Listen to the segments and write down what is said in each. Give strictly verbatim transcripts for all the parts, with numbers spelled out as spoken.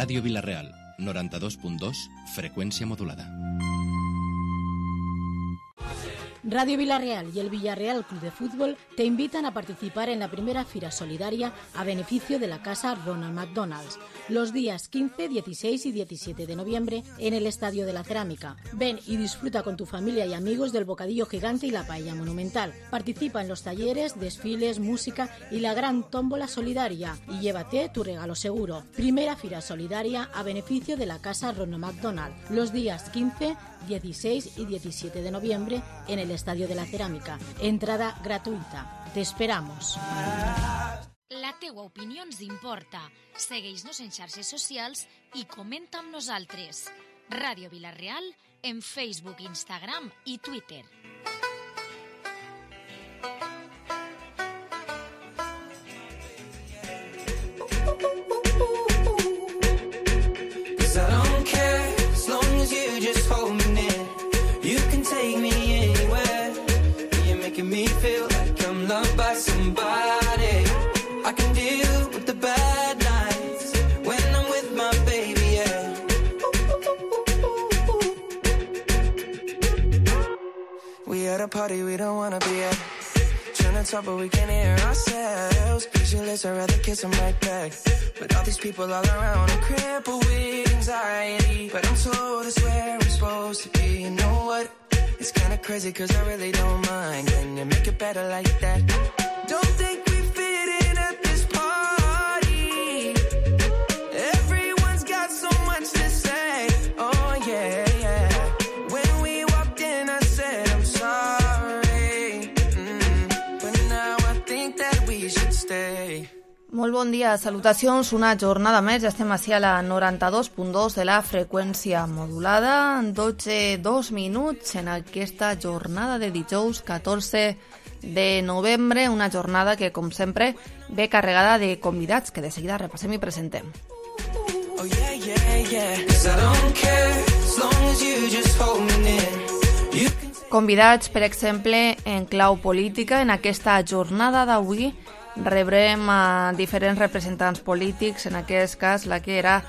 Ràdio Vila-real, noranta-dos punt dos, freqüència modulada. Radio Vila-real y el Villarreal Club de Fútbol te invitan a participar en la primera Fira Solidaria a beneficio de la Casa Ronald McDonald's, los días quince, dieciséis y diecisiete de noviembre en el Estadio de la Cerámica. Ven y disfruta con tu familia y amigos del bocadillo gigante y la paella monumental. Participa en los talleres, desfiles, música y la gran tómbola solidaria y llévate tu regalo seguro. Primera Fira Solidaria a beneficio de la Casa Ronald McDonald, los días quince, dieciséis y diecisiete de noviembre en el Estadio de la Cerámica. Entrada gratuïta. Te esperamos. La teua opinió ens importa. Segueix-nos en xarxes socials i comenta amb nosaltres. Ràdio Vila-real en Facebook, Instagram i Twitter. Me feel like I'm loved by somebody. I can deal with the bad nights when I'm with my baby, yeah. We at a party we don't wanna be at, trying to talk but we can't hear ourselves. Pictureless, I'd rather kiss them right back, but all these people all around, I'm crippled with anxiety, but I'm told it's where I'm supposed to be. You know what? It's kinda crazy cause I really don't mind. Can you make it better like that? Don't think we fit in at this party. Everyone's got so much to say. Oh yeah, yeah. When we walked in I said I'm sorry, mm, but now I think that we should stay. Molt bon dia, salutacions, una jornada més, ja estem ací a la noranta-dos punt dos de la freqüència modulada, dotze, dos minuts en aquesta jornada de dijous catorze de novembre, una jornada que, com sempre, ve carregada de convidats que de seguida repassem i presentem. Oh, yeah, yeah, yeah. 'Cause I don't care as long as you just hold me near. You can... Convidats, per exemple, en clau política, en aquesta jornada d'avui, rebrem a diferents representants polítics, en aquest cas la que era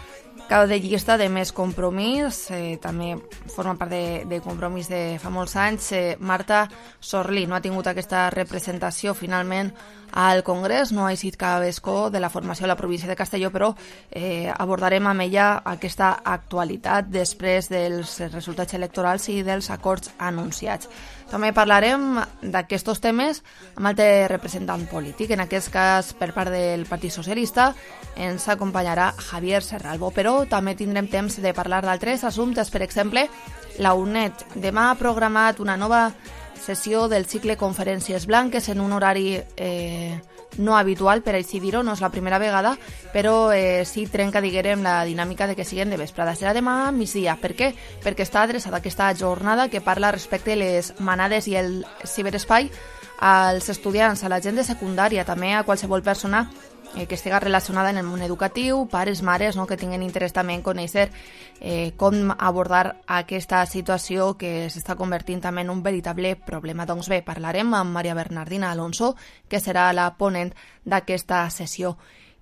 cap de llista de Més Compromís, eh, també forma part de, de Compromís de fa molts anys, eh, Marta Sorlí. No ha tingut aquesta representació finalment al Congrés, no ha eixit cap escó de la formació a la província de Castelló, però eh, abordarem amb ella aquesta actualitat després dels resultats electorals i dels acords anunciats. També parlarem d'aquests temes amb altre representant polític. En aquest cas, per part del Partit Socialista, ens acompanyarà Javier Serralbo, però també tindrem temps de parlar d'altres assumptes. Per exemple, la U N E D demà ha programat una nova sessió del cicle Conferències Blanques en un horari eh, no habitual, per així dir-ho, no és la primera vegada, però eh, sí trenca, diguem, la dinàmica de que siguin de vesprada. Serà demà a migdia. Per què? Perquè està adreçada aquesta jornada que parla respecte a les manades i el ciberespai als estudiants, a la gent de secundària, també a qualsevol persona eh, que estigui relacionada en el món educatiu, pares, mares, no?, que tinguin interès també en conèixer eh, com abordar aquesta situació que s'està convertint també en un veritable problema. Doncs bé, parlarem amb Maria Bernardina Alonso, que serà la ponent d'aquesta sessió.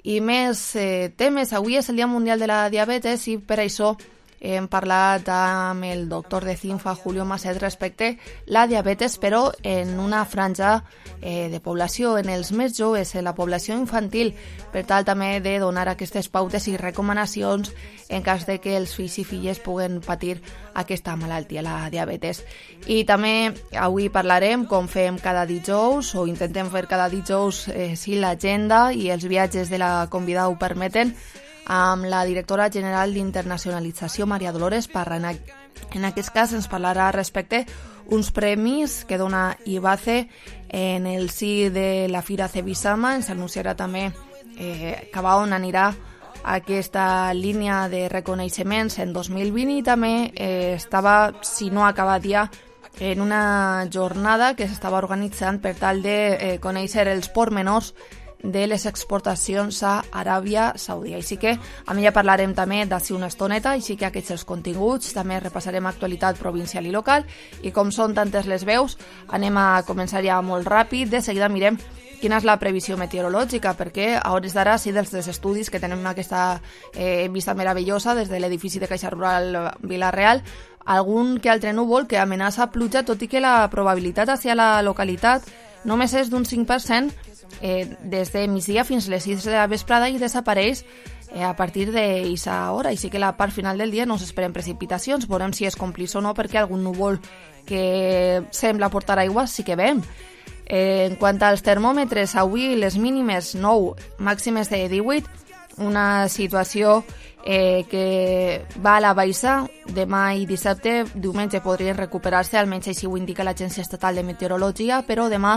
I més eh, temes. Avui és el Dia Mundial de la Diabetes i per això hem parlat amb el doctor de CINFA, Julio Maset, respecte la diabetes, però en una franja eh, de població, en els més joves, en la població infantil, per tal també de donar aquestes pautes i recomanacions en cas de que els fills i filles puguen patir aquesta malaltia, la diabetes. I també avui parlarem, com fem cada dijous, o intentem fer cada dijous, eh, si l'agenda i els viatges de la convidada ho permeten, amb la directora general d'Internacionalització, Maria Dolores Parra. En aquest cas ens parlarà respecte uns premis que dona I B A C E en el si de la Fira Cebisama. Ens anunciarà també eh, cap a on anirà aquesta línia de reconeixements en dos mil vint i també eh, estava, si no ha acabat ja, en una jornada que s'estava organitzant per tal de eh, conèixer els pormenors de les exportacions a Aràbia Saudita. Així que amb ella parlarem també d'ací una estoneta, així que aquests els continguts, també repassarem actualitat provincial i local, i com són tantes les veus, anem a començar ja molt ràpid. De seguida mirem quina és la previsió meteorològica, perquè a hores d'ara sí dels estudis que tenem aquesta eh, vista meravellosa des de l'edifici de Caixa Rural Vila-real, algun que altre núvol que amenaça pluja, tot i que la probabilitat hacia la localitat només és d'un cinc per cent eh, des de migdia fins a les sis de la vesprada i desapareix eh, a partir d'aquesta hora. Així que la part final del dia no s'esperen precipitacions, veurem si es complís o no, perquè algun núvol que sembla portar aigua sí que veiem. Eh, en quant als termòmetres, avui les mínimes nou, màximes de divuit, una situació eh, que va a la baixa. Demà i dissabte, diumenge podrien recuperar-se, almenys així ho indica l'Agència Estatal de Meteorologia, però demà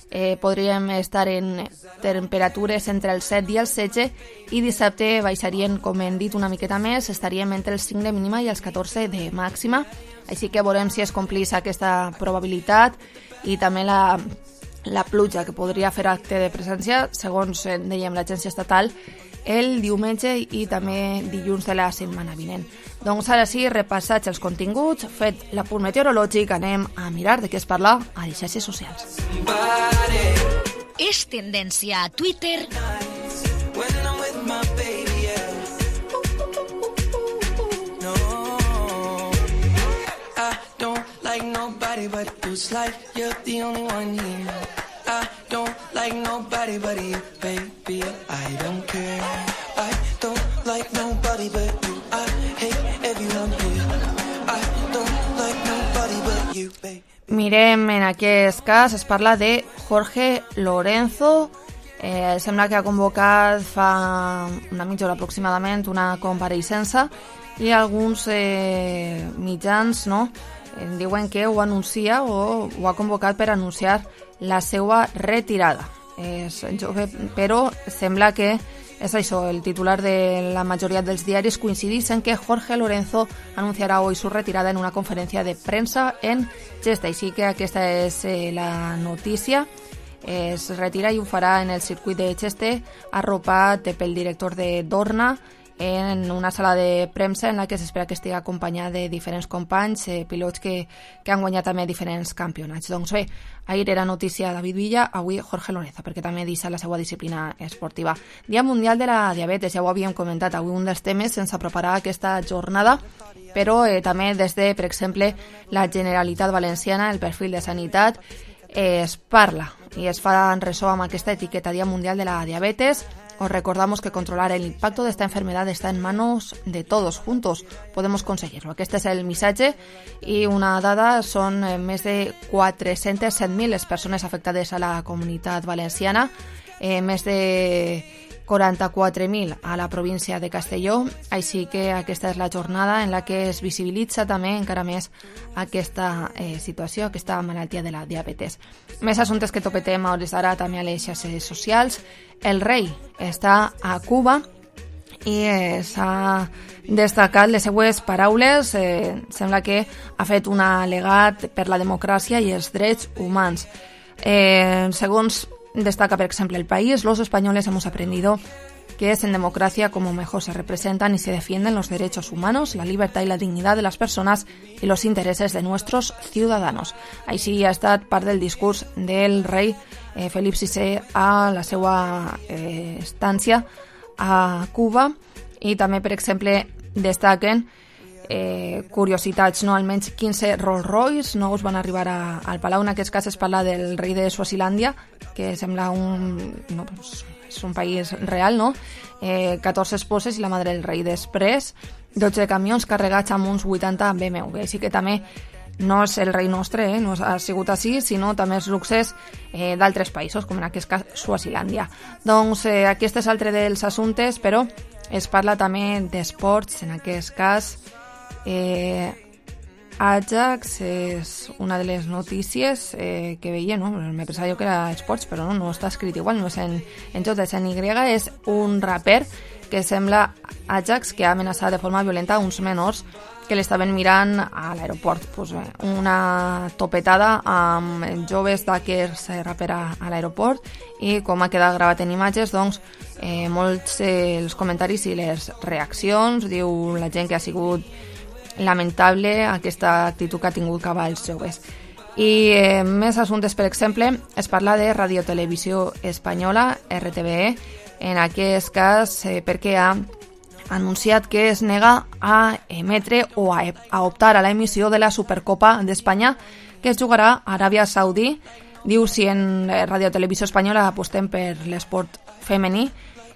eh, podríem estar en temperatures entre els set i els setze i dissabte baixarien, com hem dit, una miqueta més, estaríem entre els cinc de mínima i els catorze de màxima, així que veurem si es complís aquesta probabilitat i també la la pluja que podria fer acte de presència, segons dèiem l'agència estatal, el diumenge i també dilluns de la setmana vinent. Doncs ara sí, repassats els continguts, fet l'apunt meteorològic, anem a mirar de què es parla a les xarxes socials. És tendència a Twitter but it feels like you're the only one here. I don't like nobody but you, baby. I don't care. I don't like nobody but you. I hate everyone here. I don't like nobody but you, baby. Mirem, en aquest cas es parla de Jorge Lorenzo. Eh, sembla que ha convocat fa una mitja hora aproximadament una compareixença i alguns eh, mitjans, no?, diuen que ho anuncia o ho ha convocat per anunciar la seva retirada. És jove, però sembla que és això, el titular de la majoria dels diaris coincideix en que Jorge Lorenzo anunciarà hoy su retirada en una conferència de premsa en Cheste. Així que aquesta és eh, la notícia. Es retira i ho farà en el circuit de Cheste, arropat pel director de Dorna, en una sala de premsa en la que s'espera que estigui acompanyada de diferents companys, eh, pilots que, que han guanyat també diferents campionats. Doncs bé, ahir era notícia David Villa, avui Jorge Lorenzo, perquè també deixa la seva disciplina esportiva. Dia Mundial de la Diabetes, ja ho havíem comentat, avui un dels temes sense preparar aquesta jornada, però eh, també des de, per exemple, la Generalitat Valenciana, el perfil de sanitat, eh, es parla i es fa en ressò amb aquesta etiqueta Dia Mundial de la Diabetes. Os recordamos que controlar el impacto de esta enfermedad está en manos de todos. Juntos podemos conseguirlo. Aquest és el missatge i una dada, són més de quatre-centes set mil les persones afectades a la comunitat valenciana, eh, més de quaranta-quatre mil a la província de Castelló, així que aquesta és la jornada en la que es visibilitza també encara més aquesta eh, situació, aquesta malaltia de la diabetes. Més assumptes que topetem a hores d'ara també a les xarxes socials. El rei està a Cuba i eh, s'ha destacat les seues paraules. Eh, sembla que ha fet un al·legat per la democràcia i els drets humans. Eh, segons destaca, por ejemplo, El País, los españoles hemos aprendido que es en democracia como mejor se representan y se defienden los derechos humanos, la libertad y la dignidad de las personas y los intereses de nuestros ciudadanos. Així ha estat part del discurs del rei eh, Felip sisè a la seva eh, estància a Cuba, i també, per exemple, destaquen Eh, curiositats, no? Almenys quinze Rolls Royce nous van arribar a, al Palau. En aquest cas es parla del rei de Suazilàndia, que sembla un, no, pues, és un país real, no? Eh, catorze esposes i la madre del rei. Després, dotze camions carregats amb uns vuitanta B M W. Així que també no és el rei nostre, eh? No ha sigut així, sinó també els luxes eh, d'altres països, com en aquest cas Suazilàndia. Doncs eh, aquest és altre dels assumptes, però es parla també d'esports, en aquest cas. Eh, Ajax és una de les notícies eh, que veia, no? Me pensava jo que era esports, però no, no està escrit igual, no és en, en J, és en Y. És un raper que sembla Ajax, que ha amenaçat de forma violenta uns menors que l'estaven mirant a l'aeroport. Pues, eh, una topetada amb joves d'aquests eh, rapera a l'aeroport, i com ha quedat gravat en imatges, doncs eh, molts eh, els comentaris i les reaccions, diu la gent que ha sigut lamentable aquesta actitud que ha tingut cap als joves. I eh, més assumptes, per exemple, es parla de Radio Televisió Espanyola, R T V E, en aquest cas eh, perquè ha anunciat que es nega a emetre o a, a optar a la emissió de la Supercopa d'Espanya que es jugarà a Aràbia Saudí. Diu, si en Radio Televisió Espanyola apostem per l'esport femení,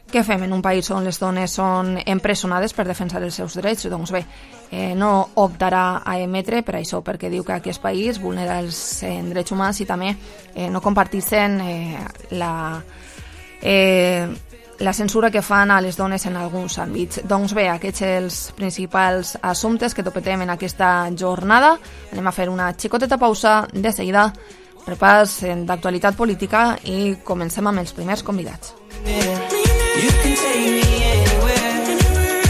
què fem en un país on les dones són empresonades per defensar els seus drets? Doncs bé, eh, no optarà a emetre per això, perquè diu que aquest país vulnera els eh, drets humans i també eh, no comparteixen eh, la, eh, la censura que fan a les dones en alguns àmbits. Doncs bé, aquests els principals assumptes que topetem en aquesta jornada. Anem a fer una xicoteta pausa, de seguida repàs d'actualitat política i comencem amb els primers convidats. You can take me anywhere.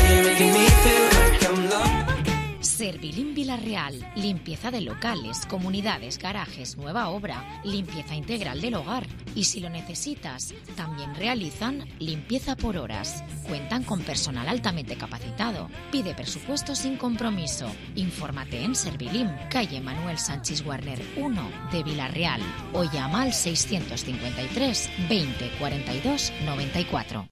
You're making me feel like I'm loved. Servilín Villarreal, limpieza de locales, comunidades, garajes, nueva obra, limpieza integral del hogar. Y si lo necesitas, también realizan limpieza por horas. Cuentan con personal altamente capacitado. Pide presupuesto sin compromiso. Infórmate en Servilín, calle Manuel Sánchez Warner uno de Villarreal o llama al seiscientos cincuenta y tres veinte cuarenta y dos noventa y cuatro.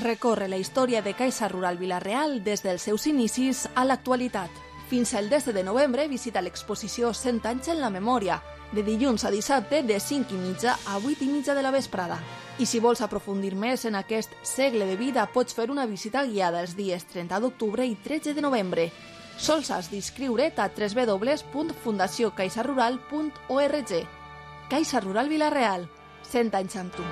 Recorre la història de Caixa Rural Vila-real des dels seus inicis a l'actualitat. Fins al desè de novembre visita l'exposició cent anys en la memòria, de dilluns a dissabte de cinc i mitja a vuit i mitja de la vesprada. I si vols aprofundir més en aquest segle de vida, pots fer una visita guiada els dies trenta d'octubre i tretze de novembre. Sols has d'inscriure't a w w w punt fundació caixa rural punt org. Caixa Rural Vila-real, cent anys amb tu.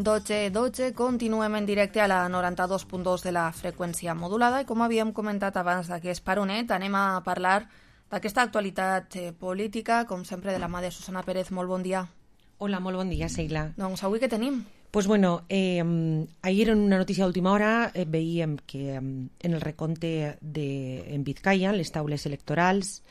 dotze dotze, continuem en directe a la noranta-dos punt dos de la freqüència modulada i com havíem comentat abans d'aquest paronet anem a parlar d'aquesta actualitat eh, política, com sempre de la mà de Susana Pérez. Molt bon dia. Hola, molt bon dia, Sheila. Doncs avui què tenim? Pues bueno, eh, ayer en una noticia de última hora eh, veiem que eh, en el recompte de, en Vizcaya, en les taules electorals,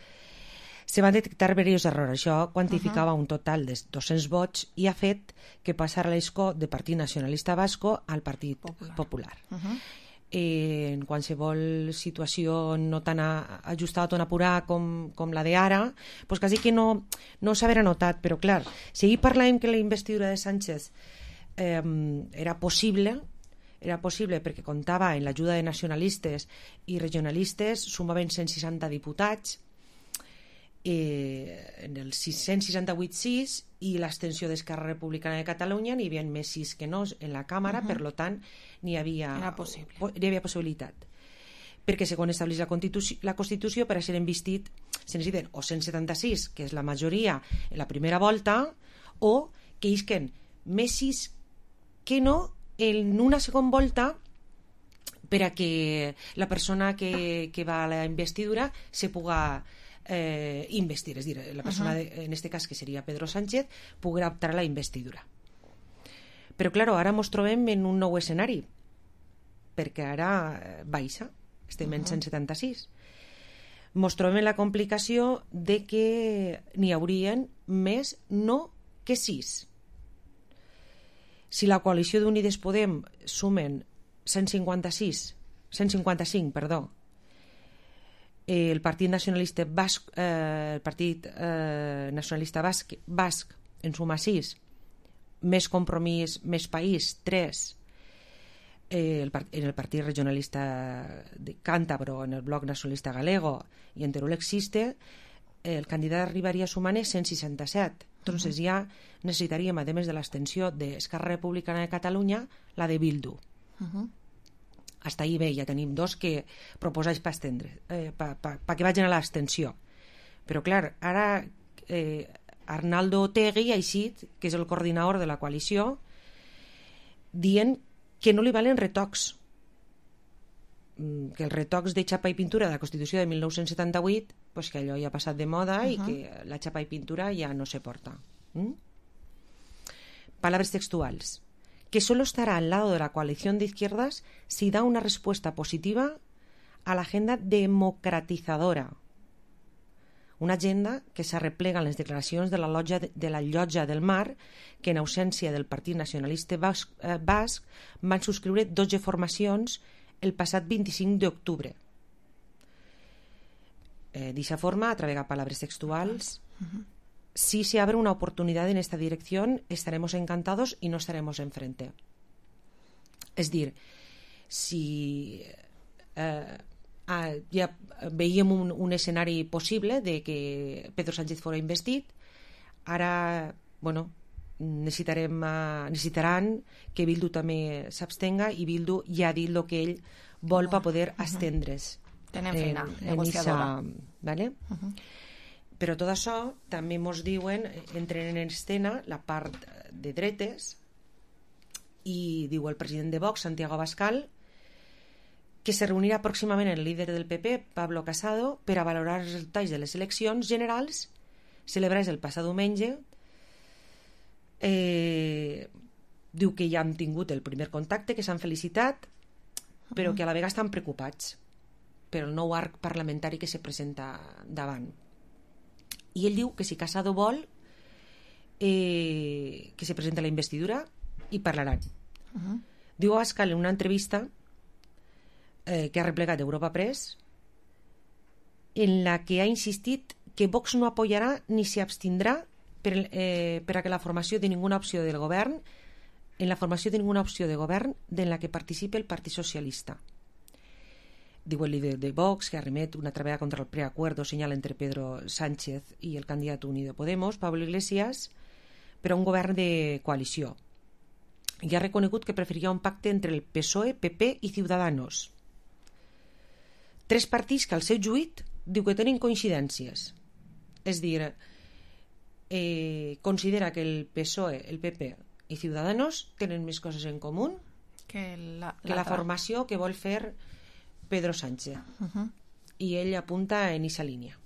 se van detectar diversos errors. Això quantificava uh-huh. un total de dos-cents vots i ha fet que passara l'escó del Partit Nacionalista Vasco al Partit Popular. Popular. Uh-huh. Eh, en qualsevol situació no tan a, ajustada, tan apurada com, com la d'ara, pues quasi que no, no s'haver notat. Però clar, si ahir parlàvem que la investidura de Sánchez eh, era possible, era possible perquè comptava en l'ajuda de nacionalistes i regionalistes, sumaven cent seixanta diputats, Eh, en el sis-cents seixanta-vuit sis i l'abstenció d'Esquerra Republicana de Catalunya n'hi havia més sis que no en la Càmera, uh-huh. per tant n'hi havia, n'hi havia possibilitat perquè segons estableix la Constitució, la Constitució per a ser investit se necessiten o cent setanta-sis, que és la majoria en la primera volta, o que isquen més sis que no en una segona volta per a que la persona que, que va a la investidura se puga Eh, investir, és dir, la persona, uh-huh. de, en este cas que seria Pedro Sánchez, podrà optar a la investidura. Però claro, ara ens trobem en un nou escenari, perquè ara baixa, estem uh-huh. en cent setanta-sis. Ens trobem en la complicació de que n'hi haurien més no que sis. Si la coalició d'Unides Podem sumen cent cinquanta-sis, cent cinquanta-cinc, perdó, el Partit Nacionalista Basc, eh, el Partit eh, Nacionalista Basc, Basc en suma sis, més Compromís, més País, tres, eh, el, en el Partit Regionalista de Cántabro, en el Bloc Nacionalista Galego i en Teruel Existe, el candidat arribaria sumant cent seixanta-set. Entonces uh-huh. ja necessitaríem, a més de l'abstenció d'Esquerra Republicana de Catalunya, la de Bildu. Uh-huh. Hasta ahí bé, ja tenim dos que proposáis per estendre, eh, pa, pa, pa que vagin a l'abstenció. Però clar, ara eh, Arnaldo Otegi ha eixit, que és el coordinador de la coalició, dient que no li valen retocs, que els retocs de xapa i pintura de la Constitució de mil nou-cents setanta-vuit, pues que allò ja ha passat de moda uh-huh. i que la xapa i pintura ja no se porta. ¿Mm? Palabras textuals. Que solo estará al lado de la coalición de izquierdas si da una respuesta positiva a la agenda democratizadora. Una agenda que s'arreplega en les declaracions de la, Llotja, de la Llotja del Mar, que en ausència del Partit Nacionalista Basc, eh, Basc van subscriure dotze formacions el passat vint-i-cinc d'octubre. Eh, de esa forma, a través de palabras textuales, uh-huh. Si se abre una oportunidad en esta dirección, estaremos encantados y no estaremos enfrente. Es dir, si eh, ah, ja veiem un, un escenari possible de que Pedro Sánchez fora investit, ara, bueno, necessitarem, uh, necessitaran que Bildu també s'abstenga, i Bildu ja ha dit el que ell vol per poder uh-huh. estendre's. Tenen feina, en, negociadora. En esa, ¿vale? Uh-huh. Però tot això també ens diuen, entren en escena la part de dretes, i diu el president de Vox, Santiago Abascal, que se reunirà pròximament el líder del P P, Pablo Casado, per a valorar els resultats de les eleccions generals celebrades el passat diumenge. Eh, diu que ja han tingut el primer contacte, que s'han felicitat, però que a la vegada estan preocupats per el nou arc parlamentari que se presenta davant. I ell diu que si Casado vol, eh, que se presenta la investidura i parlaran. Uh-huh. Diu Abascal en una entrevista eh, que ha replegat Europa Press, en la que ha insistit que Vox no apoyarà ni s'abstindrà per, eh, per a que la formació de ninguna opció del govern en la formació de ninguna opció de govern en la que participi el Partit Socialista. Diu el líder de Vox, que arremet una traballa contra el preacuerdo senyal entre Pedro Sánchez i el candidat Unido Podemos, Pablo Iglesias, per a un govern de coalició. I ha reconegut que preferiria un pacte entre el P S O E, P P i Ciudadanos. Tres partits que al seu juit diu que tenen coincidències. És dir, eh, considera que el P S O E, el P P i Ciudadanos tenen més coses en comú que la, que la formació que vol fer Pedro Sánchez. Uh-huh. I ell apunta en esa línia.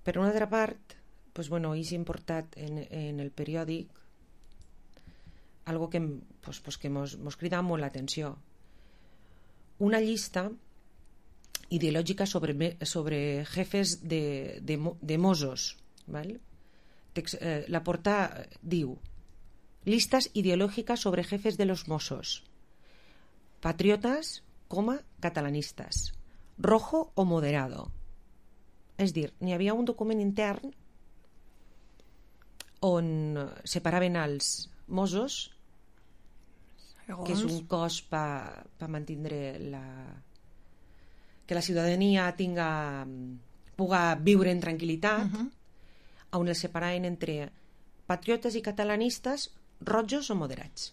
Per una altra part, pues bueno, és importat en, en el periòdic algo que, pues, pues que mos, mos crida molt l'atenció. Una llista ideològica sobre, sobre jefes de, de, de Mossos. ¿Vale? Tex, eh, la portada diu: listas ideológicas sobre jefes de los Mossos. Patriotas, coma, catalanistas. Rojo o moderado. És dir, n'hi havia un document intern on separaven els Mossos, segons, que és un cos per pa mantindre la... que la ciutadania tinga, puga viure en tranquil·litat, uh-huh. on els separaven entre patriotes i catalanistes, rojos o moderats.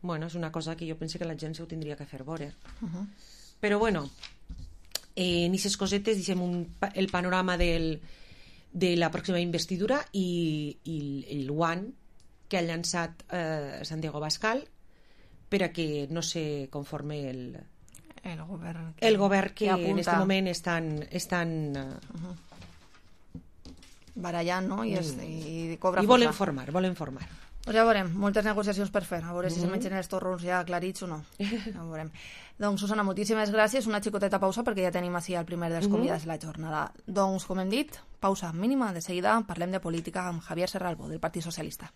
Bueno, és una cosa que jo penso que la gent se ho tindria que fer veure. Uh-huh. Però bueno, eh, en aquestes cosetes deixem un, el panorama del, de la pròxima investidura i, i el guant que ha llançat eh, Santiago Abascal per a que no se conforme el, el govern que, el govern que, que en aquest moment estan, estan uh-huh. barallant, no? I, es, i, cobra i volen formar, volen formar. Pues ja veurem, moltes negociacions per fer, a veure si mm-hmm. se mengen els torrons ja aclarits o no. Ja veurem. Doncs, Susana, moltíssimes gràcies. Una xicoteta pausa perquè ja tenim així el primer dels convidats de la jornada. Doncs, com hem dit, pausa mínima. De seguida parlem de política amb Javier Serralbo, del Partit Socialista.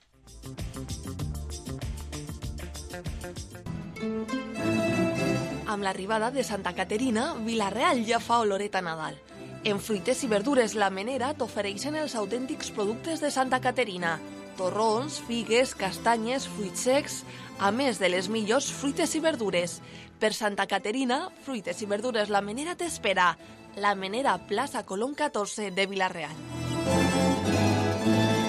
Amb l'arribada de Santa Caterina, Vila-real ja fa oloret a Nadal. En fruites i verdures La Menera t'ofereixen els autèntics productes de Santa Caterina. Torrons, figues, castanyes, fruits secs, a més de les millors fruites i verdures. Per Santa Caterina, fruites i verdures La Menera t'espera. La Menera, Plaza Colón catorce de Vila-real.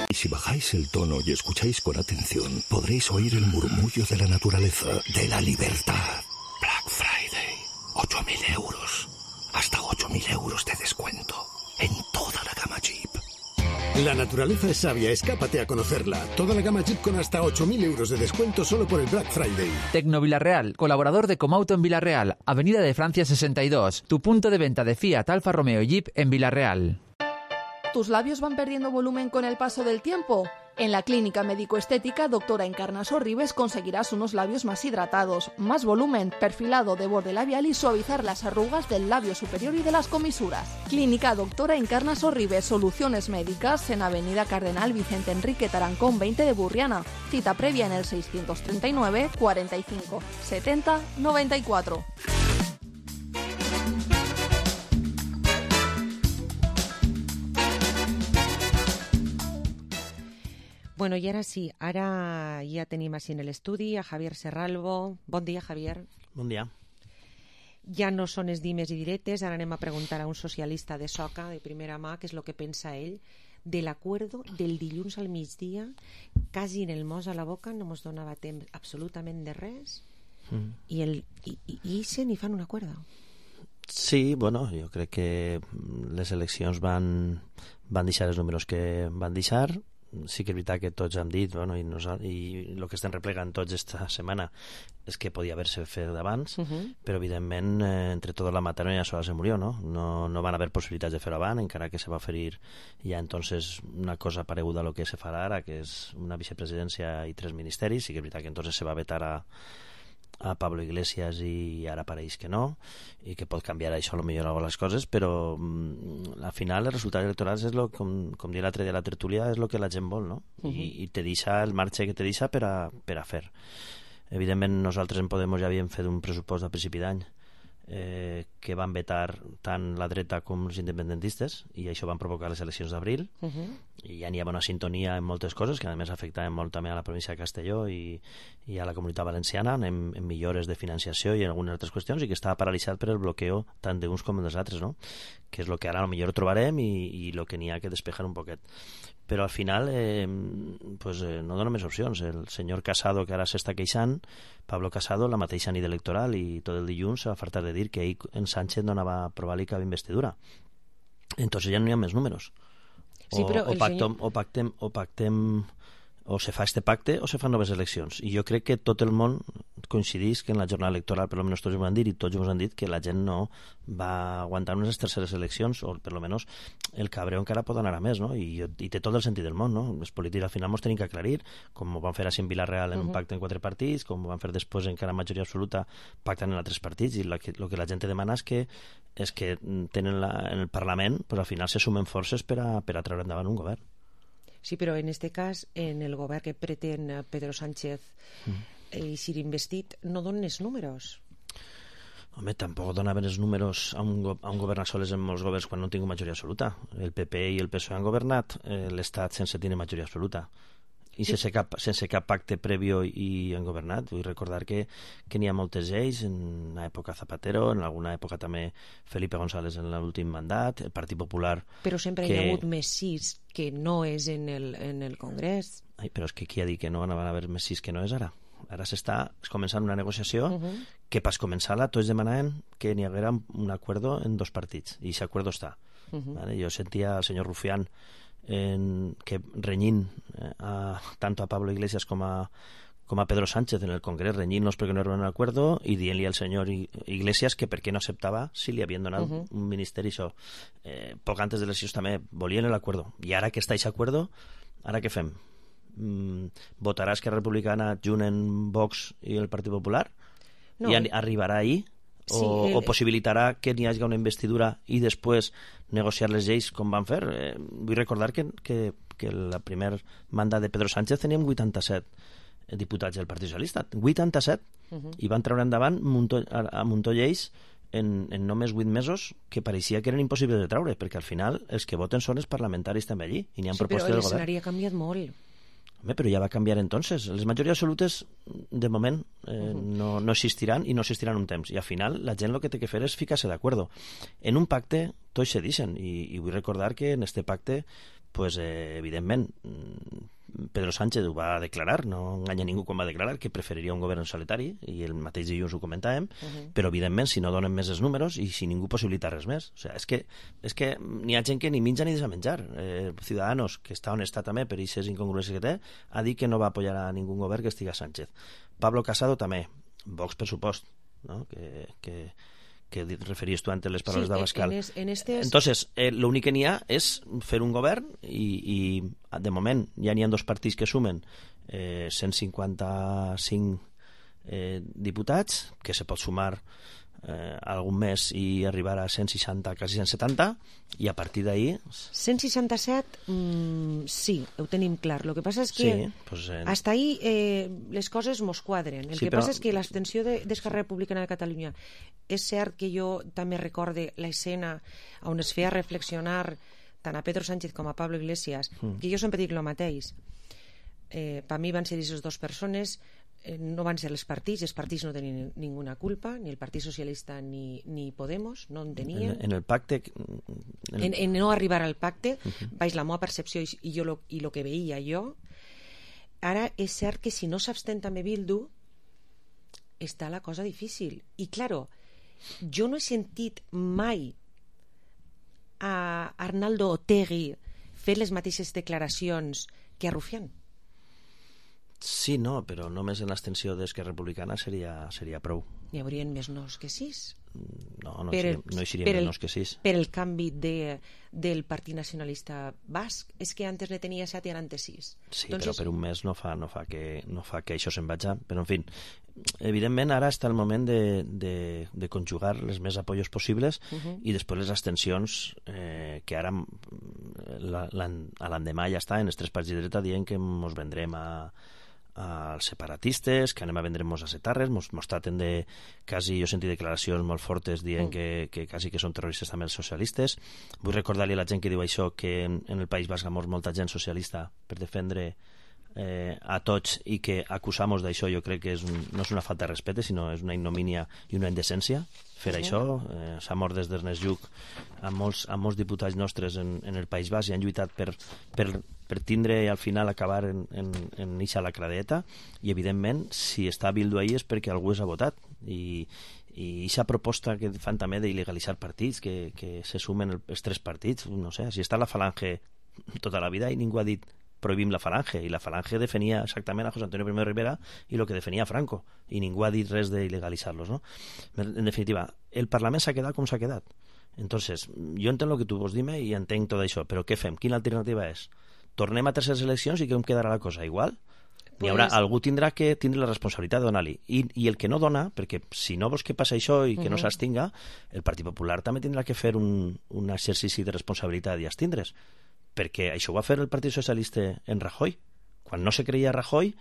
Y si bajáis el tono y escucháis con atención, podréis oír el murmullo de la naturaleza, de la libertad. Black Friday, ocho mil euros. Hasta ocho mil euros de descuento en toda la gama Jeep. La naturaleza es sabia, escápate a conocerla. Toda la gama Jeep con hasta ocho mil euros de descuento solo por el Black Friday. Tecno Villarreal, colaborador de Comauto en Villarreal, Avenida de Francia sesenta y dos, tu punto de venta de Fiat, Alfa Romeo y Jeep en Villarreal. ¿Tus labios van perdiendo volumen con el paso del tiempo? En la clínica médico-estética Doctora Encarna Sorribes conseguirás unos labios más hidratados, más volumen, perfilado de borde labial y suavizar las arrugas del labio superior y de las comisuras. Clínica Doctora Encarna Sorribes, soluciones médicas en Avenida Cardenal Vicente Enrique Tarancón veinte de Burriana. Cita previa en el seiscientos treinta y nueve, cuarenta y cinco, setenta, noventa y cuatro. Bueno, i ara sí, ara ja tenim així en l'estudi a Javier Serralvo. Bon dia, Javier. Bon dia. Ja no són els dimes i diretes, ara anem a preguntar a un socialista de Soca, de primera mà, què és el que pensa ell de l'acuerdo del dilluns al migdia, quasi en el mos a la boca, no mos donava temps absolutament de res, mm. i, el, i, i, i se n'hi fan un acuerdo. Sí, bueno, jo crec que les eleccions van, van deixar els números que van deixar. Sí que és veritat que tots hem dit, bueno, i, nos, i el que estem replegant tots esta setmana és que podia haver-se fet d'abans, uh -huh. però evidentment eh, entre tota la matèria ja sola se murió, no? No, no van haver possibilitats de fer-ho abans, encara que se va oferir ja entonces una cosa pareguda a lo que se farà ara, que és una vicepresidència i tres ministeris. Sí que és veritat que entonces se va vetar a a Pablo Iglesias i ara pareix que no, i que pot canviar això a lo millor algunes coses, però mm, al final els resultats electorals és lo, com, com dir l'altre dia a la tertúlia, és el que la gent vol, no? Uh -huh. I, i te deixa el marge que te deixa per a, per a fer. Evidentment nosaltres en Podemos ja havíem fet un pressupost a principi d'any eh, que van vetar tant la dreta com els independentistes, i això van provocar les eleccions d'abril. Uh -huh. I ja n'hi havia una sintonia en moltes coses que a més afectaven molt també a la província de Castelló i, i a la Comunitat Valenciana en, en millores de financiació i en algunes altres qüestions, i que estava paralitzat per el bloqueo tant d'uns com dels altres, no? Que és el que ara potser trobarem i el que n'hi ha que despejar un poquet. Però al final eh, pues, eh, no dona més opcions. El senyor Casado, que ara s'està queixant, Pablo Casado, la mateixa nit electoral i tot el dilluns s'ha fartat de dir que ell en Sánchez no anava a provar-li cap investidura. Entonces ja no hi ha més números. Sí, però o, o, pactem, senyor... o pactem o pactem o se fa este pacte o se fan noves eleccions, i jo crec que tot el món coincidís que en la jornada electoral per almenys tots ho han dit, i tots ens han dit que la gent no va aguantar unes terceres eleccions, o per almenys el cabreo encara pot anar a més, no? I, i té tot el sentit del món, no? Els polítics al final ens tenim que aclarir, com ho van fer així en Vilareal en uh -huh. un pacte en quatre partits, com ho van fer després encara en majoria absoluta pactant en altres partits, i el que, lo que la gent demana és que és que tenen la, en el Parlament pues, al final se sumen forces per a, per a treure endavant un govern. Sí, però en aquest cas, en el govern que pretén Pedro Sánchez mm. i ser investit, no donen els números. Home, tampoc donaven els números a un, a un govern a soles en molts governs quan no tinc majoria absoluta. El P P i el P S O E han governat eh, l'Estat sense tenir majoria absoluta. I sí. sense, cap, sense cap pacte prèvio i han governat. Vull recordar que, que n'hi ha moltes lleis en l'època Zapatero, en alguna època també Felipe González en l'últim mandat, el Partit Popular... Però sempre que... hi ha hagut més sis que no és en el, en el Congrés. Ai, però és que qui ha dit que no van a haver més sis que no és ara? Ara s'està començant una negociació uh -huh. que pas començar-la tots demanaven que n'hi haguera un acuerdo en dos partits, i aquest acuerdo està. Uh -huh. ¿Vale? Jo sentia al senyor Rufián en, que renyint eh, a, tanto a Pablo Iglesias com a, com a Pedro Sánchez en el Congrés, renyint-los perquè no era un acuerdo i dient-li al senyor Iglesias que per què no acceptava si li havien donat uh -huh. un ministeri. Això eh, poc antes de les eleccions també volien l'acuerdo, i ara que està aquest acuerdo, ara què fem? Mm, votarà Esquerra Republicana junt en Vox i el Partit Popular? No, i arribarà ahir? O, sí, el... o possibilitarà que n'hi hagi una investidura i després negociar les lleis com van fer? Eh, vull recordar que, que, que la primer mandat de Pedro Sánchez teníem vuitanta-set diputats del Partit Socialista, vuitanta-set, uh -huh. i van treure endavant muntó, a, a muntó lleis en, en només vuit mesos que pareixia que eren impossibles de treure, perquè al final els que voten són els parlamentaris també allí, i n'hi ha sí, propostes del govern. Sí, però l'escenari ha canviat molt. Home, però ja va canviar entonces. Les majories absolutes, de moment, eh, uh -huh. no, no existiran i no existiran un temps. I al final la gent el que té que fer és ficar-se d'acord. En un pacte tots se deixen, i, i vull recordar que en este pacte, pues, eh, evidentment, Pedro Sánchez ho va declarar, no enganya ningú quan va declarar que preferiria un govern solitari, i el mateix dilluns ho comentàvem, uh -huh. però evidentment si no donen més els números i si ningú possibilita res més, o sea, és que, és que n'hi ha gent que ni menja ni deixa menjar. eh, Ciudadanos, que està on està també per aquestes incongruències que té, ha dit que no va apoyar a ningú govern que estiga Sánchez. Pablo Casado també, Vox per supost, no? que, que que referies tu antes les paraules sí, d'Abascal. En es, en estes... Entonces, eh, l'únic que n'hi ha és fer un govern i, i de moment ja n'hi ha dos partits que sumen eh, cent cinquanta-cinc eh, diputats, que se pot sumar eh, algun mes i arribar a cent seixanta, quasi cent setanta, i a partir d'ahir... cent seixanta-set, mm, sí, ho tenim clar. El que passa és que sí, pues, eh... hasta ahí eh, les coses mos quadren. El sí, que però... passa és que l'abstenció d'Esquerra Republicana de Catalunya, és cert que jo també recorde l'escena on es feia reflexionar tant a Pedro Sánchez com a Pablo Iglesias, mm. que jo sempre dic el mateix. Eh, per mi van ser aquestes dues persones, eh, no van ser els partits, els partits no tenien ninguna culpa, ni el Partit Socialista ni, ni Podemos, no en tenien. En, en el pacte... En, en, en no arribar al pacte, uh -huh. vaig la meva percepció i, i, jo lo, i lo que veia jo. Ara és cert que si no s'abstén també Bildu, està la cosa difícil. I, claro, jo no he sentit mai a Arnaldo Otegi fer les mateixes declaracions que a Rufián. Sí, no, però només en l'extensió d'Esquerra Republicana seria, seria prou. N'hi haurien més nos que sis? No, no, seria, no hi seria més nos que sis. Per el canvi de, del Partit Nacionalista Basc, és que antes ne tenia set i ara en té sis. Sí, Entonces... però per un mes no fa, no fa, que, no fa que això se'n vagi. Però, en fi, evidentment ara està el moment de, de, de conjugar les més apoyos possibles uh -huh. i després les abstencions eh, que ara la, la, a l'endemà ja està en els tres partits de dreta dient que ens vendrem a als separatistes, que anem a vendre'ns a setarres, mos, mos traten de... quasi, jo he sentit declaracions molt fortes dient mm. que, que quasi que són terroristes també els socialistes. Vull recordar-li a la gent que diu això que en, en el País Basc ha mort molta gent socialista per defendre eh, a tots i que acusamos d'això jo crec que és un, no és una falta de respecte sinó és una ignomínia i una indecència fer sí. això. Eh, s'ha mort des d'Ernest Lluch amb molts, amb molts diputats nostres en, en el País Basc i han lluitat per, per per tindre al final acabar en, en, en eixa lacradeta i evidentment si està Bildu ahí és perquè algú s'ha votat i i eixa proposta que fan també d'il·legalitzar partits que, que se sumen els tres partits, no sé, si està la Falange tota la vida i ningú ha dit prohibim la Falange, i la Falange defenia exactament a José Antonio Primo de Rivera i el que defenia Franco, i ningú ha dit res d'il·legalitzar-los, no? En definitiva, el Parlament s'ha quedat com s'ha quedat. Entonces, jo entenc el que tu vols dir-me i entenc tot això, però què fem? Quina alternativa és? Tornem a terceres eleccions i com quedarà la cosa? Igual? Pues... N'hi haurà, algú tindrà que tindre la responsabilitat de donar-li. I, I el que no dona, perquè si no vols que passi això i que uh-huh. no s'abstinga, el Partit Popular també tindrà que fer un, un exercici de responsabilitat i abstindre's. Perquè això ho va fer el Partit Socialista en Rajoy. Quan no se creia Rajoy,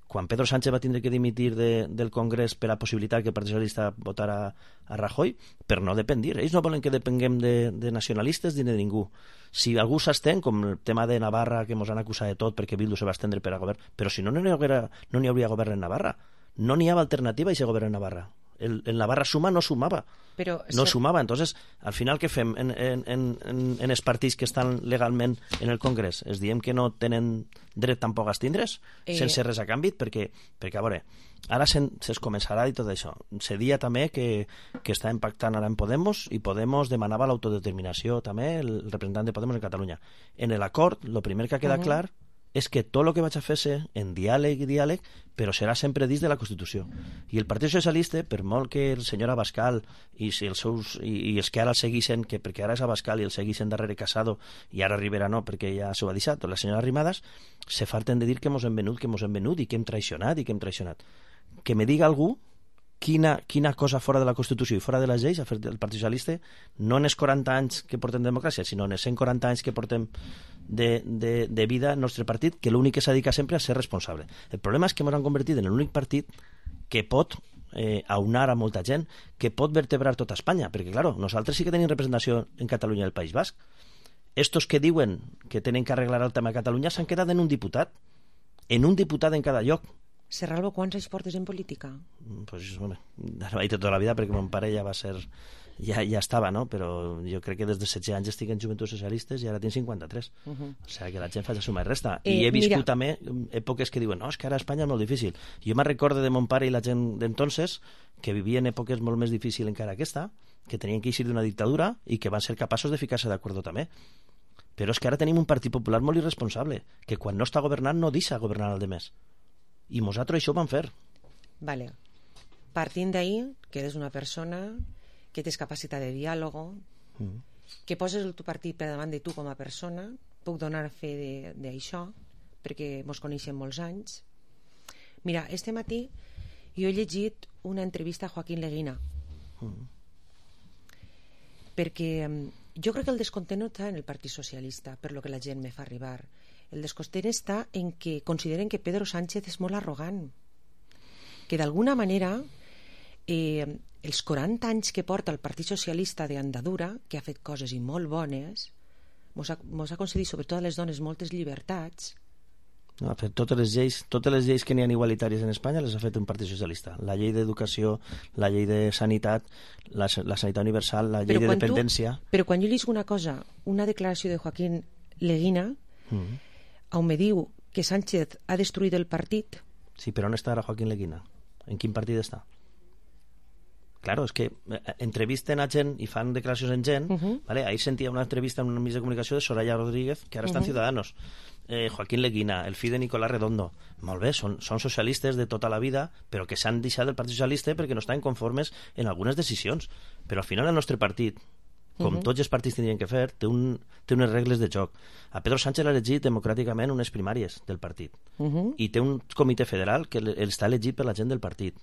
quan Pedro Sánchez va tindre que dimitir de, del Congrés per la possibilitat que el Partit Socialista votara a Rajoy, per no dependir. Ells no volen que depenguem de, de nacionalistes ni de ningú. Si algú s'estén, com el tema de Navarra, que ens han acusat de tot perquè Bildu se va estendre per a govern, però si no, no n'hi hauria, no n'hi hauria govern en Navarra. No n'hi havia alternativa a aquest govern en Navarra. El, el Navarra suma no sumava. Però, no ser... sumava. Entonces, al final, què fem en, en, en, en els partits que estan legalment en el Congrés? Es diem que no tenen dret tampoc a estindre's, eh... sense res a canvi, perquè, perquè a veure, ara se'n, se'ls començarà i tot això. Se dia també que, que està impactant ara en Podemos, i Podemos demanava l'autodeterminació també, el representant de Podemos en Catalunya. En l'acord, el primer que queda uh-huh. clar és que tot el que vaig a fer-se en diàleg i diàleg, però serà sempre dins de la Constitució. I el Partit Socialista, per molt que el senyor Abascal i, si els, seus, i, i els que ara el segueixen, que perquè ara és Abascal i el segueixen darrere Casado, i ara Rivera no, perquè ja s'ho ha deixat, la senyora Arrimadas, se farten de dir que mos hem venut, que mos hem venut, i que hem traicionat, i que hem traicionat. Que me diga algú quina, quina cosa fora de la Constitució i fora de les lleis ha fet el Partit Socialista, no en els quaranta anys que portem de democràcia, sinó en els cent quaranta anys que portem de, de, de vida al nostre partit, que l'únic que s'ha dedicat sempre a ser responsable. El problema és que ens han convertit en l'únic partit que pot eh, aunar a molta gent, que pot vertebrar tota Espanya, perquè, clar, nosaltres sí que tenim representació en Catalunya i el País Basc. Estos que diuen que tenen que arreglar el tema de Catalunya s'han quedat en un diputat, en un diputat en cada lloc. Serralvo, quants anys portes en política? Pues, bueno, no vaig tota la vida perquè mon pare ja va ser... Ja, ja estava, no? Però jo crec que des de setze anys estic en Joventuts Socialistes i ara tinc cinquanta-tres. Uh-huh. O sigui que la gent fa de suma i resta. Eh, I he viscut mira... també èpoques que diuen no, és que ara a Espanya és molt difícil. Jo me'n recordo de mon pare i la gent d'entonces que vivien èpoques molt més difícils encara aquesta, que tenien que eixir d'una dictadura i que van ser capaços de ficar-se d'acord també. Però és que ara tenim un Partit Popular molt irresponsable, que quan no està governant no deixa governar el demés. I nosaltres això ho vam fer. Vale. Partint d'ahir, que eres una persona que tens capacitat de diàleg, mm. que poses el teu partit per davant de tu com a persona. Puc donar fe d'això, perquè mos coneixem molts anys. Mira, este matí jo he llegit una entrevista a Joaquín Leguina, mm. perquè jo crec que el descontent no està en el Partit Socialista, per lo que la gent me fa arribar. El descontent està en que consideren que Pedro Sánchez és molt arrogant, que d'alguna manera eh, els quaranta anys que porta el Partit Socialista d'andadura, que ha fet coses i molt bones, mos ha, mos ha concedit sobretot a les dones moltes llibertats. No, ha fet totes les lleis, totes les lleis que n'hi ha igualitàries en Espanya les ha fet un Partit Socialista. La llei d'educació, la llei de sanitat, la, la sanitat universal, la llei de dependència... Tu, però quan jo llisco una cosa, una declaració de Joaquín Leguina, mm. on me diu que Sánchez ha destruït el partit... Sí, però on està ara Joaquín Leguina? En quin partit està? Claro, és que entrevisten a gent i fan declaracions en gent. Uh-huh. ¿Vale? Ahir sentia una entrevista en un mitjà de comunicació de Soraya Rodríguez, que ara està en uh-huh. Ciudadanos. Eh, Joaquín Leguina, el fill de Nicolás Redondo. Molt bé, són, són socialistes de tota la vida, però que s'han deixat del Partit Socialista perquè no estan conformes en algunes decisions. Però al final el nostre partit, com uh-huh. tots els partits tindrien que fer, té, un, té unes regles de joc. A Pedro Sánchez l'ha elegit democràticament unes primàries del partit. Uh-huh. I té un comitè federal que està elegit per la gent del partit.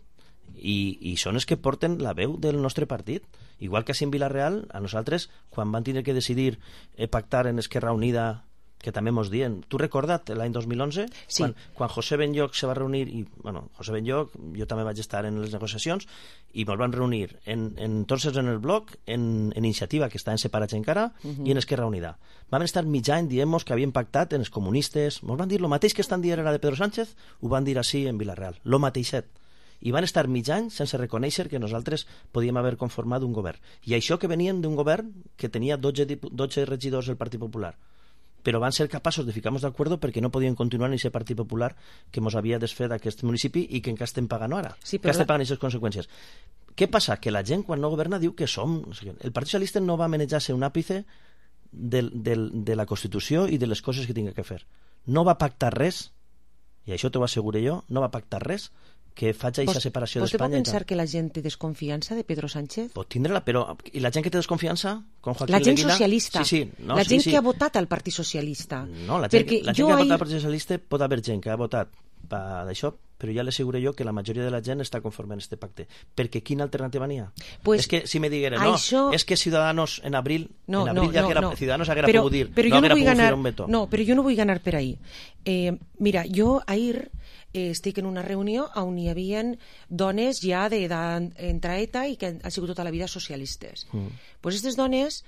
I, i són els que porten la veu del nostre partit, igual que a en Vila-real. A nosaltres, quan van tenir que decidir eh, pactar en Esquerra Unida, que també mos dien, tu recorda't l'any dos mil onze, sí. quan, quan José Benlloch se va reunir, i bueno, José Benlloch, jo també vaig estar en les negociacions, i mos van reunir en, en tots els en el bloc, en, en Iniciativa, que estaven separats encara, uh-huh. i en Esquerra Unida. Vam estar mig any dient-nos que havien pactat en els comunistes, mos van dir lo mateix que estan dient ara de Pedro Sánchez, ho van dir així en Vila-real, lo mateixet. I van estar mig any sense reconèixer que nosaltres podíem haver conformat un govern. I això que venien d'un govern que tenia dotze, dotze regidors del Partit Popular. Però van ser capaços de ficar-nos d'acord perquè no podien continuar en aquest Partit Popular que ens havia desfet d'aquest municipi i que encara estem pagant ara. Sí, que estem pagant aquestes conseqüències. Què passa? Que la gent quan no governa diu que som... El Partit Socialista no va manejar-se un àpice de, de, de la Constitució i de les coses que tinga que fer. No va pactar res, i això t'ho asseguro jo, no va pactar res que faig aquesta separació d'Espanya. Vostè pot pensar que la gent té desconfiança de Pedro Sánchez? Pot tindre-la, però... I la gent que té desconfiança? Com Joaquín la gent Leguina? Socialista. Sí, sí. No, la sí, gent sí. que ha votat al Partit Socialista. No, la gent, Perquè la gent que ha ahir... votat al Partit Socialista pot haver gent que ha votat d'això, però ja l'asseguro jo que la majoria de la gent està conforme en este pacte. Perquè quina alternativa n'hi ha? Pues, és que si me digueren, no, això... és que Ciudadanos en abril, no, en abril no, ja no, que era, no. Ciudadanos haguera però, pogut dir, però no jo no haguera vull pogut ganar, fer un veto. No, però jo no vull ganar per ahí. Eh, mira, jo ahir eh, estic en una reunió on hi havia dones ja d'entrar ETA i que han sigut tota la vida socialistes. Mm. Pues aquestes dones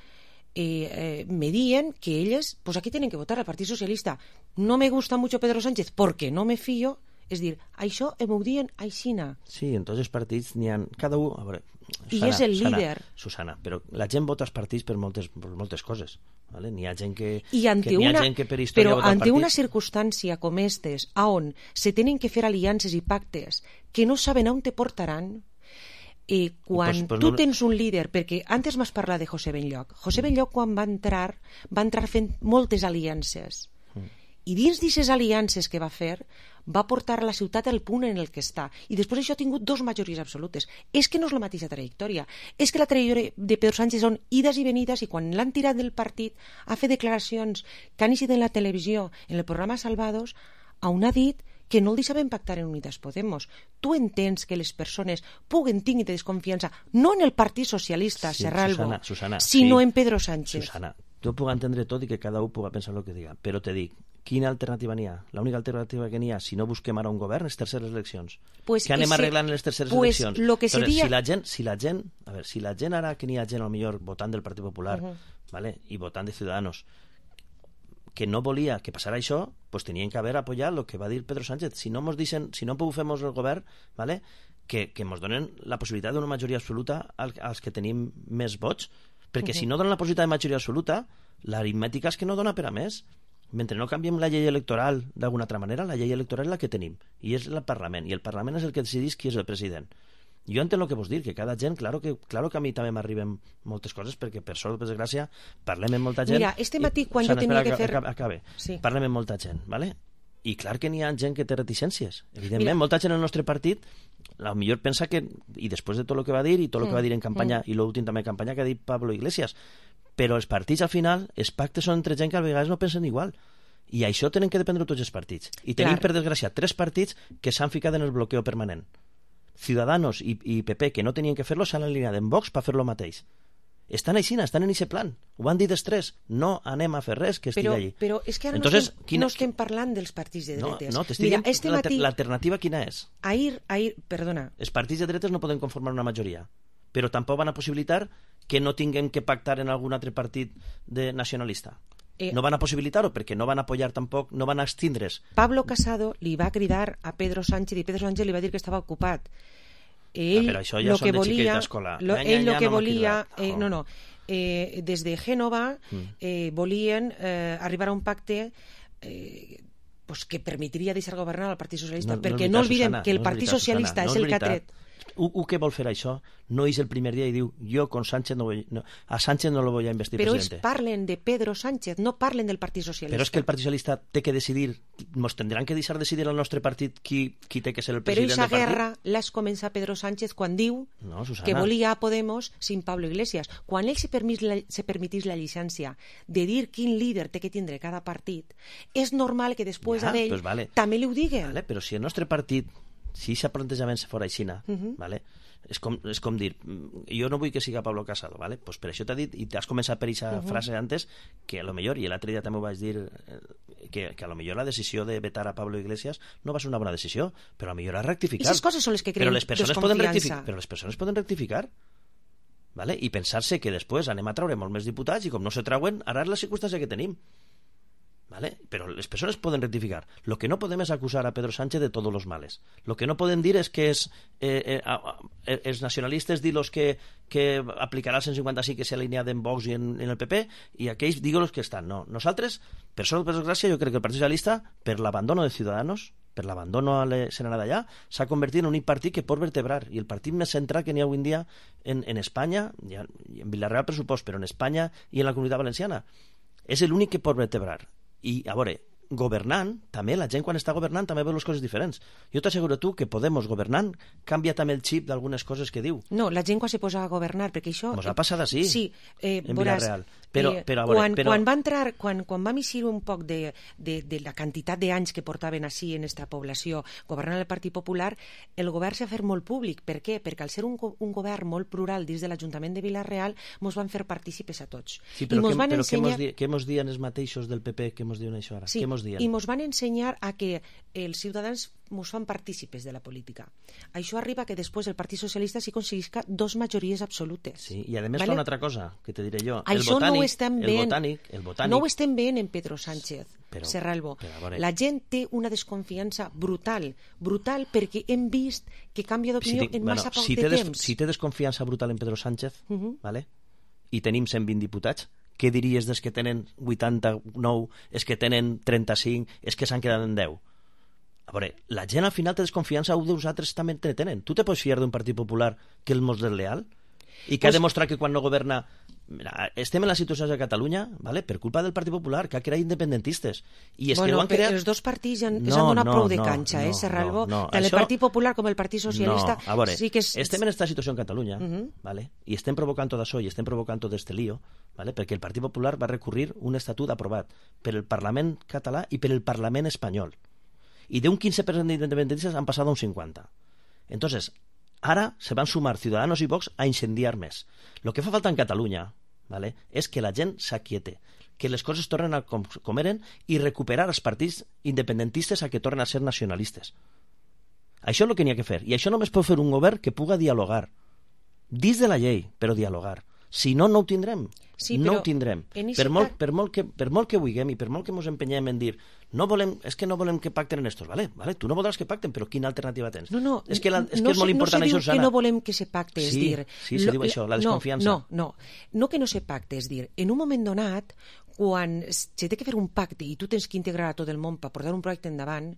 eh, eh, me dien que elles, pues aquí tienen que votar al Partit Socialista. No me gusta mucho Pedro Sánchez porque no me fío. És dir, això m'ho diuen aixina. Sí, en tots els partits n'hi ha... Cada un... A veure, Susana, I és el líder. Susana, Susana, però la gent vota als partits per moltes, per moltes coses. ¿vale? N'hi ha gent que... I ante que, una, ha gent que per història però vota ante al una partit. circumstància com estes, on se tenen que fer aliances i pactes que no saben on te portaran, eh, quan pues, pues tu no... tens un líder, perquè antes m'has parlat de José Benlloch. José Benlloch, quan va entrar, va entrar fent moltes aliances. Mm. I dins d'aquestes aliances que va fer, va portar la ciutat al punt en el que està. I després això ha tingut dos majories absolutes. És que no és la mateixa trajectòria. És que la trajectòria de Pedro Sánchez són ides i venides, i quan l'han tirat del partit ha fet declaracions que han eixit en la televisió, en el programa Salvados, on ha dit que no el deixaven pactar en Unidas Podemos. Tu entens que les persones puguen tenir desconfiança no en el Partit Socialista, sí, Serralbo, Susana, Susana, sinó sí. en Pedro Sánchez. Susana, tu puc entendre tot i que cada un puga pensar el que diga, però te dic, quina alternativa n'hi ha? L'única alternativa que n'hi ha, si no busquem ara un govern, és terceres eleccions. Pues que anem ese, arreglant les terceres pues eleccions. Lo que Entonces, sería... si la gent, si la gent, a ver, si la gent ara que n'hi ha gent al millor votant del Partit Popular, uh -huh. ¿vale? I votant de Ciudadanos, que no volia que passara això, pues tenien que haver apoyat el que va dir Pedro Sánchez. Si no mos dicen, si no fem el govern, ¿vale? que, que mos donen la possibilitat d'una majoria absoluta als que tenim més vots, perquè uh -huh. si no donen la possibilitat de majoria absoluta, l'aritmètica és que no dona per a més. Mentre no canviem la llei electoral d'alguna altra manera, la llei electoral és la que tenim, i és el Parlament, i el Parlament és el que decidís qui és el president. Jo entenc el que vos dir, que cada gent, claro que, claro que a mi també m'arriben moltes coses, perquè per sort, per desgràcia, parlem amb molta gent... Mira, este matí, quan Sana, jo tenia espera, que fer... Acabe. Sí. Parlem amb molta gent, ¿vale? I clar que n'hi ha gent que té reticències. Evidentment, Mira. molta gent en el nostre partit a lo millor pensa que, i després de tot el que va dir i tot el mm. que va dir en campanya, mm. i l'últim també en campanya que ha dit Pablo Iglesias, però els partits al final, els pactes són entre gent que a vegades no pensen igual. I això tenen que dependre tots els partits. I tenim, clar. per desgràcia, tres partits que s'han ficat en el bloqueo permanent. Ciudadanos i, i P P, que no tenien que fer-lo, s'han alineat en Vox per fer-lo mateix. Estan així, estan en aquest plan. Ho van dir dels tres. No anem a fer res que estigui però, allí. Però és que ara Entonces, no, estem, quina... no estem parlant dels partits de dretes. No, no t'estic dient este matí... l'alternativa quina és? Ahir, ahir, perdona. Els partits de dretes no poden conformar una majoria, però tampoc van a possibilitar que no tinguem que pactar en algun altre partit de nacionalista. Eh, no van a possibilitar-ho perquè no van a apoyar tampoc, no van a abstindre's. Pablo Casado li va cridar a Pedro Sánchez i Pedro Sánchez li va dir que estava ocupat. Ell, ah, però això ja lo són que de volia, xiquets d'escola. Lo, ell el que no volia... Eh, no, no. Eh, des de Gènova eh, volien eh, arribar a un pacte eh, pues que permetria deixar governar al Partit Socialista, no, perquè no, no oblidem Susana, que el no Partit veritat, Socialista Susana, no és el que ha tret. U que vol fer això no és el primer dia i diu jo con Sánchez no voy, no, a Sánchez no lo voy a investir però presidente. Però parlen de Pedro Sánchez, no parlen del Partit Socialista. Però és que el Partit Socialista té que decidir, ens tindran que deixar decidir al nostre partit qui, qui té que ser el president del partit. Però aquesta guerra l'has començat Pedro Sánchez quan diu no, que volia a Podemos sin Pablo Iglesias. Quan ell se, permis la, se permitís la llicència de dir quin líder té que tindre cada partit, és normal que després ja, d'ell pues vale. també li ho diguen. Vale, però si el nostre partit, si aquest plantejament fora aixina, uh -huh. vale? És com, és com dir, jo no vull que siga Pablo Casado, ¿vale? Pues per això t'ha dit, i t'has començat per aquesta uh -huh. frase antes, que a lo millor, i l'altre dia també ho vaig dir, que, que a lo millor la decisió de vetar a Pablo Iglesias no va ser una bona decisió, però a lo millor ha rectificat. I aquestes coses són les que creen desconfiança. Però les persones poden rectificar, ¿vale? I pensar-se que després anem a treure molts més diputats i com no se trauen, ara és la circumstància que tenim. ¿Vale? Pero las personas pueden rectificar. Lo que no podemos es acusar a Pedro Sánchez de todos los males. Lo que no pueden decir es que es eh, eh, a, a, els nacionalistes dir los que, que aplicarà el cent cinquanta-cinc que s'ha alineat en Vox i en, en el P P i aquells digo los que estan. No, nosaltres, per sort per desgràcia, jo crec que el Partit Socialista, per l'abandono de Ciudadanos, per l'abandono a l'escenari d'allà, s'ha convertit en un partit que pot vertebrar, i el partit més central que n'hi ha avui en dia en, en Espanya, i en Villarreal per supost, però en Espanya i en la Comunitat Valenciana. És l'únic que pot vertebrar. I, a veure, governant, també, la gent quan està governant també veu les coses diferents. Jo t'asseguro tu que Podemos governant canvia també el xip d'algunes coses que diu. No, la gent quan se posa a governar, perquè això... Mos ha passat així, sí, eh, en veuràs, Villarreal. Però, eh, però, a veure, quan, però... quan va entrar, quan, quan vam eixir un poc de, de, de la quantitat d'anys que portaven així en esta població governant el Partit Popular, el govern s'ha fet molt públic. Per què? Perquè al ser un, un govern molt plural dins de l'Ajuntament de Villarreal mos van fer partícipes a tots. Sí, però, I mos que, van però ensenyar... què mos diuen els mateixos del P P que mos diuen això ara? Sí, què mos diuen? I mos van ensenyar a que els ciutadans mos fan partícipes de la política. Això arriba que després el Partit Socialista sí aconseguisca dos majories absolutes. Sí, i a més ¿vale? fa una altra cosa, que te diré jo. Això el botànic, no ho estem el botànic, el botànic... No ho estem veient en Pedro Sánchez, però, Serralbo. Però, la gent té una desconfiança brutal, brutal perquè hem vist que canvia d'opinió si en massa bueno, poc si de des, temps. Si té desconfiança brutal en Pedro Sánchez, uh -huh. ¿vale? I tenim cent vint diputats, què diries dels que tenen vuitanta-nou, és que tenen trenta-cinc, és que s'han quedat en deu? A veure, la gent al final té desconfiança, un dels altres també te tenen. Tu te pots fiar d'un Partit Popular que el mos desleal? I que pues... ha demostrat que quan no governa... Mira, estem en la situació de Catalunya, ¿vale? Per culpa del Partit Popular, que ha creat independentistes. I és bueno, que ho han creat... els dos partits ja, no, ja han donat no, prou de no, canxa, no, eh, Serralbo? No, no. Tant Això... el Partit Popular com el Partit Socialista... No, a veure, sí que és... estem en aquesta situació en Catalunya, uh -huh. ¿vale? I estem provocant tot això, i estem provocant tot este lío, ¿vale? Perquè el Partit Popular va recurrir un estatut aprovat per el Parlament català i per el Parlament espanyol. Y de un quince per cent de independentistas han pasado a un cincuenta. Entonces, ahora se van a sumar Ciudadanos y Vox a incendiar més. Lo que fa falta en Catalunya, ¿vale? És que la gent s'aquiete, que les coses tornen a com, com eren i recuperar els partits independentistes a que tornen a ser nacionalistes. Això és el que n'hi ha que fer. I això només pot fer un govern que puga dialogar. Dins de la llei, però dialogar. Si no, no ho tindrem. Sí, no ho tindrem. Per molt, per, molt que, per molt que vulguem i per molt que ens empenyem en dir no volem, és que no volem que pacten en estos, vale? Vale, tu no voldràs que pacten, però quina alternativa tens? No, no, és que, la, és, no que és molt se, important no se això, diu Susana. que no volem que se pacte, és sí, dir... Sí, se lo, diu això, la desconfiança. No, no, no, no que no se pacte, és dir, en un moment donat, quan se té que fer un pacte i tu tens que integrar a tot el món per portar un projecte endavant,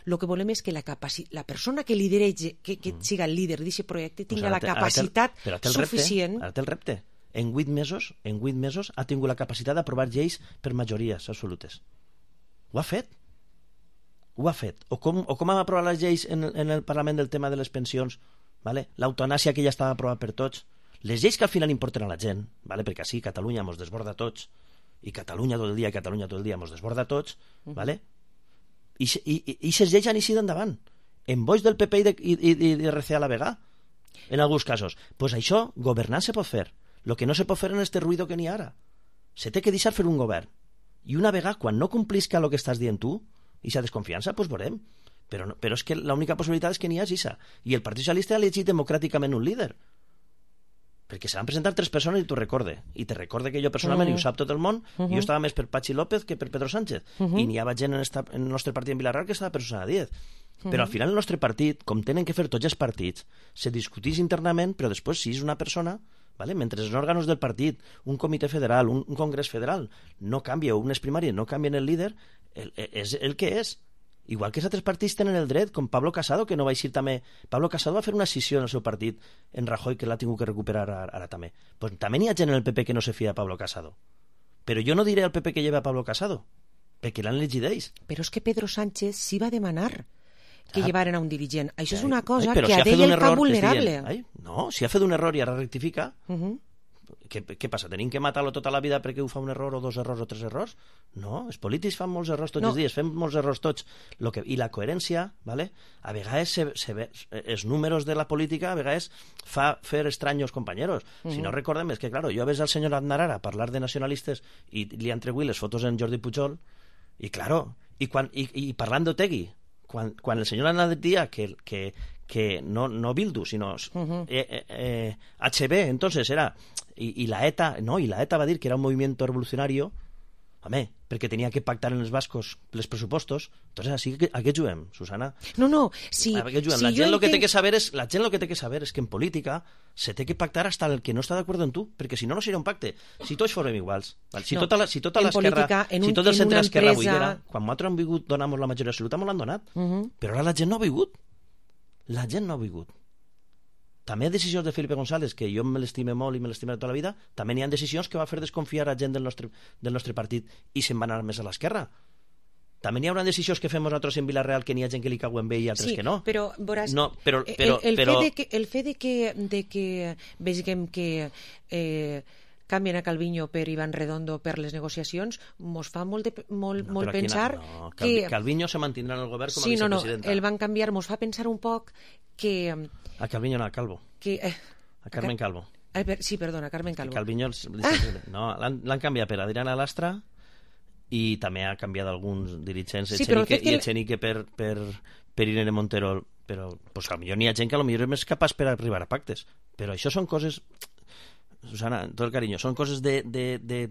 el que volem és que la, capaci... la persona que lideratge, que, que mm. siga el líder d'aquest projecte, tinga pues la capacitat ara té el, suficient... Repte, ara té el repte. En vuit mesos, en vuit mesos ha tingut la capacitat d'aprovar lleis per majories absolutes. Ho ha fet. ho ha fet. O com, o com hem aprovat les lleis en, en el Parlament del tema de les pensions, vale? L'eutanàsia que ja estava aprovat per tots, les lleis que al final importen a la gent, vale? Perquè així Catalunya mos desborda tots, i Catalunya tot el dia, i Catalunya tot el dia mos desborda tots, vale? I aquestes lleis han eixit endavant, en boix del P P i de, i, i, i de R C a la vegada, en alguns casos. Pues això, governar se pot fer. Lo que no se pot fer en este ruido que n'hi ha ara. Se té que deixar fer un govern. I una vegada, quan no complisca el que estàs dient tu, i s'ha desconfiança, doncs veurem. Però, no, però és que l'única possibilitat és que n'hi ha esa. I el Partit Socialista ha elegit democràticament un líder. Perquè se van presentar tres persones i t'ho recorde. I te recorde que jo personalment, uh -huh. i ho sap tot el món, uh -huh. jo estava més per Pachi López que per Pedro Sánchez. Uh -huh. I n'hi havia gent en, esta, en el nostre partit en Vilarreal que estava per Susana Díez. Uh -huh. Però al final el nostre partit, com tenen que fer tots els partits, se discutís internament, però després si és una persona... ¿Vale? Mentre els òrgans del partit, un comitè federal, un, un congrés federal, no canvia, unes primàries no canvien el líder, el, és el que és. Igual que els altres partits tenen el dret, com Pablo Casado, que no va eixir també... Pablo Casado va fer una escissió en el seu partit en Rajoy, que l'ha tingut que recuperar ara, ara també. Pues també n'hi ha gent en el P P que no se fia de Pablo Casado. Però jo no diré al P P que lleva a Pablo Casado, perquè l'han elegit ells. Però és que Pedro Sánchez sí va demanar que ah. llevaren a un dirigent. Això ai, és una cosa ai, que si a ell el fa vulnerable. Dient, ai, no, si ha fet un error i ara rectifica, uh -huh. què, què passa? Tenim que matar-lo tota la vida perquè ho fa un error o dos errors o tres errors? No, els polítics fan molts errors tots no. els dies, fem molts errors tots. Lo que, I la coherència, ¿vale? A vegades se, se ve, els números de la política a vegades fa fer estranyos companyeros. Uh -huh. Si no recordem, és que, claro, jo ves al senyor Aznar ara parlar de nacionalistes i li han tregut les fotos en Jordi Pujol i, claro, i, quan, i, i parlant d'Otegi, Quan, quan el senyor Aznar deia que, que, que no, no Bildu, sino uh-huh. eh, eh, eh, H B, entonces era... Y, y la ETA, no, y la ETA va dir que era un movimiento revolucionario, home, perquè tenia que pactar en els bascos els pressupostos. Entonces, així que, a què juguem, Susana? No, no, si... A què juguem? Si la gent lo que té que saber és, la gent lo que té que saber és que en política se té que pactar hasta el que no està d'acord amb tu, perquè si no, no serà un pacte. Si tots formem iguals, val? si, no, tota la, si tota l'esquerra, si tot el centre d'esquerra avui era, quan nosaltres hem vingut, donamos la majoria absoluta, m'ho l'han donat. Uh -huh. Però ara la gent no ha vingut. La gent no ha vingut. També hi ha decisions de Felipe González, que jo me l'estime molt i me l'estime tota la vida, també n'hi ha decisions que va fer desconfiar a gent del nostre, del nostre partit i se'n va anar més a l'esquerra. També n'hi haurà decisions que fem nosaltres en Vilarreal que n'hi ha gent que li cauen bé i altres sí, que no. Però, veuràs, no, però, però, el, el, però... Fe de que, el fe de que, de que vegem que eh, canvien a Calviño per Iván Redondo per les negociacions, mos fa molt, de, molt, no, molt pensar quina, no, que... Calviño se mantindrà en el govern com a sí, vicepresidenta. No, no, el van canviar, mos fa pensar un poc que... A Calviño no, a Calvo. Que, eh, a Carmen Calvo. A, a, sí, perdona, Carmen Calvo. Calviño, ah. no, l'han canviat per Adriana Lastra i també ha canviat alguns dirigents, sí, Echenique, i Echenique per, per, per Irene Montero, però pues, a millor n'hi ha gent que a lo millor és més capaç per arribar a pactes, però això són coses, Susana, tot el carinyo, són coses de, de, de,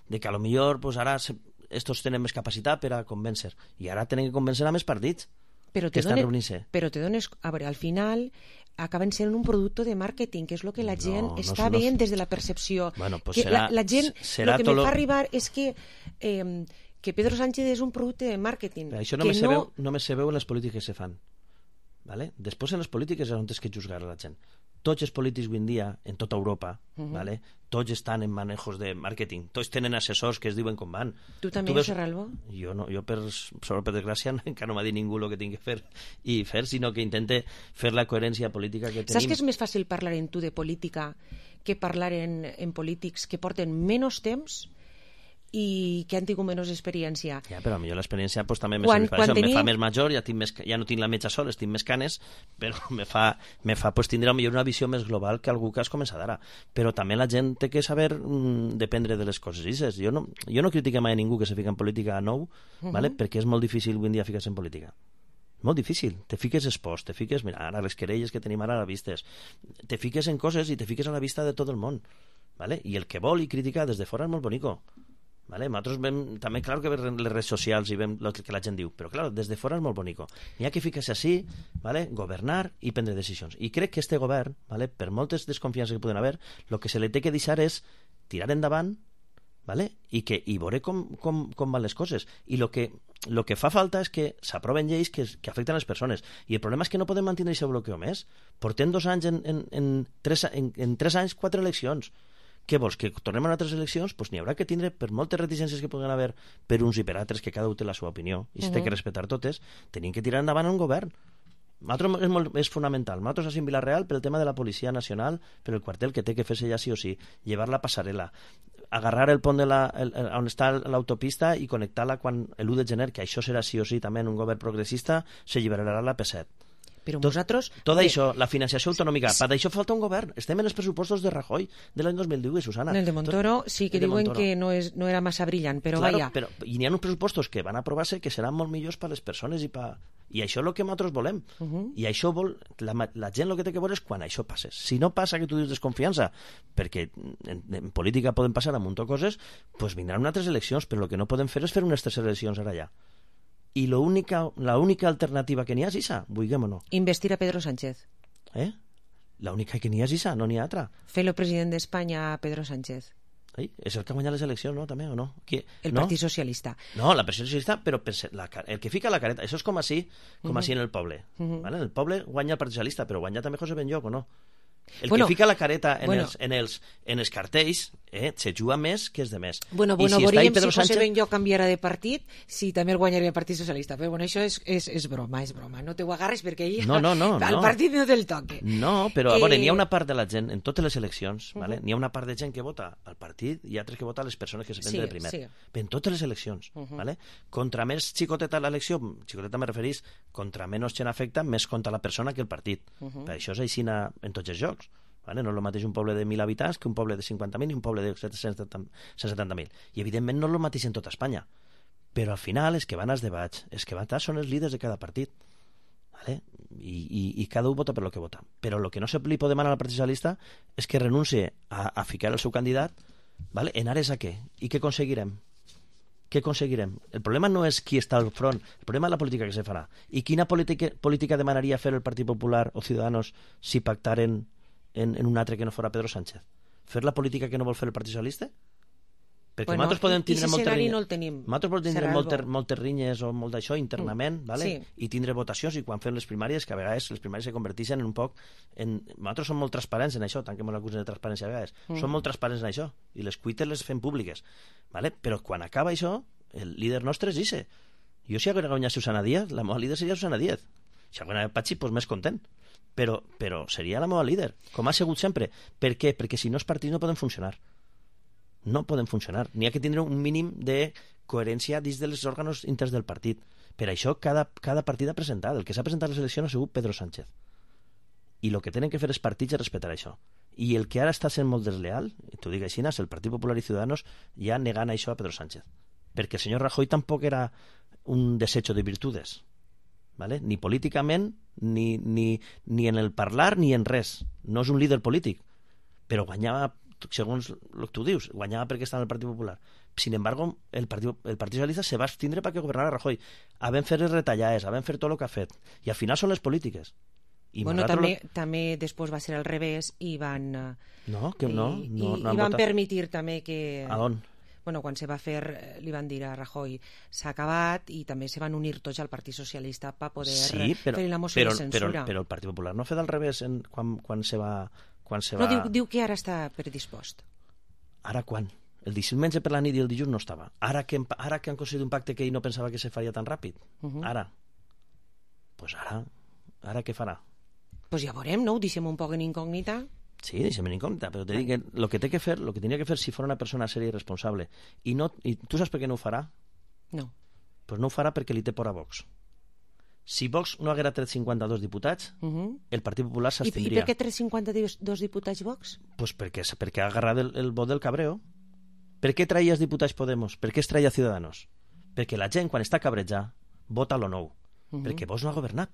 de que a lo millor pues, ara se, estos tenen més capacitat per a convèncer, i ara tenen que convèncer a més partits però que estan done, reunint-se. Però te dones, a veure, al final acaben sent un producte de màrqueting, que és el que la gent no, està no, veient no, des de la percepció. Bueno, pues que serà, la, la gent, serà el que me lo... fa arribar és que eh, que Pedro Sánchez és un producte de màrqueting. Però això no me, no... Veu, no me se veu en les polítiques que se fan. ¿Vale? Després en les polítiques és on és que juzgar a la gent. Tots els polítics avui en dia, en tota Europa, uh -huh. ¿vale? Tots estan en manejos de màrqueting, tots tenen assessors que es diuen com van. Tu també, veus... Serralbo? Jo, no, jo per, sobre per desgràcia, encara no m'ha dit ningú el que tinc que fer i fer, sinó que intente fer la coherència política que tenim. Saps que és més fàcil parlar en tu de política que parlar en, en polítics que porten menys temps i que han tingut menys experiència? Ja, però millor l'experiència pues, també quan, quan tenia... me fa més major, ja, tinc més, ja no tinc la metja sola, tinc més canes, però me fa, me fa pues, tindre millor una visió més global que algú que has començat ara. Però també la gent té que saber mm, dependre de les coses. Jo no, jo no critico mai a ningú que se fica en política a nou, uh -huh. ¿vale? Perquè és molt difícil avui en dia ficar-se en política. Molt difícil. Te fiques esports, te fiques... Mira, ara les querelles que tenim ara a la vistes. Te fiques en coses i te fiques a la vista de tot el món. ¿Vale? I el que vol i critica des de fora és molt bonico. ¿Vale? Nosaltres vem, també, clar, que veiem les redes socials i vem el que la gent diu, però, clar, des de fora és molt bonico. N'hi ha que ficar-se així, ¿vale? Governar i prendre decisions. I crec que este govern, ¿vale? Per moltes desconfiances que poden haver, el que se li té que deixar és tirar endavant, ¿vale? I, que, i veure com, com, com van les coses. I el que, lo que fa falta és que s'aproven lleis que, que afecten les persones. I el problema és que no podem mantenir aquest bloqueo més. Portem dos anys en, en, en, tres, en, en tres anys, quatre eleccions. Què vols? Que tornem a altres eleccions? Doncs n'hi haurà que tindre, per moltes reticències que puguen haver per uns i per altres, que cada un té la seva opinió, i s'ha uh -huh. que respectar totes, tenim que tirar endavant un govern. Nosaltres és, molt, és fonamental. Nosaltres a Vila-real, pel tema de la Policia Nacional, per el quartel que té que fer-se ja sí o sí, llevar la passarel·la, agarrar el pont de la, el, el, on està l'autopista i connectar-la quan l'u de gener, que això serà sí o sí també en un govern progressista, s'alliberarà la P set. Però vosaltres... Tot, tot eh, això, la financiació autonòmica, per això falta un govern. Estem en els pressupostos de Rajoy de l'any dos mil divuit, Susana. El de Montoro sí que diuen que no, és, no era massa brillant, però claro, vaja. Però, I n'hi ha uns pressupostos que van aprovar-se que seran molt millors per a les persones i, pa... i això és el que nosaltres volem. Uh -huh. I això vol... La, la gent el que té que veure és quan això passa. Si no passa que tu dius desconfiança, perquè en, en política poden passar a munt de coses, doncs vindran altres eleccions, però el que no podem fer és fer unes tres eleccions ara ja. I l'única l'única alternativa que n'hi ha és Isa, vulguem o no. Investir a Pedro Sánchez. Eh? L'única que n'hi ha és Isa, no n'hi ha altra. Fer-lo president d'Espanya a Pedro Sánchez. Ei, és el que ha guanyat les eleccions, no? També, o no? Qui? El no? Partit Socialista. No, la Partit Socialista, però la, el que fica la careta, això és com així, com uh -huh. així en el poble. Uh -huh. ¿Vale? En el poble guanya el Partit Socialista, però guanya també José Benlloc, o no? El bueno, que fica la careta en, bueno. els, en, els, en els cartells eh, se juga més que els de més. Bueno, bueno, si veuríem si José Sánchez... Benlloc canviara de partit, si també el guanyaria el Partit Socialista. Però bueno, això és, és, és broma, és broma. No te ho agarres perquè ell no, no, no, al no. partit no te'l toque. No, però eh... bueno, n'hi ha una part de la gent, en totes les eleccions, uh -huh. ¿vale? N'hi ha una part de gent que vota al partit i altres que vota a les persones que se prenen sí, de primer. Sí. En totes les eleccions. Uh -huh. ¿Vale? Contra més xicoteta l'elecció, xicoteta me referís, contra menys gent afecta, més compta la persona que el partit. Uh -huh. Per això és així en tots els jocs. Vale? No és el mateix un poble de mil habitants que un poble de cinquanta mil i un poble de cent setanta mil. I evidentment no és el mateix en tota Espanya. Però al final els que van als debats, els que van estar són els líders de cada partit. Vale? I, i, i cada un vota per lo que vota. Però el que no se li pot demanar al Partit Socialista és que renuncie a, a ficar el seu candidat, vale? En ares a què? I què aconseguirem? Què aconseguirem? El problema no és qui està al front, el problema és la política que se farà. I quina política, política demanaria fer el Partit Popular o Ciudadanos si pactaren En, en un altre que no fora Pedro Sánchez? Fer la política que no vol fer el Partit Socialista? Perquè bueno, nosaltres podem tindre moltes rinyes, no el tenim. nosaltres podem tindre moltes, moltes rinyes o molt d'això internament, mm. vale? Sí. I tindre votacions, i quan fem les primàries, que a vegades les primàries se converteixen en un poc en... nosaltres som molt transparents en això, tant que ens acusen de transparència a vegades, mm. som molt transparents en això, i les cuites les fem públiques, vale? Però quan acaba això, el líder nostre és Ise. Jo si hagués guanyat Susana Díaz, la meva líder seria Susana Díaz. Si hagués guanyat Patxi, doncs més content. Però, però seria la meva líder, com ha sigut sempre. Per què? Perquè si no els partits no poden funcionar. No poden funcionar. N'hi ha que tindre un mínim de coherència dins dels òrgans interns del partit. Per això cada, cada partit ha presentat. El que s'ha presentat a les eleccions ha sigut Pedro Sánchez. I el que tenen que fer els partits és respectar això. I el que ara està sent molt desleal, i t'ho dic així, és el Partit Popular i Ciudadanos ja negant això a Pedro Sánchez. Perquè el senyor Rajoy tampoc era un desecho de virtudes. ¿Vale? Ni políticament, ni, ni, ni en el parlar, ni en res. No és un líder polític, però guanyava, segons el que tu dius, guanyava perquè estava en el Partit Popular. Sin embargo, el Partit, el Partit Socialista se va abstindre perquè governara Rajoy. Havent fet les retallades, havent fet tot el que ha fet. I al final són les polítiques. I bueno, també, lo... també després va ser al revés i van... No, que no. I, no, i, no i van votat. permetir també que... A on? Bueno, quan se va fer, li van dir a Rajoy, s'ha acabat, i també se van unir tots al Partit Socialista per poder sí, però, fer la moció però, de censura. Però, però el Partit Popular no ha fet al revés en, quan, quan se va... Quan se no, va... diu, diu que ara està predispost. Ara quan? El diumenge per la nit i el dilluns no estava. Ara que, ara que han aconseguit un pacte que ell no pensava que se faria tan ràpid. Uh -huh. Ara. Doncs pues ara, ara què farà? Doncs pues ja veurem, no? Ho deixem un poc en incògnita. Sí, deixem en incògnita, però te dic que el que té que fer, el que tenia que fer si fos una persona sèria i responsable, i, no, i tu saps per què no ho farà? No. Doncs pues no ho farà perquè li té por a Vox. Si Vox no haguera tret cinquanta-dos diputats, uh -huh. el Partit Popular s'abstindria. I, I per què tret cinquanta-dos diputats Vox? Pues perquè, perquè ha agarrat el, el vot del cabreo. Per què traia els diputats Podemos? Per què es traia Ciudadanos? Perquè la gent, quan està cabrejada, vota lo nou. Uh -huh. Perquè Vox no ha governat.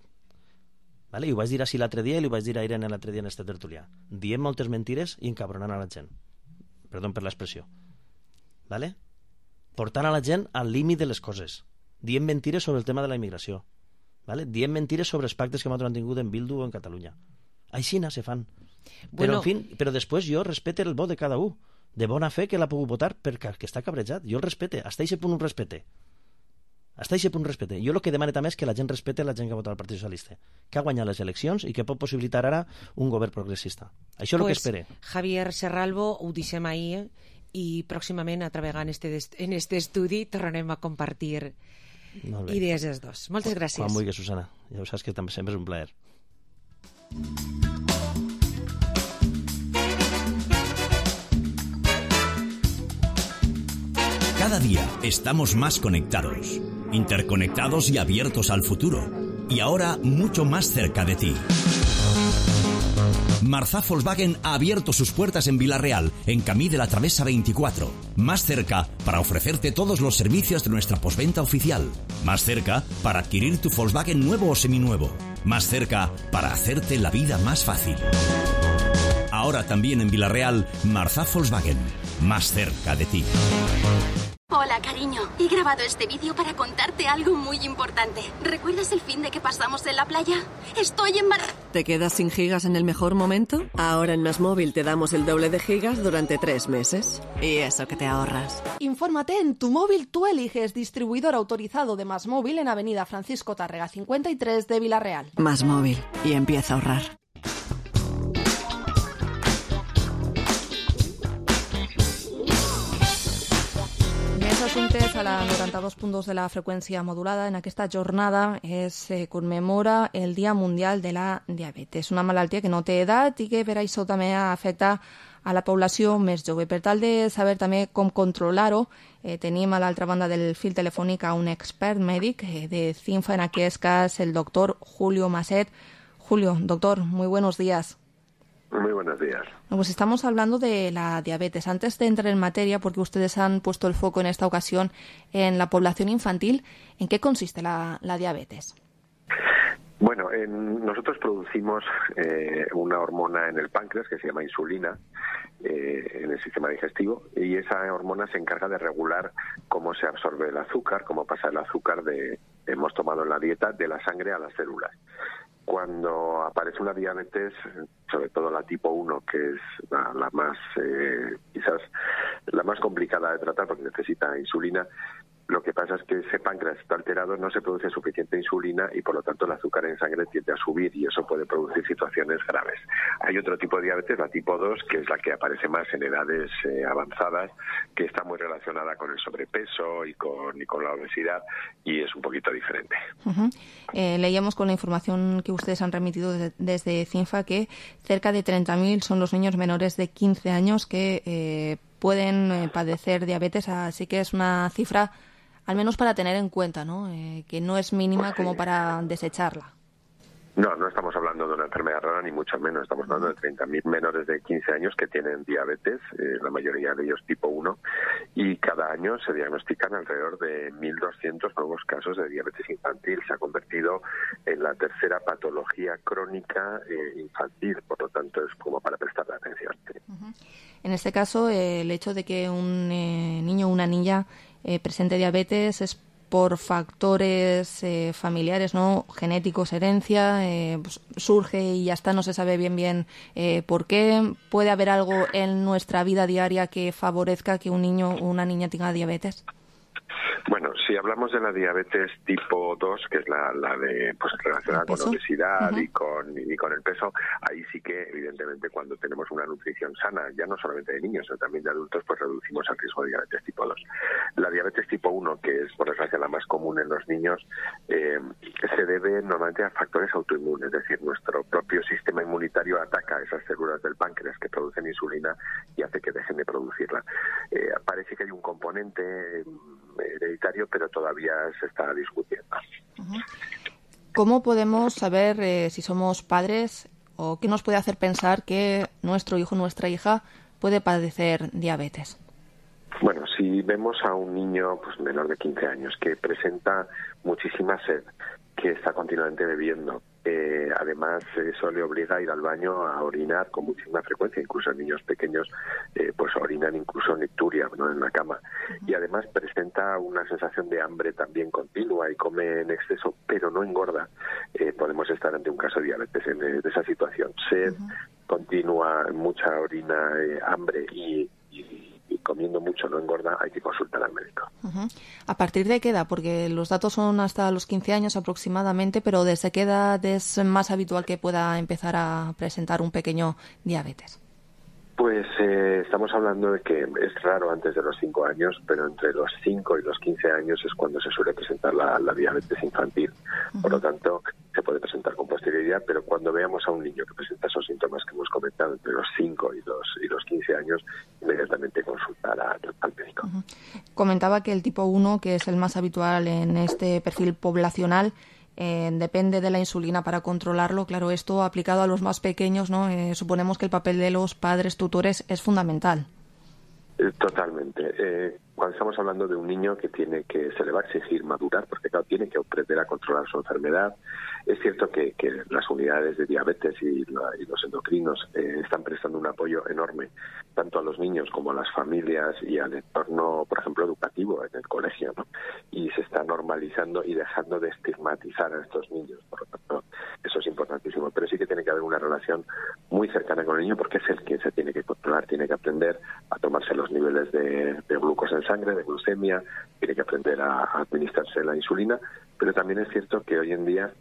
Vale? I ho vaig dir així l'altre dia i ho vaig dir a Irene l'altre dia en este tertulià. Diem moltes mentires i encabronant a la gent. Perdó per l'expressió. Vale? Portant a la gent al límit de les coses. Diem mentires sobre el tema de la immigració. Vale? Diem mentires sobre els pactes que nosaltres han tingut en Bildu o en Catalunya. Aixina se fan. Bueno, però, en fin, però després jo respecte el vot de cada un. De bona fe que l'ha pogut votar perquè que està cabrejat. Jo el respecte. Hasta ese punt un respecte. Hasta aquest punt respecte. Jo el que demano també és que la gent respecte la gent que ha votat al Partit Socialista, que ha guanyat les eleccions i que pot possibilitar ara un govern progressista. Això és el pues, que espere. Javier Serralvo, ho deixem ahir i pròximament, altra vegada en este, en este estudi, tornarem a compartir idees dels dos. Moltes gràcies. Quan vulguis, Susana. Ja ho saps que també sempre és un plaer. Cada día estamos más conectados, interconectados y abiertos al futuro. Y ahora mucho más cerca de ti. Marzá Volkswagen ha abierto sus puertas en Vila-real, en Camí de la Travesa veinticuatro. Más cerca para ofrecerte todos los servicios de nuestra postventa oficial. Más cerca para adquirir tu Volkswagen nuevo o seminuevo. Más cerca para hacerte la vida más fácil. Ahora también en Vila-real, Marzá Volkswagen. Más cerca de ti. Hola, cariño. He grabado este vídeo para contarte algo muy importante. ¿Recuerdas el fin de que pasamos en la playa? Estoy en Mar... ¿Te quedas sin gigas en el mejor momento? Ahora en Más Móvil te damos el doble de gigas durante tres meses. Y eso que te ahorras. Infórmate en Tu Móvil Tú Eliges, distribuidor autorizado de Más Móvil en Avenida Francisco Tárrega cincuenta y tres de Vila-real. Más Móvil. Y empieza a ahorrar. Assumptes a la noranta-dos punt dos de la freqüència modulada. En aquesta jornada es eh, commemora el Dia Mundial de la Diabetes, una malaltia que no té edat i que per això també afecta a la població més jove. Per tal de saber també com controlar-ho, eh, tenim a l'altra banda del fil telefònic a un expert mèdic eh, de CINFA, en aquest cas el doctor Julio Maset. Julio, doctor, muy buenos días. Muy buenos días. Pues estamos hablando de la diabetes. Antes de entrar en materia, porque ustedes han puesto el foco en esta ocasión en la población infantil, ¿en qué consiste la, la diabetes? Bueno, en, nosotros producimos eh, una hormona en el páncreas que se llama insulina eh, en el sistema digestivo, y esa hormona se encarga de regular cómo se absorbe el azúcar, cómo pasa el azúcar de hemos tomado en la dieta de la sangre a las células. Cuando aparece una diabetes, sobre todo la tipo uno, que es la, la más, eh, quizás la más complicada de tratar porque necesita insulina, lo que pasa es que ese páncreas está alterado, no se produce suficiente insulina y por lo tanto el azúcar en sangre tiende a subir y eso puede producir situaciones graves. Hay otro tipo de diabetes, la tipo dos, que es la que aparece más en edades eh, avanzadas, que está muy relacionada con el sobrepeso y con, y con la obesidad y es un poquito diferente. Uh-huh. Eh, leíamos con la información que ustedes han remitido de, desde CINFA que cerca de treinta mil son los niños menores de quince años que eh, pueden eh, padecer diabetes, así que es una cifra al menos para tener en cuenta, ¿no? Eh, que no es mínima como para desecharla. No, no estamos hablando de una enfermedad rara, ni mucho menos. Estamos hablando de treinta mil menores de quince años que tienen diabetes, eh, la mayoría de ellos tipo uno, y cada año se diagnostican alrededor de mil doscientos nuevos casos de diabetes infantil. Se ha convertido en la tercera patología crónica eh, infantil, por lo tanto es como para prestarle atención. Sí. Uh-huh. En este caso, eh, el hecho de que un eh, niño o una niña eh, presente diabetes es por factores eh, familiares, ¿no? Genéticos, herencia, eh, pues surge y ya está, no se sabe bien bien eh, por qué. ¿Puede haber algo en nuestra vida diaria que favorezca que un niño o una niña tenga diabetes? Bueno, si hablamos de la diabetes tipo dos, que es la, la de pues relacionada con obesidad uh-huh. y con y con el peso, ahí sí que evidentemente cuando tenemos una nutrición sana, ya no solamente de niños, sino también de adultos, pues reducimos el riesgo de diabetes tipo dos. La diabetes tipo uno, que es por desgracia la más común en los niños, eh, se debe normalmente a factores autoinmunes, es decir, nuestro propio sistema inmunitario ataca esas células del páncreas que producen insulina y hace que dejen de producirla. Eh, parece que hay un componente hereditario, pero todavía se está discutiendo. Uh-huh. ¿Cómo podemos saber eh, si somos padres o qué nos puede hacer pensar que nuestro hijo o nuestra hija puede padecer diabetes? Bueno, si vemos a un niño pues menor de quince años que presenta muchísima sed, que está continuamente bebiendo, eh, además eso le obliga a ir al baño a orinar con muchísima frecuencia, incluso niños pequeños eh, pues orinan incluso nicturia, ¿no?, en la cama, y además presenta una sensación de hambre también continua y come en exceso, pero no engorda, eh, podemos estar ante un caso de diabetes en, de esa situación. Sed uh-huh. continua, mucha orina, eh, hambre y, y comiendo mucho no engorda, hay que consultar al médico. Uh-huh. ¿A partir de qué edad? Porque los datos son hasta los quince años aproximadamente, pero ¿desde qué edad es más habitual que pueda empezar a presentar un pequeño diabetes? Pues eh, estamos hablando de que es raro antes de los cinco años, pero entre los cinco y los quince años es cuando se suele presentar la, la diabetes infantil. Uh-huh. Por lo tanto, se puede presentar con posterioridad, pero cuando veamos a un niño que presenta esos síntomas que hemos comentado entre los cinco y los, y los quince años, inmediatamente consultar a, al médico. Uh-huh. Comentaba que el tipo uno, que es el más habitual en este perfil poblacional, Eh, depende de la insulina para controlarlo. Claro, esto aplicado a los más pequeños, ¿no? Eh, suponemos que el papel de los padres tutores es fundamental. Totalmente. Eh, cuando estamos hablando de un niño que tiene que se le va a exigir madurar, porque claro, tiene que aprender a controlar su enfermedad. Es cierto que, que las unidades de diabetes y, la, y los endocrinos eh, están prestando un apoyo enorme tanto a los niños como a las familias y al entorno, por ejemplo, educativo en el colegio, ¿no? Y se está normalizando y dejando de estigmatizar a estos niños. Por lo tanto, eso es importantísimo. Pero sí que tiene que haber una relación muy cercana con el niño, porque es el que se tiene que controlar, tiene que aprender a tomarse los niveles de, de glucosa en sangre, de glucemia, tiene que aprender a, a administrarse la insulina, pero también es cierto que hoy en día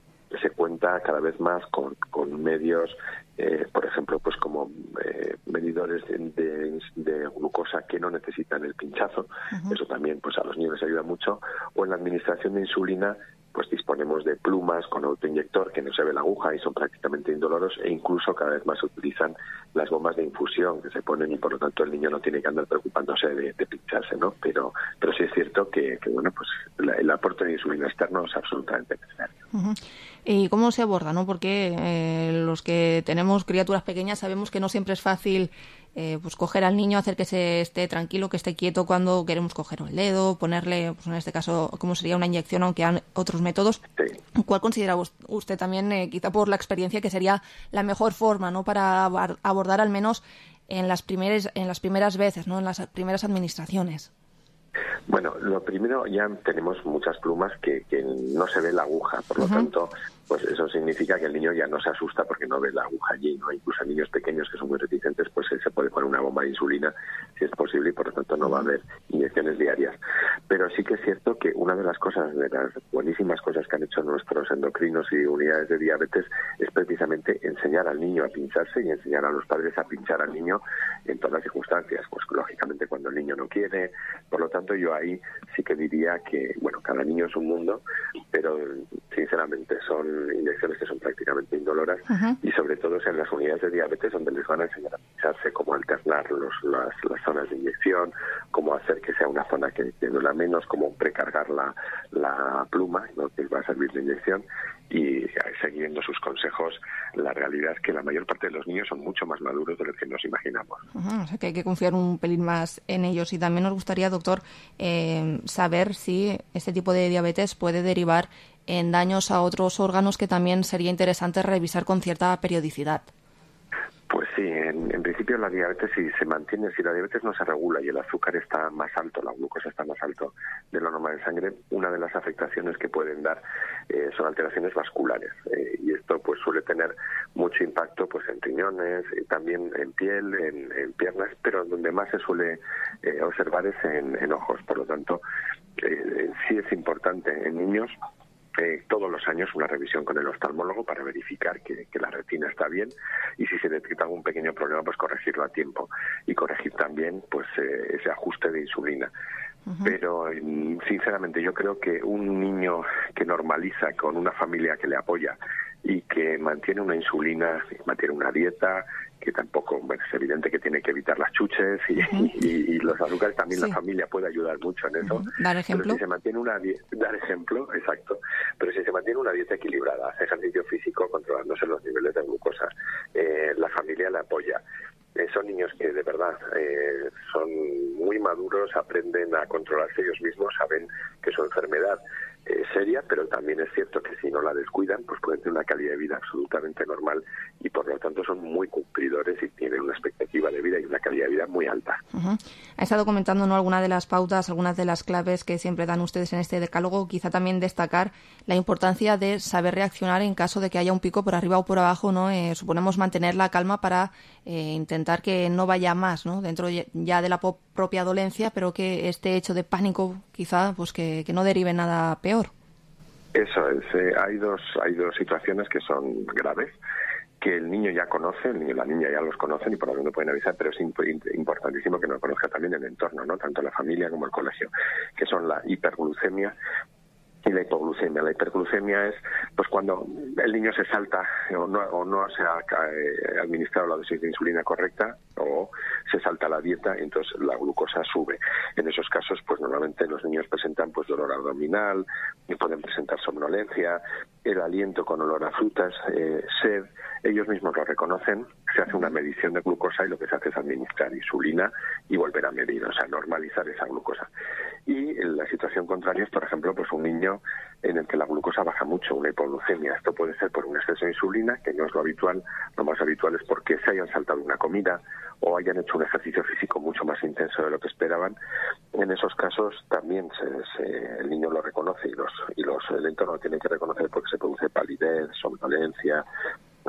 se cuenta cada vez más con, con medios, eh, por ejemplo, pues como eh, medidores de, de, de glucosa que no necesitan el pinchazo. Uh-huh. Eso también pues a los niños les ayuda mucho. O en la administración de insulina, pues disponemos de plumas con autoinyector que no se ve la aguja y son prácticamente indoloros, e incluso cada vez más se utilizan las bombas de infusión que se ponen y por lo tanto el niño no tiene que andar preocupándose de, de pincharse, ¿no? Pero pero sí es cierto que, que bueno, pues la, el aporte de insulina externo es absolutamente necesario. Uh-huh. ¿Y cómo se aborda, no? Porque eh, los que tenemos criaturas pequeñas sabemos que no siempre es fácil eh, pues coger al niño, hacer que se esté tranquilo, que esté quieto cuando queremos coger el dedo, ponerle, pues en este caso, como sería una inyección, aunque hay otros métodos. Sí. ¿Cuál considera usted también, eh, quizá por la experiencia, que sería la mejor forma, ¿no? Para abordar al menos en las primeras, en las primeras veces, ¿no? En las primeras administraciones? Bueno, lo primero, ya tenemos muchas plumas que, que no se ve la aguja, por lo uh-huh. tanto, pues eso significa que el niño ya no se asusta porque no ve la aguja allí, ¿no? Incluso a niños pequeños que son muy reticentes, pues se puede poner una bomba de insulina si es posible y por lo tanto no va a haber inyecciones diarias. Pero sí que es cierto que una de las cosas, de las buenísimas cosas que han hecho nuestros endocrinos y unidades de diabetes es precisamente enseñar al niño a pincharse y enseñar a los padres a pinchar al niño en todas las circunstancias, pues lógicamente cuando el niño no quiere. Por lo tanto, yo ahí sí que diría que, bueno, cada niño es un mundo, pero sinceramente son inyecciones que son prácticamente indoloras. Uh-huh. Y sobre todo es en las unidades de diabetes donde les van a enseñar a pincharse, cómo alternar los, las, las zonas de inyección, cómo hacer que sea una zona que, que duela menos, cómo precargar la, la pluma, ¿no? Que va a servir de inyección, y siguiendo sus consejos. La realidad es que la mayor parte de los niños son mucho más maduros de lo que nos imaginamos. Uh-huh. O sea que hay que confiar un pelín más en ellos. Y también nos gustaría, doctor, eh, saber si este tipo de diabetes puede derivar en daños a otros órganos que también sería interesante revisar con cierta periodicidad. Pues sí, en, en principio la diabetes, si se mantiene, si la diabetes no se regula y el azúcar está más alto, la glucosa está más alto de lo normal en sangre, una de las afectaciones que pueden dar eh, son alteraciones vasculares. Eh, y esto pues suele tener mucho impacto pues en riñones, y también en piel, en, en piernas, pero donde más se suele eh, observar es en, en ojos. Por lo tanto, eh, sí es importante en niños Eh, todos los años una revisión con el oftalmólogo para verificar que, que la retina está bien, y si se detecta algún pequeño problema pues corregirlo a tiempo y corregir también pues eh, ese ajuste de insulina. Uh-huh. Pero sinceramente yo creo que un niño que normaliza con una familia que le apoya y que mantiene una insulina, mantiene una dieta, que tampoco, bueno, es evidente que tiene que evitar las chuches y, uh-huh. y, y los azúcares, también sí. La familia puede ayudar mucho en eso. Uh-huh. Dar ejemplo. Pero si se mantiene una die- dar ejemplo, exacto. Pero si se mantiene una dieta equilibrada, hace ejercicio físico controlándose los niveles de glucosa, eh, la familia le apoya. Eh, son niños que de verdad eh, son muy maduros, aprenden a controlarse ellos mismos, saben que su enfermedad eh, seria, pero también es cierto que si no la descuidan, pues pueden tener una calidad de vida absolutamente normal y por lo tanto son muy cumplidores y tienen una expectativa de vida y una calidad de vida muy alta. Uh-huh. Ha estado comentando, ¿no?, algunas de las pautas, algunas de las claves que siempre dan ustedes en este decálogo, quizá también destacar la importancia de saber reaccionar en caso de que haya un pico por arriba o por abajo, ¿no? Eh, suponemos mantener la calma para eh, intentar que no vaya más, ¿no?, dentro ya de la po- propia dolencia, pero que este hecho de pánico quizá pues que, que no derive nada peor. Eso es, eh, hay dos hay dos situaciones que son graves, que el niño ya conoce, el niño y la niña ya los conocen y por lo tanto pueden avisar, pero es imp- importantísimo que nos conozca también el entorno, ¿no?, tanto la familia como el colegio, que son la hiperglucemia y la hipoglucemia. La hiperglucemia es pues cuando el niño se salta o no, o no se ha eh, administrado la dosis de insulina correcta o se salta la dieta y entonces la glucosa sube. En esos casos pues normalmente los niños presentan pues dolor abdominal, y pueden presentar somnolencia, el aliento con olor a frutas, eh, sed. Ellos mismos lo reconocen, se hace una medición de glucosa y lo que se hace es administrar insulina y volver a medir, o sea, normalizar esa glucosa. Y la situación contraria es, por ejemplo, pues un niño en el que la glucosa baja mucho, una hipoglucemia. Esto puede ser por un exceso de insulina, que no es lo habitual. Lo más habitual es porque se hayan saltado una comida o hayan hecho un ejercicio físico mucho más intenso de lo que esperaban. En esos casos también se, se, el niño lo reconoce y los y los el entorno lo tiene que reconocer porque se produce palidez, somnolencia,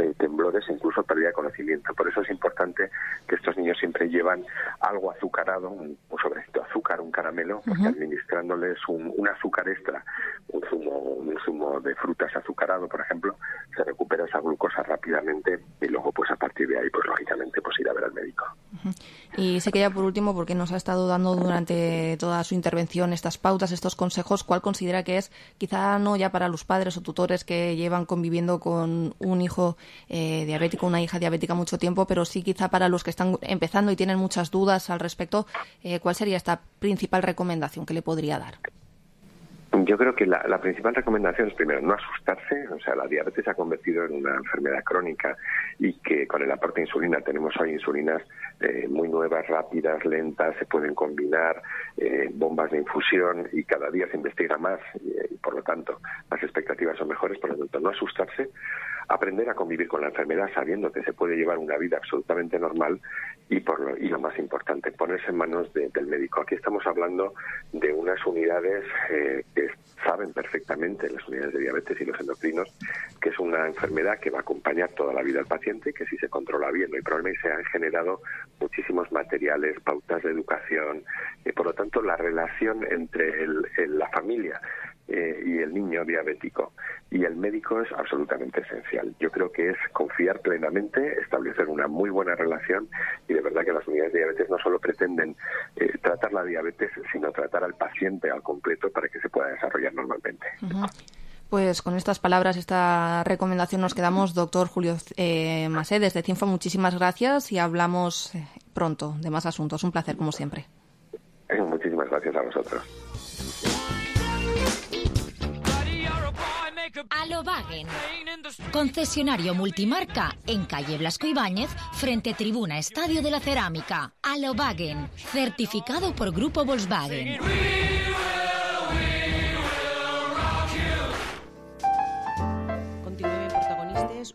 eh, temblores e incluso pérdida de conocimiento. Por eso es importante que estos niños siempre llevan algo azucarado, un, un sobrecito de azúcar, un caramelo, porque uh-huh. administrándoles un, un azúcar extra, un zumo, un zumo de frutas azucarado, por ejemplo, se recupera esa glucosa rápidamente y luego pues a partir de ahí pues lógicamente pues ir a ver al médico. Uh-huh. Y sé que ya por último, porque nos ha estado dando durante toda su intervención estas pautas, estos consejos, ¿cuál considera que es, quizá no ya para los padres o tutores que llevan conviviendo con un hijo eh, diabético, una hija diabética mucho tiempo, pero sí quizá para los que están empezando y tienen muchas dudas al respecto, eh, ¿cuál sería esta principal recomendación que le podría dar? Yo creo que la, la principal recomendación es, primero, no asustarse. O sea, la diabetes se ha convertido en una enfermedad crónica y que con el aporte de insulina tenemos hoy insulinas eh, muy nuevas, rápidas, lentas, se pueden combinar, eh, bombas de infusión y cada día se investiga más y, y por lo tanto las expectativas son mejores. Por lo tanto, no asustarse, aprender a convivir con la enfermedad sabiendo que se puede llevar una vida absolutamente normal y, por lo, y lo más importante, ponerse en manos de, del médico. Aquí estamos hablando de unas unidades eh, que saben perfectamente, las unidades de diabetes y los endocrinos, que es una enfermedad que va a acompañar toda la vida al paciente, que si se controla bien no hay problema, y se han generado muchísimos materiales, pautas de educación, y por lo tanto la relación entre el, el, la familia eh, y el niño diabético y el médico es absolutamente esencial. Yo creo que es confiar plenamente, establecer una muy buena relación, y de verdad que las unidades de diabetes no solo pretenden eh, tratar la diabetes, sino tratar al paciente al completo para que se pueda desarrollar normalmente. Uh-huh. Pues con estas palabras, esta recomendación nos quedamos. Doctor Julio eh, Masé, desde Cinfa, muchísimas gracias y hablamos pronto de más asuntos. Un placer, como siempre. Eh, muchísimas gracias a vosotros. Alobagen, concesionario multimarca en calle Blasco Ibáñez, frente Tribuna Estadio de la Cerámica. Alobagen, certificado por Grupo Volkswagen.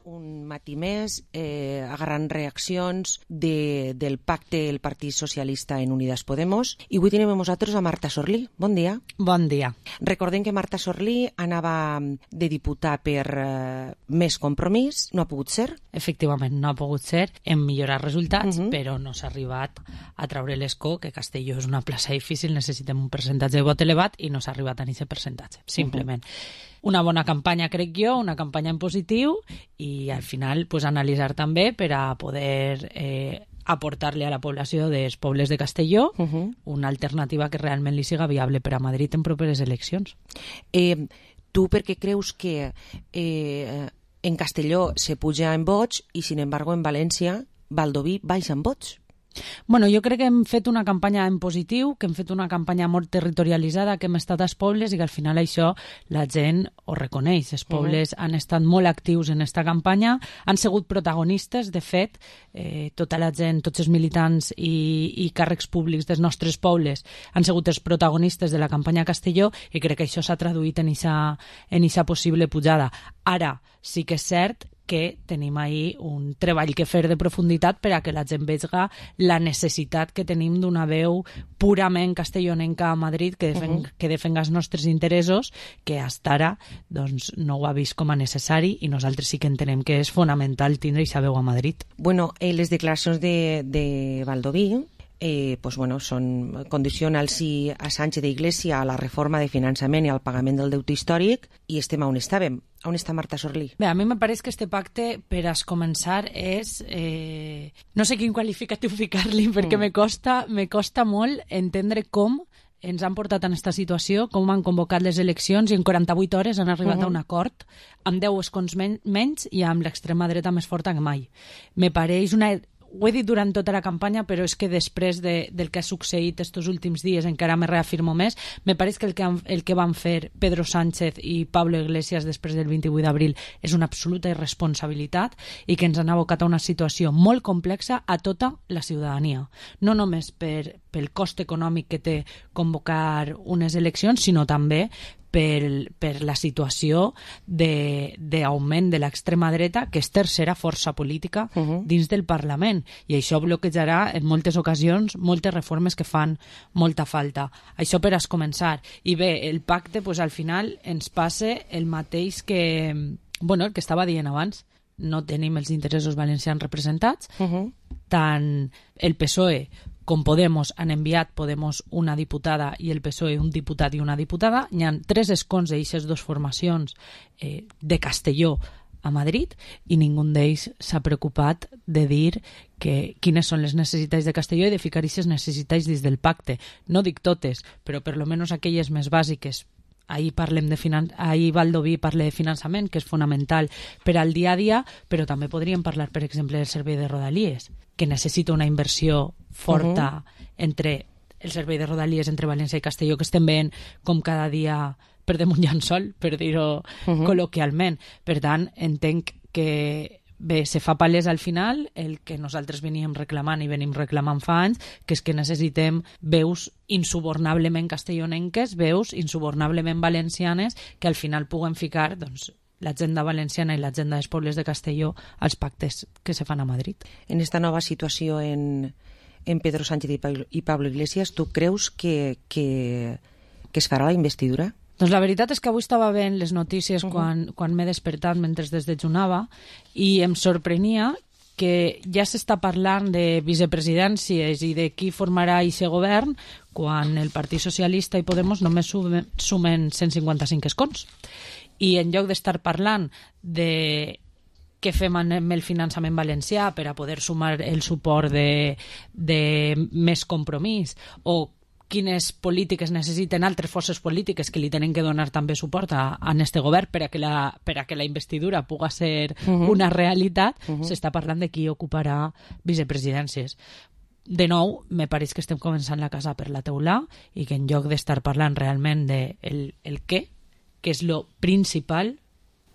Un matí més, eh, agarrant reaccions de, del pacte del Partit Socialista en Unidas Podemos. I avui tenim amb nosaltres a Marta Sorlí. Bon dia. Bon dia. Recordem que Marta Sorlí anava de diputar per eh, Més Compromís. No ha pogut ser? Efectivament, no ha pogut ser. Hem millorat resultats, uh-huh. però no s'ha arribat a treure l'escó, que Castelló és una plaça difícil, necessitem un percentatge de vot elevat i no s'ha arribat a aquest percentatge, simplement. Uh-huh. Una bona campanya, crec jo, una campanya en positiu i al final pues, analitzar també per a poder eh, aportar-li a la població dels pobles de Castelló uh-huh. una alternativa que realment li siga viable per a Madrid en properes eleccions. Eh, tu per què creus que eh, en Castelló se puja en vots i, sin embargo, en València, Baldoví baixa en vots? Bueno, jo crec que hem fet una campanya en positiu, que hem fet una campanya molt territorialitzada, que hem estat als pobles i que al final això la gent ho reconeix. Els pobles uh -huh. han estat molt actius en aquesta campanya, han sigut protagonistes, de fet, eh, tota la gent, tots els militants i, i càrrecs públics dels nostres pobles han sigut els protagonistes de la campanya a Castelló i crec que això s'ha traduït en eixa, en eixa possible pujada. Ara, sí que és cert que tenim ahir un treball que fer de profunditat per a que la gent vegi la necessitat que tenim d'una veu purament castellonenca a Madrid que, defen uh -huh. que defenga els nostres interessos, que fins ara doncs, no ho ha vist com a necessari i nosaltres sí que entenem que és fonamental tindre aquesta veu a Madrid. Bueno, eh, les declaracions de, de Baldoví Eh, pues bueno, són condicionals si a Sánchez d'Iglesia a la reforma de finançament i al pagament del deute històric i estem on estàvem. On està Marta Sorlí? Bé, a mi me pareix que este pacte, per a començar, és... Eh, no sé quin qualificatiu ficar-li, perquè mm. me costa, me costa molt entendre com ens han portat en aquesta situació, com han convocat les eleccions i en quaranta-vuit hores han arribat uh-huh. a un acord amb deu escons men menys i amb l'extrema dreta més forta que mai. Me pareix una... Ho he dit durant tota la campanya, però és que després de, del que ha succeït estos últims dies encara me reafirmo més. Me pareix que el que, han, el que van fer Pedro Sánchez i Pablo Iglesias després del vint-i-vuit d'abril és una absoluta irresponsabilitat i que ens han abocat a una situació molt complexa a tota la ciutadania. No només per, pel cost econòmic que té convocar unes eleccions, sinó també per, per la situació d'augment de, de l'extrema dreta, que és tercera força política uh -huh. dins del Parlament. I això bloquejarà en moltes ocasions moltes reformes que fan molta falta. Això per a començar. I bé, el pacte, pues, al final ens passa el mateix que, bueno, el que estava dient abans. No tenim els interessos valencians representats. Uh -huh. Tant el P S O E com Podemos han enviat Podemos una diputada i el P S O E un diputat i una diputada. Hi ha tres escons d'aquestes dues formacions eh, de Castelló a Madrid i ningú d'ells s'ha preocupat de dir que, quines són les necessitats de Castelló i de ficar aquestes necessitats dins del pacte. No dic totes, però per lo menos aquelles més bàsiques. Ahir parlem de finan... ahir Baldoví parla de finançament, que és fonamental per al dia a dia, però també podríem parlar, per exemple, del servei de Rodalies, que necessita una inversió forta uh-huh. entre el servei de Rodalies entre València i Castelló, que estem veient com cada dia perdem un llençol, per dir-ho uh-huh. col·loquialment. Per tant, entenc que bé, se fa palès al final el que nosaltres veníem reclamant i venim reclamant fa anys, que és que necessitem veus insubornablement castellonenques, veus insubornablement valencianes, que al final puguen ficar doncs, l'agenda valenciana i l'agenda dels pobles de Castelló als pactes que se fan a Madrid. En esta nova situació en, en Pedro Sánchez i Pablo, i Pablo Iglesias, tu creus que, que, que es farà la investidura? Doncs la veritat és que avui estava veient les notícies uh-huh. quan, quan m'he despertat mentre desdejunava i em sorprenia que ja s'està parlant de vicepresidències i de qui formarà aquest govern quan el Partit Socialista i Podemos només sumen, sumen cent cinquanta-cinc escons. I en lloc d'estar parlant de què fem amb el finançament valencià per a poder sumar el suport de, de més compromís o quines polítiques necessiten altres forces polítiques que li tenen que donar també suport a, a este govern per a que la, per a que la investidura puga ser uh-huh. una realitat, uh-huh. s'està parlant de qui ocuparà vicepresidències. De nou, me pareix que estem començant la casa per la teulà i que en lloc d'estar parlant realment de el, el què, que és lo principal,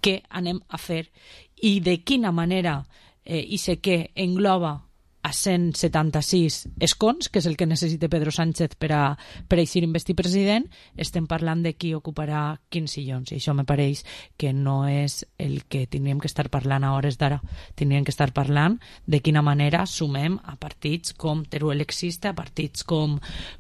què anem a fer i de quina manera eh, i sé què engloba a cent setanta-sis escons, que és el que necessita Pedro Sánchez per a, per a eixir investir president, estem parlant de qui ocuparà quins sillons, i això me pareix que no és el que tindríem que estar parlant a hores d'ara. Tindríem que estar parlant de quina manera sumem a partits com Teruel existe, a partits com,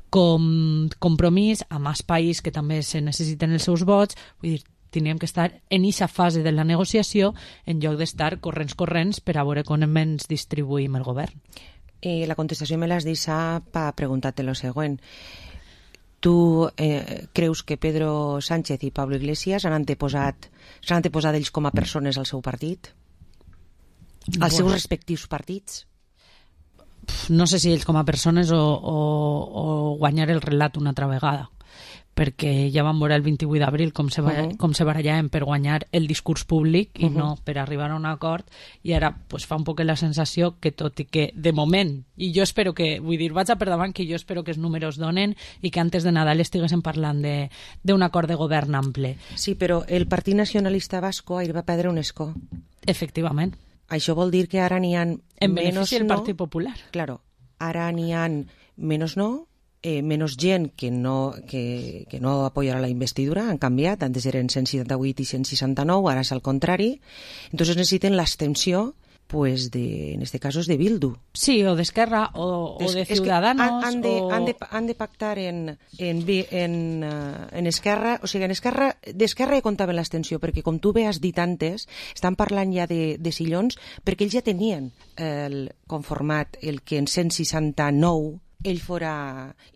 com Compromís, a Mas País, que també se necessiten els seus vots. Vull dir, tindríem que estar en aquesta fase de la negociació en lloc d'estar corrents corrents per a veure com ens distribuïm el govern. Eh, la contestació me l'has deixat per preguntar-te lo següent. Tu eh, creus que Pedro Sánchez i Pablo Iglesias han anteposat, s'han anteposat ells com a persones al seu partit? Als bueno. seus respectius partits? No sé si ells com a persones o, o, o guanyar el relat una altra vegada. perquè ja vam veure el vint-i-vuit d'abril com se, uh-huh. com se barallaven per guanyar el discurs públic i uh-huh. no per arribar a un acord, i ara pues, fa un poc la sensació que tot i que de moment, i jo espero que, vull dir, vaig a per davant que jo espero que els números donen i que antes de Nadal estiguéssim parlant d'un acord de govern ample. Sí, però el Partit Nacionalista Vasco ahir va perdre un escó. Efectivament. Això vol dir que ara n'hi ha en menos benefici del no. Partit Popular. Claro, ara n'hi ha menos no, eh, menos gent que no, que, que no apoyarà la investidura, han canviat, antes eren cent seixanta-vuit i cent seixanta-nou, ara és al contrari, entonces necessiten l'abstenció pues de, en este caso es de Bildu. Sí, o de Esquerra, o, o de Ciudadanos. Han, han, de, o... han, de, han de pactar en, en, en, uh, en Esquerra, o sigui, en Esquerra, d'Esquerra ja comptaven l'abstenció, perquè com tu bé has dit antes, estan parlant ja de, de sillons, perquè ells ja tenien el conformat el que en cent seixanta-nou ell fora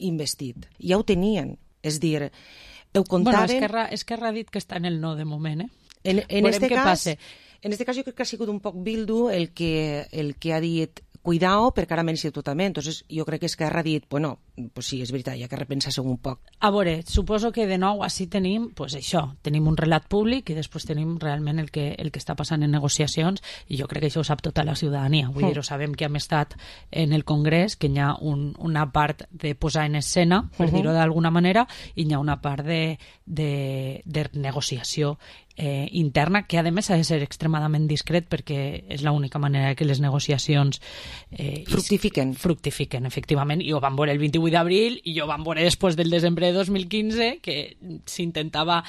investit. Ja ho tenien. És dir, ho comptaven... Bueno, Esquerra, Esquerra ha dit que està en el no de moment, eh? En, en este cas... Passe. En este cas jo crec que ha sigut un poc Bildu el que, el que ha dit cuidao perquè ara m'he sigut totalment. Entonces jo crec que Esquerra ha dit, bueno, pues sí, és veritat, hi ha que repensar-se un poc. A veure, suposo que de nou així tenim, pues això, tenim un relat públic i després tenim realment el que, el que està passant en negociacions, i jo crec que això ho sap tota la ciutadania. Vull dir, ho sabem que hem estat en el Congrés, que hi ha un, una part de posar en escena, per uh-huh. dir-ho d'alguna manera, i hi ha una part de, de, de negociació Eh, interna, que a més ha de ser extremadament discret perquè és l'única manera que les negociacions eh, fructifiquen. fructifiquen, efectivament, i ho vam veure el vint-i-vuit d'abril i ho vam veure després del desembre de dos mil quinze, que s'intentava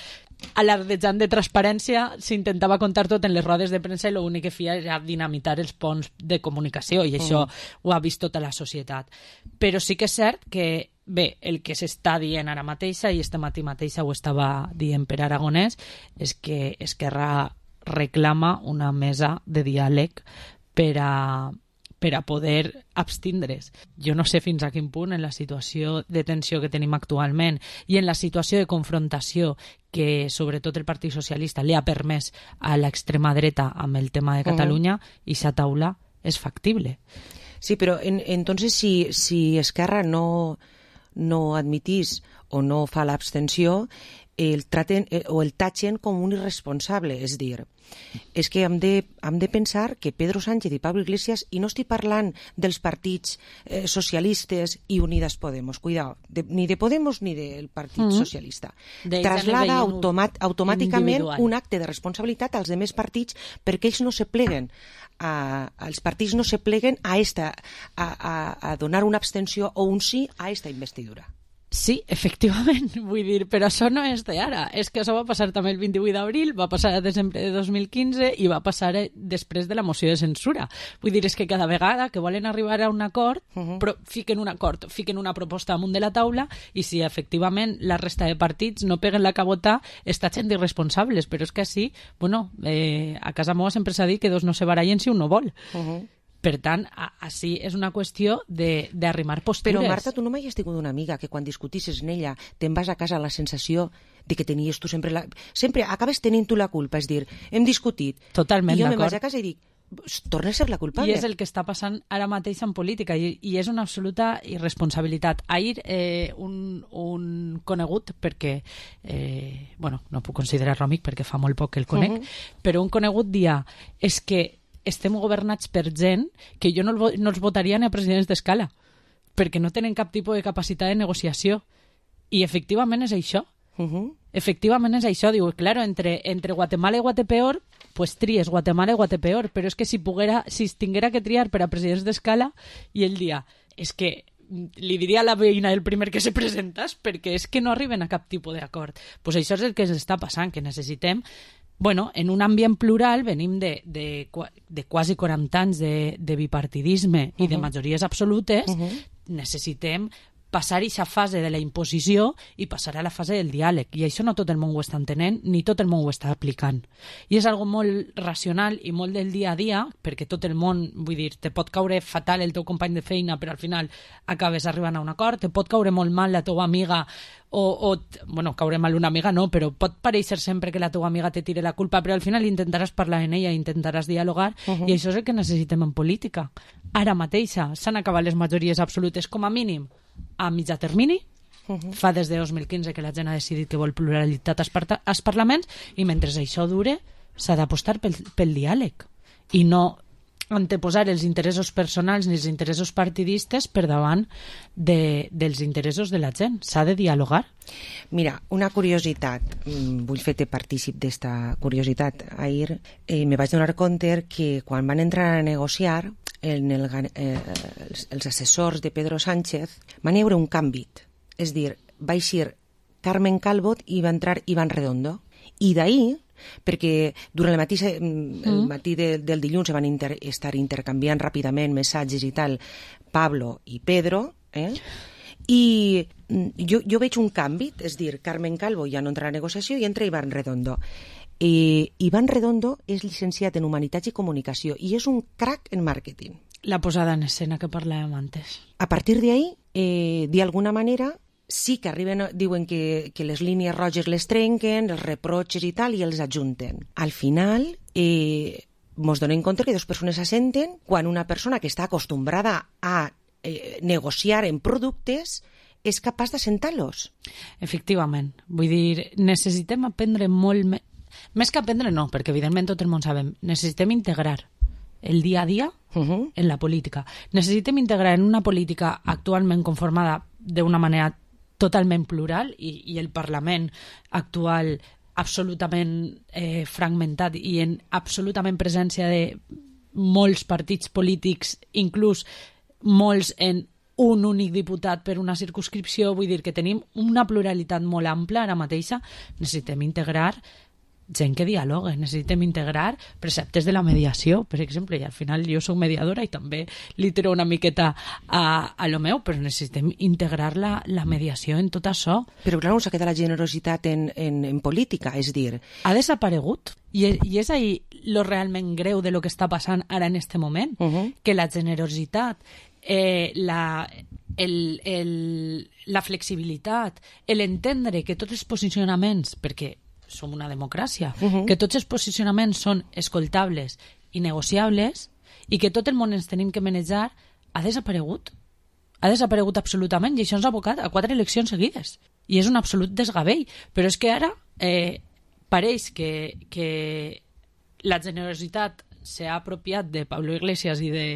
alardejant de transparència, s'intentava contar tot en les rodes de premsa i l'únic que feia era dinamitar els ponts de comunicació, i això mm. ho ha vist tota la societat. Però sí que és cert que bé, el que s'està dient ara mateixa, i este matí mateixa ho estava dient per Aragonès, és que Esquerra reclama una mesa de diàleg per a, per a poder abstindre's. Jo no sé fins a quin punt, en la situació de tensió que tenim actualment i en la situació de confrontació que sobretot el Partit Socialista li ha permès a l'extrema dreta amb el tema de Catalunya, uh-huh. i sa taula és factible. Sí, però en, entonces si, si Esquerra no... no admitís o no fa l'abstenció, el traten eh, o el tatxen com un irresponsable. És dir, és que hem de, hem de pensar que Pedro Sánchez i Pablo Iglesias, i no estic parlant dels partits eh, socialistes i Unidas Podemos, cuidao, de, ni de Podemos ni del Partit mm-hmm. Socialista, de traslada automat, automàticament un acte de responsabilitat als demés partits perquè ells no se pleguen a, els partits no se pleguen a, esta, a, a, a donar una abstenció o un sí a esta investidura. Sí, efectivament, vull dir, però això no és d'ara, és que això va passar també el vint-i-vuit d'abril, va passar a desembre de dos mil quinze i va passar després de la moció de censura. Vull dir, és que cada vegada que volen arribar a un acord, uh-huh. però fiquen un acord, fiquen una proposta amunt de la taula, i si efectivament la resta de partits no peguen la cabota, està gent d'irresponsables, però és que així, bueno, eh, a casa meva sempre s'ha dit que dos no se barallen si un no vol. Uh-huh. Per tant, així és una qüestió d'arrimar postures. Però, Marta, tu no mai has tingut una amiga que quan discutissis en ella te'n vas a casa la sensació de que tenies tu sempre... La... Sempre acabes tenint tu la culpa, és dir, hem discutit. Totalment d'acord. I jo me'n vaig a casa i dic, torna a ser la culpable. I és el que està passant ara mateix en política, i, i és una absoluta irresponsabilitat. Ahir eh, un, un conegut, perquè eh, bueno, no puc considerar-lo amic perquè fa molt poc que el conec, uh-huh. però un conegut dia és que estem governats per gent que jo no, el, no els votaria ni a presidents d'escala, perquè no tenen cap tipus de capacitat de negociació. I efectivament és això. Uh-huh. Efectivament és això. Diu, claro, entre, entre Guatemala i Guatepeor, pues tries Guatemala i Guatepeor, però és que si, poguera, si es tinguera que triar per a presidents d'escala, i ell dia, és que li diria a la veïna el primer que se presentas, perquè és que no arriben a cap tipus d'acord. Pues això és el que s'està passant, que necessitem. Bueno, en un ambient plural venim de, de, de quasi quaranta anys de, de bipartidisme uh-huh. i de majories absolutes, uh-huh. necessitem passar aquesta fase de la imposició i passar a la fase del diàleg. I això no tot el món ho està entenent, ni tot el món ho està aplicant. I és algo molt racional i molt del dia a dia, perquè tot el món, vull dir, te pot caure fatal el teu company de feina, però al final acabes arribant a un acord, te pot caure molt mal la teva amiga, o, o bueno, caure mal una amiga no, però pot pareixer sempre que la teva amiga te tire la culpa, però al final intentaràs parlar en ella, intentaràs dialogar, uh-huh. i això és el que necessitem en política. Ara mateixa s'han acabat les majories absolutes, com a mínim, a mitjà termini, Uh-huh. Fa des de dos mil quinze que la gent ha decidit que vol pluralitat als, par als parlaments i mentre això dure s'ha d'apostar pel, pel diàleg i no anteposar els interessos personals ni els interessos partidistes per davant de, dels interessos de la gent. S'ha de dialogar. Mira, una curiositat, vull fer-te partícip d'esta curiositat. Ahir eh, me vaig donar compte que quan van entrar a negociar en el, eh, els, els assessors de Pedro Sánchez van hi haure un canvi. És dir, va eixir Carmen Calvo i va entrar Iván Redondo. I d'ahir, perquè durant el matí, el matí de, del dilluns se van inter, estar intercanviant ràpidament missatges i tal, Pablo i Pedro, eh? I jo, jo veig un canvi, és dir, Carmen Calvo ja no entra a negociació i entra Iván Redondo. Eh, Iván Redondo és llicenciat en Humanitats i Comunicació i és un crack en màrqueting. La posada en escena que parlàvem antes. A partir d'ahí, eh, d'alguna manera, sí que arriben, diuen que, que les línies roges les trenquen, els reproches i tal, i els ajunten. Al final, eh, mos donem compte que dues persones s'assenten quan una persona que està acostumbrada a eh, negociar en productes és capaç d'assentar-los. Efectivament. Vull dir, necessitem aprendre molt més... Més que aprendre, no, perquè evidentment tot el món sabem. Necessitem integrar el dia a dia uh-huh. en la política. Necessitem integrar en una política actualment conformada d'una manera totalment plural i, i el Parlament actual absolutament eh, fragmentat i en absolutament presència de molts partits polítics, inclús molts en un únic diputat per una circumscripció, vull dir que tenim una pluralitat molt ampla ara mateixa. Necessitem integrar gent que dialoga, necessitem integrar preceptes de la mediació, per exemple, i al final jo soc mediadora i també li tiro una miqueta a, a lo meu, però necessitem integrar la, la mediació en tot això. Però clar, s'ha quedat la generositat en, en, en política, és dir... Ha desaparegut, i, i és ahí lo realment greu de lo que està passant ara en este moment, uh-huh. que la generositat, eh, la... El, el, la flexibilitat, l'entendre que tots els posicionaments, perquè som una democràcia, uh-huh. que tots els posicionaments són escoltables i negociables i que tot el món ens tenim que manejar, ha desaparegut. Ha desaparegut absolutament i això ens ha abocat a quatre eleccions seguides. I és un absolut desgavell. Però és que ara eh, pareix que, que la generositat s'ha apropiat de Pablo Iglesias i de,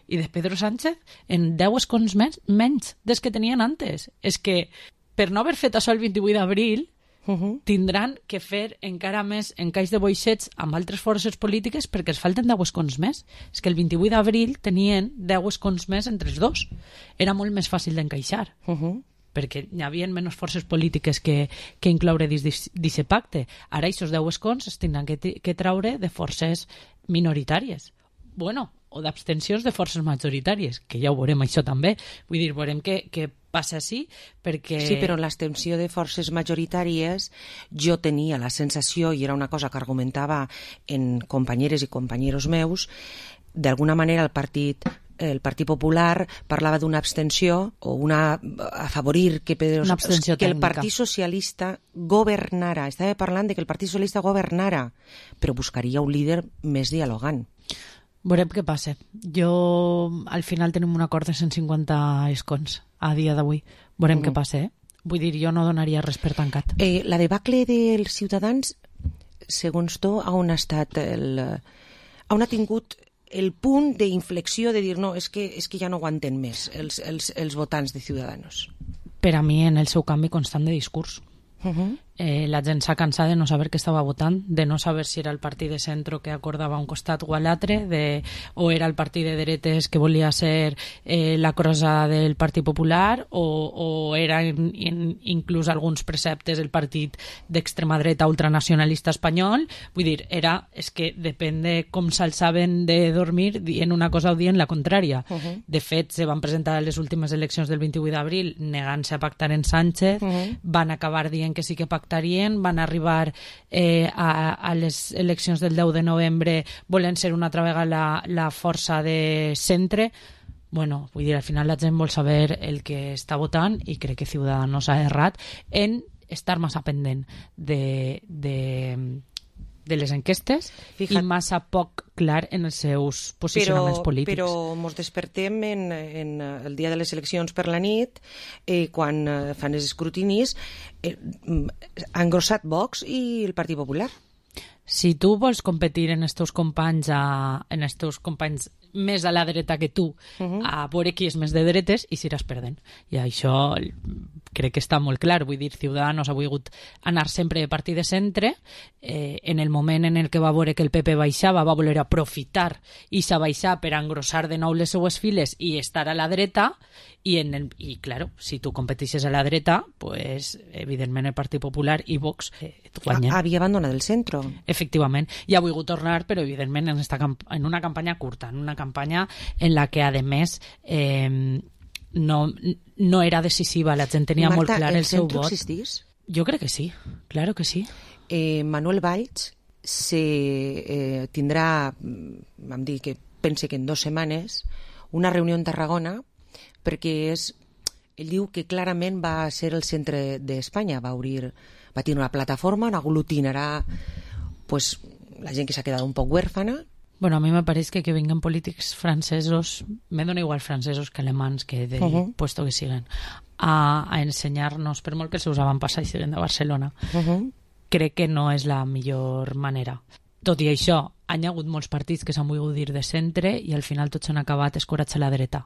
i de Pedro Sánchez en deu escons menys, menys des que tenien antes. És que per no haver fet això el vint-i-vuit d'abril Uh-huh. tindran que fer encara més encaix de boixets amb altres forces polítiques perquè els falten deu escons més. És que el vint-i-vuit d'abril tenien deu escons més entre els dos. Era molt més fàcil d'encaixar. Uh-huh. Perquè hi havia menys forces polítiques que, que incloure dins d'aquest pacte. Ara aquests deu escons es tindran que, que traure de forces minoritàries. Bueno, o d'abstencions de forces majoritàries, que ja ho veurem això també. Vull dir, veurem que, que passa així, perquè... Sí, però l'abstenció de forces majoritàries jo tenia la sensació, i era una cosa que argumentava en companyeres i companyeros meus, d'alguna manera el partit el Partit Popular parlava d'una abstenció o una afavorir que, Pedro, que el Partit Socialista governara. Estava parlant de que el Partit Socialista governara, però buscaria un líder més dialogant. Veurem què passa. Jo, al final tenim un acord de cent cinquanta escons a dia d'avui. Veurem mm. què passa, eh? Vull dir, jo no donaria res per tancat. Eh, la debacle dels Ciutadans, segons tu, on ha estat el... on ha tingut el punt d'inflexió de dir no, és que, és que ja no aguanten més els, els, els votants de Ciudadanos? Per a mi, en el seu canvi constant de discurs. Uh-huh. Eh, la gent s'ha cansat de no saber què estava votant, de no saber si era el partit de centro que acordava un costat o a l'altre, de, o era el partit de dretes que volia ser eh, la crosa del Partit Popular, o, o era in, in, inclús alguns preceptes el partit d'extrema dreta ultranacionalista espanyol. Vull dir, era, és que depèn de com s'alçaven de dormir dient una cosa o dient la contrària. Uh-huh. De fet, se van presentar les últimes eleccions del vint-i-vuit d'abril negant-se a pactar en Sánchez, uh-huh. van acabar dient que sí que pactarien, van arribar eh, a, a les eleccions del deu de novembre volent ser una altra vegada la, la força de centre. Bueno, vull dir, al final la gent vol saber el que està votant i crec que Ciudadanos ha errat en estar massa pendent de, de de les enquestes Fijat. I massa poc clar en els seus posicionaments però, polítics. Però ens despertem en, en el dia de les eleccions per la nit, eh, quan eh, fan els escrutinis, eh, ha engrossat Vox i el Partit Popular. Si tu vols competir en els teus companys, a, en els teus companys més a la dreta que tu, uh-huh. a veure qui és més de dretes i s'iràs perdent. I això crec que està molt clar. Vull dir, Ciudadanos ha volgut anar sempre de partit de centre. Eh, en el moment en el que va veure que el P P baixava, va voler aprofitar i s'ha baixat per engrossar de nou les seues files i estar a la dreta. I, en el, i claro, si tu competixes a la dreta, pues, evidentment el Partit Popular i Vox eh, et guanyen. Havia abandonat el centre. Efectivament. I ha volgut tornar, però evidentment en, esta, en una campanya curta, en una campanya en la que, a més, eh, no, no era decisiva. La gent tenia Marta, molt clar el, el seu vot. ¿el centro existís? Jo crec que sí, claro que sí. Eh, Manuel Valls se, eh, tindrà, vam dir que pense que en dues setmanes, una reunió en Tarragona, perquè és, ell diu que clarament va ser el centre d'Espanya, va obrir, va tenir una plataforma on aglutinarà pues, la gent que s'ha quedat un poc huérfana. Bueno, a mi me pareix que que vinguen polítics francesos, me dona igual francesos que alemans, que de uh-huh. puesto que siguen, a, a ensenyar-nos, per molt que els seus avantpassats siguen de Barcelona, uh-huh. crec que no és la millor manera. Tot i això, hi ha hagut molts partits que s'han volgut dir de centre i al final tots han acabat escorats a la dreta.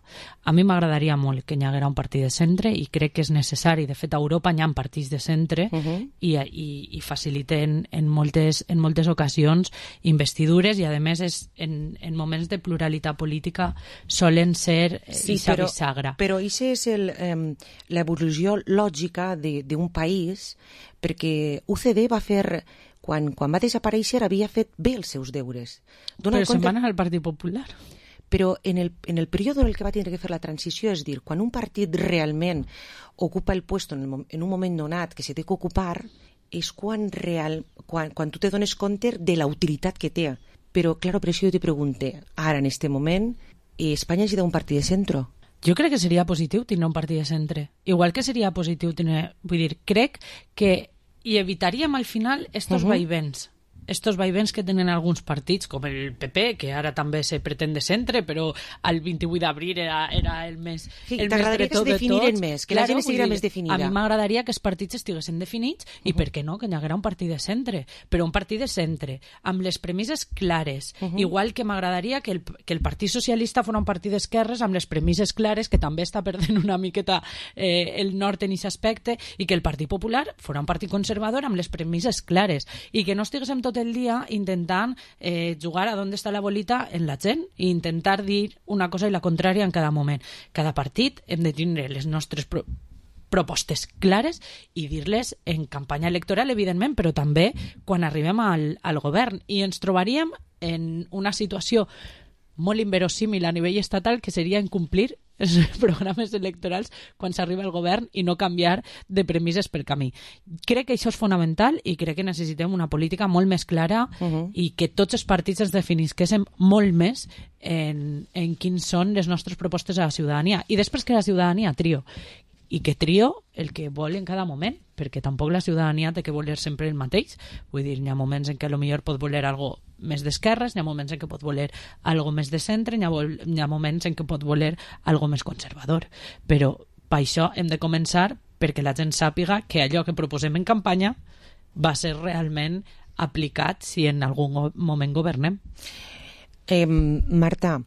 A mi m'agradaria molt que hi haguera un partit de centre i crec que és necessari. De fet, a Europa hi ha partits de centre uh-huh. i, i, i faciliten en moltes, en moltes ocasions investidures i, a més, és, en, en moments de pluralitat política solen ser sí, ixa però, bisagra. Però això és el, eh, l'evolució lògica d'un país, perquè U C D va fer... Quan, quan va desaparèixer havia fet bé els seus deures. Dona però compte... se'n van anar al Partit Popular. Però en el, en el període en el que va tindre que fer la transició, és dir, quan un partit realment ocupa el puesto en, el, en un moment donat que se té que ocupar, és quan, real, quan, quan tu te dones compte de la utilitat que té. Però, clar, per això jo te pregunte, ara, en este moment, Espanya necessita un partit de centre? Jo crec que seria positiu tenir un partit de centre. Igual que seria positiu tenir... Vull dir, crec que i evitaríem al final estos uh-huh. vaivens estos vaivens que tenen alguns partits com el P P, que ara també se pretén de centre, però el vint-i-vuit d'abril era, era el més sí, el t'agradaria més que es definiren més, que claro, la gent estiguera més definida. A mi m'agradaria que els partits estiguessin definits i, uh-huh. per què no, que hi haguera un partit de centre, però un partit de centre, amb les premisses clares, uh-huh. igual que m'agradaria que el, que el Partit Socialista fos un partit d'esquerres amb les premisses clares, que també està perdent una miqueta eh, el nord en aquest aspecte, i que el Partit Popular fos un partit conservador amb les premisses clares, i que no estiguéssim tot el dia intentant eh, jugar a d'on està la bolita en la gent i intentar dir una cosa i la contrària en cada moment. Cada partit hem de tindre les nostres pro propostes clares i dir-les en campanya electoral, evidentment, però també quan arribem al, al govern. I ens trobaríem en una situació molt inverosímil a nivell estatal, que seria incomplir els programes electorals quan s'arriba al govern i no canviar de premisses pel camí. Crec que això és fonamental i crec que necessitem una política molt més clara uh-huh. i que tots els partits ens definisquéssim molt més en, en quins són les nostres propostes a la ciutadania. I després que la ciutadania trio. I que trio el que vol en cada moment, perquè tampoc la ciutadania té que voler sempre el mateix. Vull dir, hi ha moments en què potser pot voler algo més d'esquerres, hi ha moments en què pot voler algo més de centre, hi ha, hi ha moments en què pot voler algo més conservador. Però per això hem de començar perquè la gent sàpiga que allò que proposem en campanya va ser realment aplicat si en algun moment governem. Eh, Marta,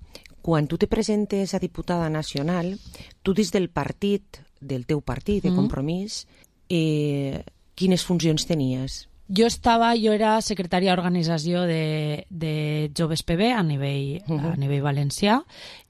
quan tu te presentes a diputada nacional, tu des del partit, del teu partit de Compromís, eh, quines funcions tenies? Jo estava, jo era secretària d'organització de, de Joves P B a nivell, uh-huh. a nivell valencià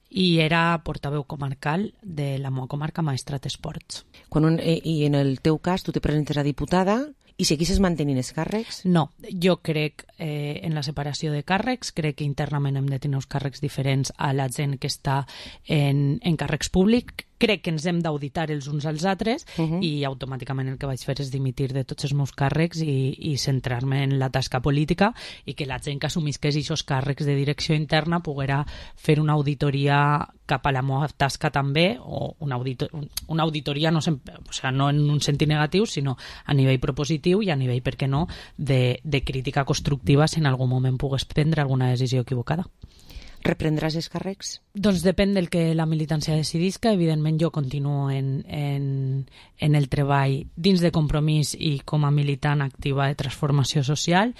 i era portaveu comarcal de la meva comarca Maestrat Esports. Quan un, eh, I en el teu cas tu te presentes a diputada i seguisses mantenint els càrrecs? No, jo crec eh, en la separació de càrrecs, crec que internament hem de tenir uns càrrecs diferents a la gent que està en, en càrrecs públics. crec que ens hem d'auditar els uns als altres uh -huh. i automàticament el que vaig fer és dimitir de tots els meus càrrecs i, i centrar-me en la tasca política i que la gent que assumisca aquests càrrecs de direcció interna poguera fer una auditoria cap a la meva tasca també, o una, auditor una auditoria no, sempre, o sea, no en un sentit negatiu, sinó a nivell propositiu i a nivell, per què no, de, de crítica constructiva si en algun moment pogués prendre alguna decisió equivocada. Reprendràs els càrrecs? Doncs depèn del que la militància decidisca. Evidentment jo continuo en, en, en el treball dins de Compromís i com a militant activa de transformació social.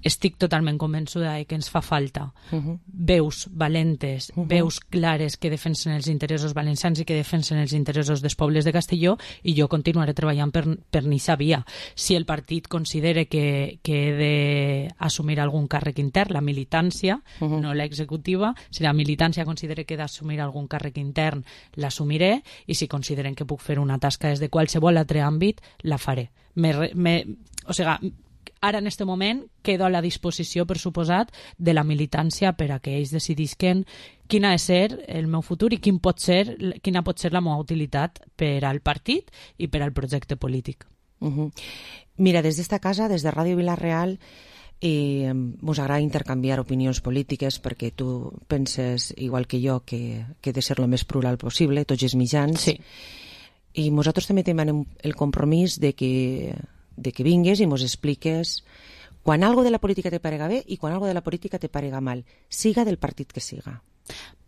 Estic totalment convençuda que ens fa falta uh -huh. veus valentes, uh -huh. veus clares que defensen els interessos valencians i que defensen els interessos dels pobles de Castelló, i jo continuaré treballant per, per aquesta via. Si el partit considera que, que he d'assumir algun càrrec intern, la militància, uh -huh. no l'executiva, si la militància considera que he d'assumir algun càrrec intern, l'assumiré, i si consideren que puc fer una tasca des de qualsevol altre àmbit, la faré. Me, me, o sigui, ara, en aquest moment, quedo a la disposició, per suposat, de la militància per a que ells decidisquen quin ha de ser el meu futur i quin pot ser, quina pot ser la meva utilitat per al partit i per al projecte polític. Uh -huh. Mira, des d'esta casa, des de Ràdio Vila-real, i ens agrada intercanviar opinions polítiques perquè tu penses, igual que jo, que, que he de ser el més plural possible, tots els mitjans. Sí. I nosaltres també tenim el compromís de que de que vingues i mos expliques quan algo de la política te parega bé i quan algo de la política te parega mal, siga del partit que siga.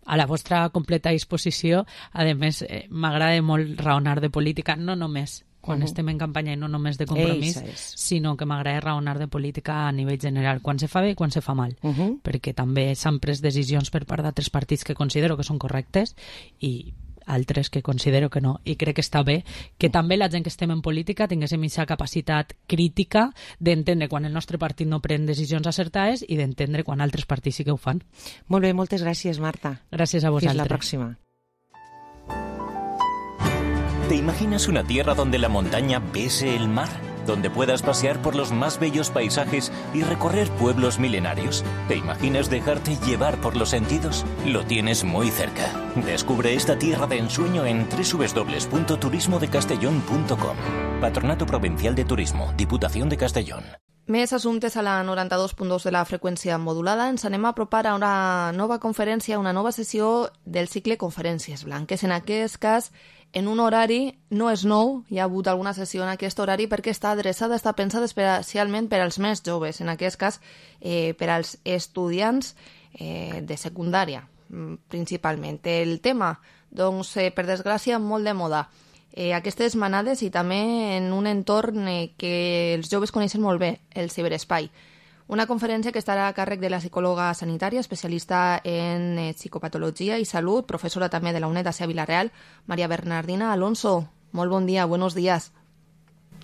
A la vostra completa disposició. A més, eh, m'agrada molt raonar de política, no només quan uh -huh. estem en campanya i no només de Compromís, sinó que m'agrada raonar de política a nivell general, quan se fa bé i quan se fa mal, uh -huh. perquè també s'han pres decisions per part d'altres partits que considero que són correctes i altres que considero que no, i crec que està bé que també la gent que estem en política tinguéssim aquesta capacitat crítica d'entendre quan el nostre partit no pren decisions acertades i d'entendre quan altres partits sí que ho fan. Molt bé, moltes gràcies, Marta. Gràcies a vosaltres. Fins la pròxima. ¿Te imaginas una tierra donde la montaña bese el mar? Donde puedas pasear por los más bellos paisajes y recorrer pueblos milenarios. ¿Te imaginas dejarte llevar por los sentidos? Lo tienes muy cerca. Descubre esta tierra de ensueño en doble u doble u doble u punto turismo de castellón punto com. Patronato Provincial de Turismo, Diputación de Castellón. Més assumptes a la noranta-dos punt dos de la freqüència modulada. Ens anem a apropar a una nova conferència, una nova sessió del cicle Conferències Blanques. En aquest cas, en un horari, no és nou, hi ha hagut alguna sessió en aquest horari perquè està adreçada, està pensada especialment per als més joves, en aquest cas eh, per als estudiants eh, de secundària, principalment. El tema, doncs, eh, per desgràcia, molt de moda. Eh, aquestes manades i també en un entorn eh, que els joves coneixen molt bé, el ciberespai. Una conferència que estarà a càrrec de la psicòloga sanitària, especialista en eh, psicopatologia i salut, professora també de la UNED a Vila-real, María Bernardina Alonso. Molt bon dia, buenos días.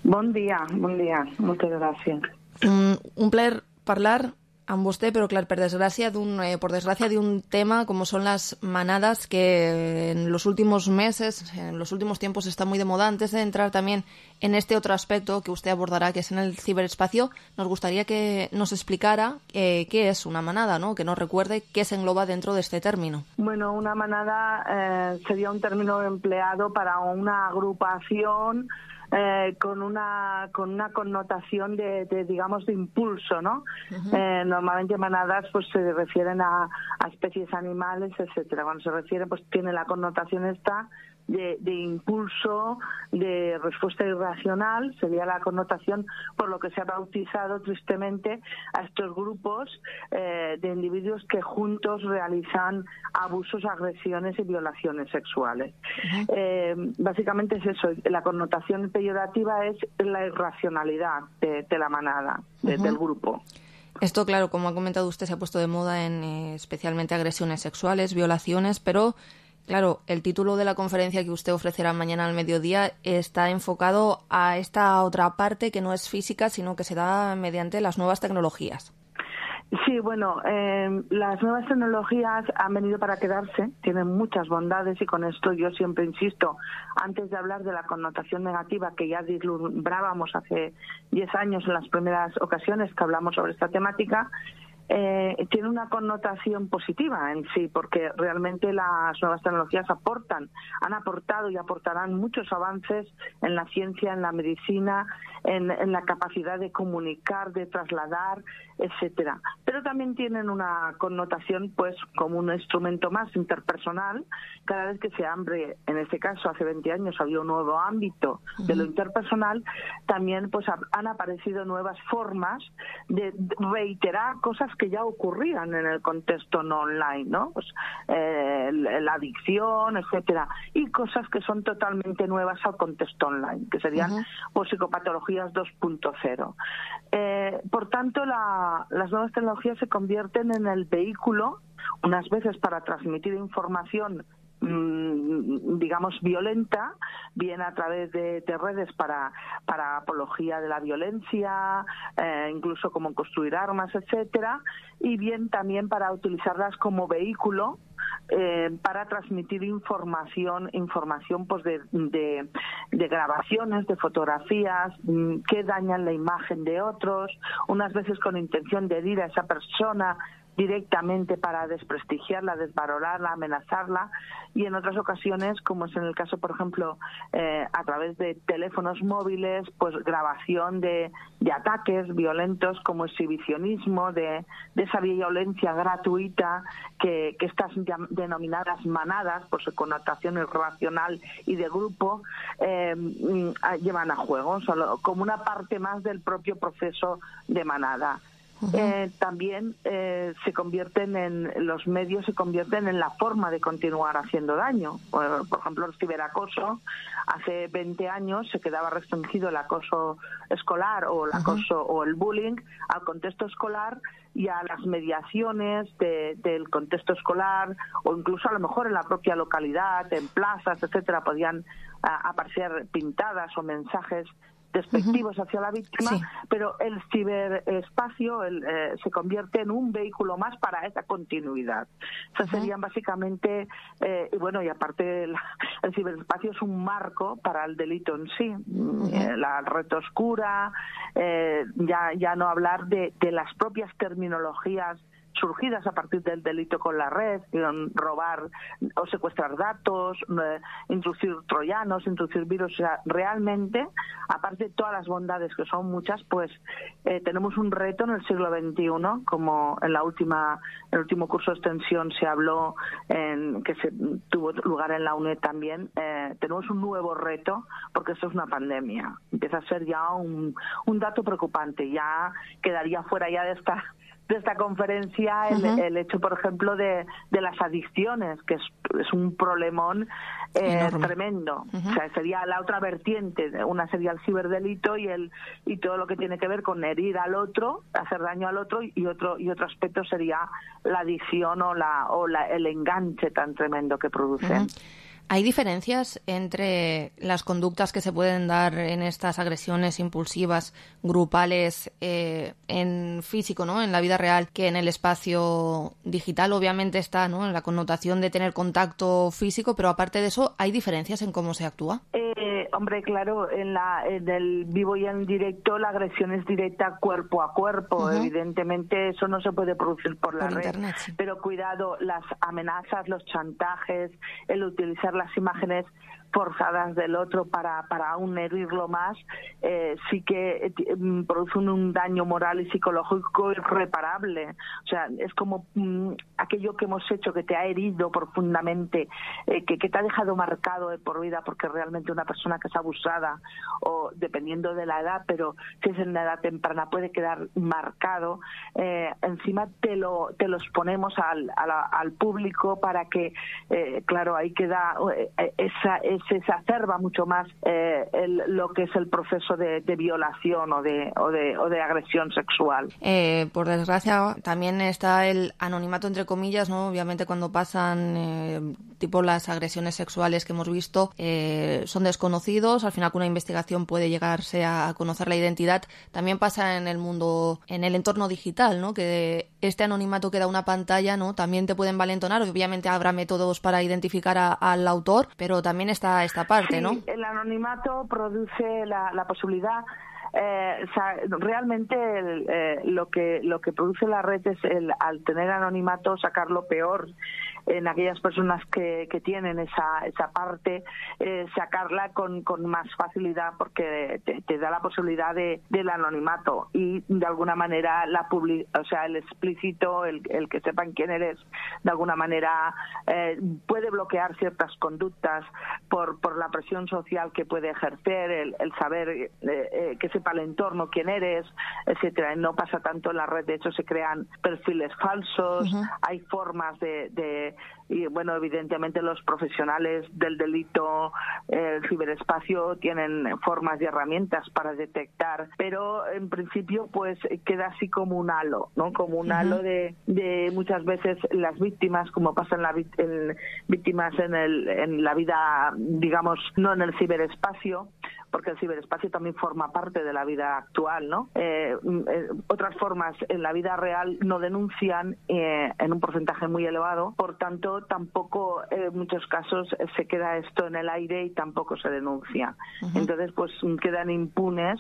Bon dia, bon dia, moltes gràcies. Un, un plaer parlar amb vostè, però clar, per desgràcia d'un eh, por desgracia de un tema como son las manadas que en los últimos meses, en los últimos tiempos está muy de moda. Antes de entrar también en este otro aspecto que usted abordará, que es en el ciberespacio, nos gustaría que nos explicara eh, qué es una manada, ¿no? Que nos recuerde qué se engloba dentro de este término. Bueno, una manada eh, sería un término empleado para una agrupación Eh, con una con una connotación de, de digamos de impulso, ¿no? Uh-huh. eh, normalmente manadas pues se refieren a, a especies animales, etcétera. Cuando se refiere pues tiene la connotación esta de, de impulso, de respuesta irracional, sería la connotación por lo que se ha bautizado tristemente a estos grupos eh, de individuos que juntos realizan abusos, agresiones y violaciones sexuales. Uh-huh. eh, básicamente es eso, la connotación peyorativa es la irracionalidad de, de la manada, de, uh-huh. del grupo. Esto, claro, como ha comentado usted, se ha puesto de moda en eh, especialmente agresiones sexuales, violaciones, pero claro, el título de la conferencia que usted ofrecerá mañana al mediodía está enfocado a esta otra parte que no es física, sino que se da mediante las nuevas tecnologías. Sí, bueno, eh, las nuevas tecnologías han venido para quedarse, tienen muchas bondades y con esto yo siempre insisto, antes de hablar de la connotación negativa que ya vislumbrábamos hace diez años en las primeras ocasiones que hablamos sobre esta temática, eh, tiene una connotación positiva en sí, porque realmente las nuevas tecnologías aportan, han aportado y aportarán muchos avances en la ciencia, en la medicina, en, en la capacidad de comunicar, de trasladar, etcétera. Pero también tienen una connotación, pues, como un instrumento más interpersonal. Cada vez que se abre, en este caso hace veinte años había un nuevo ámbito de lo interpersonal, también pues han aparecido nuevas formas de reiterar cosas que ya ocurrían en el contexto no online, ¿no? Pues, eh, la adicción, etcétera, y cosas que son totalmente nuevas al contexto online, que serían uh-huh. pues psicopatologías dos punto cero. Eh, por tanto, la, las nuevas tecnologías se convierten en el vehículo, unas veces para transmitir información digamos violenta, bien a través de, de redes para para apología de la violencia, eh, incluso como construir armas, etcétera, y bien también para utilizarlas como vehículo eh, para transmitir información, información pues de, de, de grabaciones, de fotografías mmm, que dañan la imagen de otros, unas veces con intención de herir a esa persona directamente para desprestigiarla, desvalorarla, amenazarla, y en otras ocasiones, como es en el caso, por ejemplo, eh, a través de teléfonos móviles, pues grabación de, de ataques violentos como exhibicionismo, de, de esa violencia gratuita que, que estas denominadas manadas, por su connotación irracional y de grupo, eh, llevan a juego, solo como una parte más del propio proceso de manada. Eh, también eh, se convierten en los medios se convierten en la forma de continuar haciendo daño. Por, por ejemplo, el ciberacoso, hace veinte años se quedaba restringido el acoso escolar o el acoso uh-huh. o el bullying al contexto escolar y a las mediaciones de, del contexto escolar, o incluso a lo mejor en la propia localidad, en plazas, etcétera, podían a, aparecer pintadas o mensajes despectivos hacia la víctima, sí. pero el ciberespacio el, eh, se convierte en un vehículo más para esa continuidad. Esas uh-huh. serían básicamente, eh, y bueno, y aparte el, el ciberespacio es un marco para el delito en sí. Uh-huh. Eh, la red oscura, eh, ya, ya no hablar de, de las propias terminologías surgidas a partir del delito con la red, robar o secuestrar datos, eh, introducir troyanos, introducir virus. O sea, realmente, aparte de todas las bondades, que son muchas, pues eh, tenemos un reto en el siglo veintiuno, como en la última, en el último curso de extensión se habló, en, que se tuvo lugar en la UNED también, eh, tenemos un nuevo reto, porque esto es una pandemia. Empieza a ser ya un, un dato preocupante, ya quedaría fuera ya de esta de esta conferencia el, uh-huh. el hecho, por ejemplo, de, de las adicciones, que es, es un problemón eh, tremendo. Uh-huh. O sea, sería la otra vertiente. Una sería el ciberdelito y el y todo lo que tiene que ver con herir al otro, hacer daño al otro, y otro y otro aspecto sería la adicción o la o la, el enganche tan tremendo que producen. Uh-huh. ¿Hay diferencias entre las conductas que se pueden dar en estas agresiones impulsivas grupales eh, en físico, ¿no?, en la vida real, que en el espacio digital? Obviamente está, ¿no?, en la connotación de tener contacto físico, pero aparte de eso, ¿hay diferencias en cómo se actúa? Eh, hombre, claro, en, la, en el vivo y en directo la agresión es directa cuerpo a cuerpo. Uh-huh. Evidentemente eso no se puede producir por la por red. Internet, sí. Pero cuidado, las amenazas, los chantajes, el utilizar las imágenes forzadas del otro para, para aún herirlo más, eh, sí que eh, producen un daño moral y psicológico irreparable. O sea, es como mm, aquello que hemos hecho que te ha herido profundamente, eh, que, que te ha dejado marcado de por vida, porque realmente una persona que es abusada, o dependiendo de la edad, pero si es en la edad temprana, puede quedar marcado. Eh, encima te lo, te lo exponemos al, al, al público para que, eh, claro, ahí queda eh, esa, esa se exacerba mucho más eh, el, lo que es el proceso de, de violación o de, o, de, o de agresión sexual. Eh, por desgracia, también está el anonimato, entre comillas, ¿no? Obviamente cuando pasan eh, tipo las agresiones sexuales que hemos visto, eh, son desconocidos, al final con una investigación puede llegarse a conocer la identidad. También pasa en el mundo, en el entorno digital, ¿no?, que este anonimato que da una pantalla, ¿no?, también te pueden valentonar. Obviamente habrá métodos para identificar a, al autor, pero también está esta parte, sí, ¿no? El anonimato produce la, la posibilidad Eh, o sea, realmente el, eh, lo que lo que produce la red es el, al tener anonimato, sacar lo peor en aquellas personas que, que tienen esa esa parte, eh, sacarla con, con más facilidad, porque te, te da la posibilidad de del anonimato y de alguna manera la publi, o sea, el explícito, el, el que sepan quién eres, de alguna manera eh, puede bloquear ciertas conductas por por la presión social que puede ejercer, el, el saber eh, eh, que sepa el entorno quién eres, etcétera. No pasa tanto en la red, de hecho se crean perfiles falsos, uh-huh. hay formas de, de y bueno, evidentemente los profesionales del delito, eh, el ciberespacio, tienen formas y herramientas para detectar, pero en principio pues queda así como un halo, ¿no? Como un uh-huh. halo de, de muchas veces las víctimas, como pasa en la en víctimas en el en la vida, digamos, no en el ciberespacio, porque el ciberespacio también forma parte de la vida actual, ¿no? Eh, eh, otras formas en la vida real no denuncian eh, en un porcentaje muy elevado, por tanto tampoco en eh, muchos casos eh, se queda esto en el aire y tampoco se denuncia. Uh-huh. Entonces pues quedan impunes,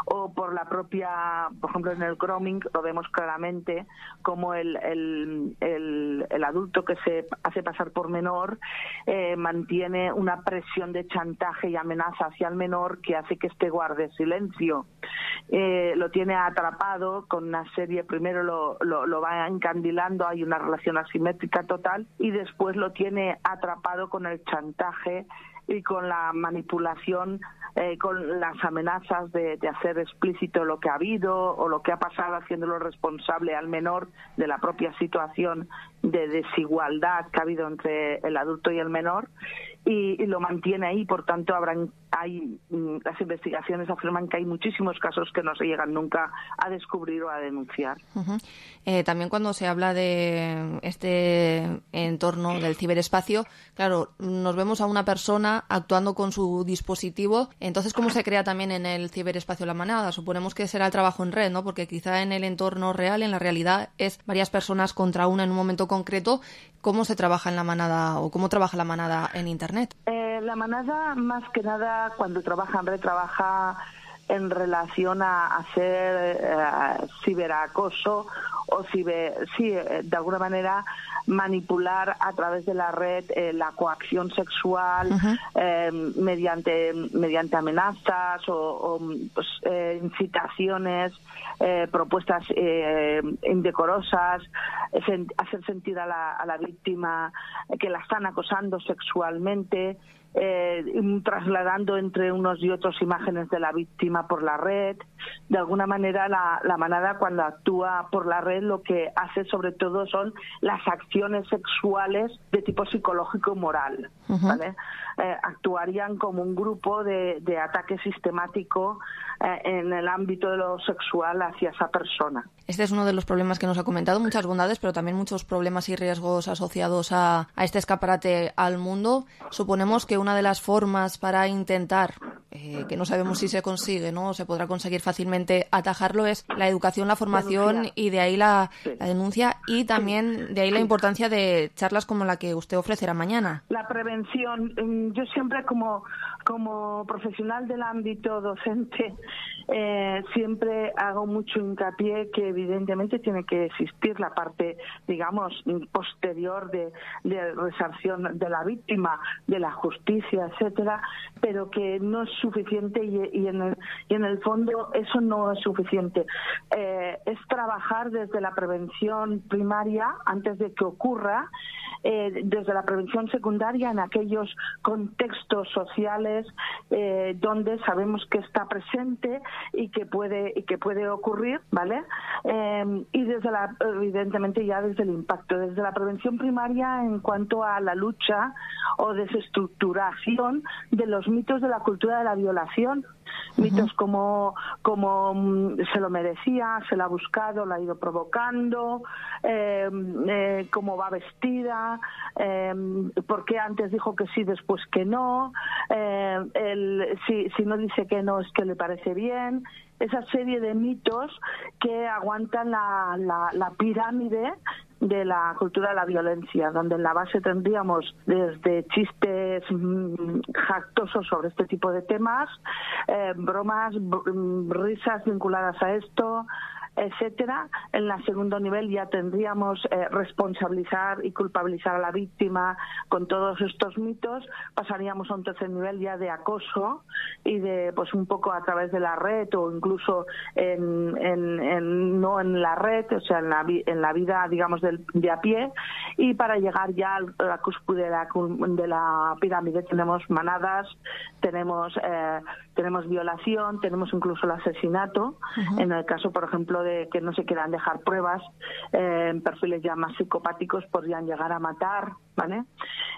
o por la propia, por ejemplo en el grooming lo vemos claramente, como el, el, el, el adulto que se hace pasar por menor eh, mantiene una presión de chantaje y amenaza hacia el menor que hace que este guarde silencio. Eh, lo tiene atrapado con una serie, primero lo, lo, lo va encandilando, hay una relación asimétrica total, y después lo tiene atrapado con el chantaje y con la manipulación, eh, con las amenazas de, de hacer explícito lo que ha habido o lo que ha pasado, haciéndolo responsable al menor de la propia situación de desigualdad que ha habido entre el adulto y el menor, y, y lo mantiene ahí. Por tanto, habrán hay las investigaciones afirman que hay muchísimos casos que no se llegan nunca a descubrir o a denunciar. Uh-huh. Eh, también cuando se habla de este entorno del ciberespacio, claro, nos vemos a una persona actuando con su dispositivo. Entonces, ¿cómo se crea también en el ciberespacio la manada? Suponemos que será el trabajo en red, ¿no? Porque quizá en el entorno real, en la realidad, es varias personas contra una en un momento concreto. ¿Cómo se trabaja en la manada o cómo trabaja la manada en Internet? Eh, la manada, más que nada, cuando trabaja en red, trabaja en relación a hacer eh, ciberacoso o ciber, sí, de alguna manera manipular a través de la red eh, la coacción sexual, uh-huh. eh, mediante mediante amenazas o, o pues, eh, incitaciones, eh, propuestas eh, indecorosas, eh, hacer sentir a la, a la víctima que la están acosando sexualmente, Eh, trasladando entre unos y otros imágenes de la víctima por la red. De alguna manera la, la manada, cuando actúa por la red, lo que hace sobre todo son las acciones sexuales de tipo psicológico y moral, uh-huh. ¿vale? Eh, actuarían como un grupo de, de ataque sistemático eh, en el ámbito de lo sexual hacia esa persona. Este es uno de los problemas que nos ha comentado, muchas bondades, pero también muchos problemas y riesgos asociados a, a este escaparate al mundo. Suponemos que una de las formas para intentar, eh, que no sabemos si se consigue, ¿no? O se podrá conseguir fácilmente atajarlo, es la educación, la formación, denuncia. Y de ahí la, sí. la denuncia, y también de ahí la importancia de charlas como la que usted ofrecerá mañana. La prevención. Yo siempre como, como profesional del ámbito docente eh, siempre hago mucho hincapié que evidentemente tiene que existir la parte, digamos, posterior de, de resarción de la víctima, de la justicia, etcétera, pero que no es suficiente y, y, en, el, y en el fondo eso no es suficiente. Eh, es trabajar desde la prevención primaria antes de que ocurra, eh, desde la prevención secundaria en aquellos contextos sociales eh, donde sabemos que está presente y que puede y que puede ocurrir, ¿vale? Eh, y desde la evidentemente ya desde el impacto, desde la prevención primaria en cuanto a la lucha o desestructuración de los mitos de la cultura de la violación. Uh-huh. Mitos como como um, se lo merecía, se la ha buscado, la ha ido provocando, eh, eh, cómo va vestida, eh, por qué antes dijo que sí, después que no, eh, el, si, si no dice que no es que le parece bien. Esa serie de mitos que aguantan la, la, la pirámide de la cultura de la violencia, donde en la base tendríamos desde chistes es mm, jactoso sobre este tipo de temas, eh, bromas, br risas vinculadas a esto, etcétera. En el segundo nivel ya tendríamos eh, responsabilizar y culpabilizar a la víctima con todos estos mitos. Pasaríamos a un tercer nivel ya de acoso y de, pues un poco a través de la red o incluso en, en, en no en la red, o sea, en la, en la vida, digamos, del, de a pie. Y para llegar ya a la cúspide de la, de la pirámide tenemos manadas, tenemos eh, tenemos violación, tenemos incluso el asesinato. Uh-huh. En el caso, por ejemplo, de que no se quieran dejar pruebas, eh, en perfiles ya más psicopáticos podrían llegar a matar, ¿vale?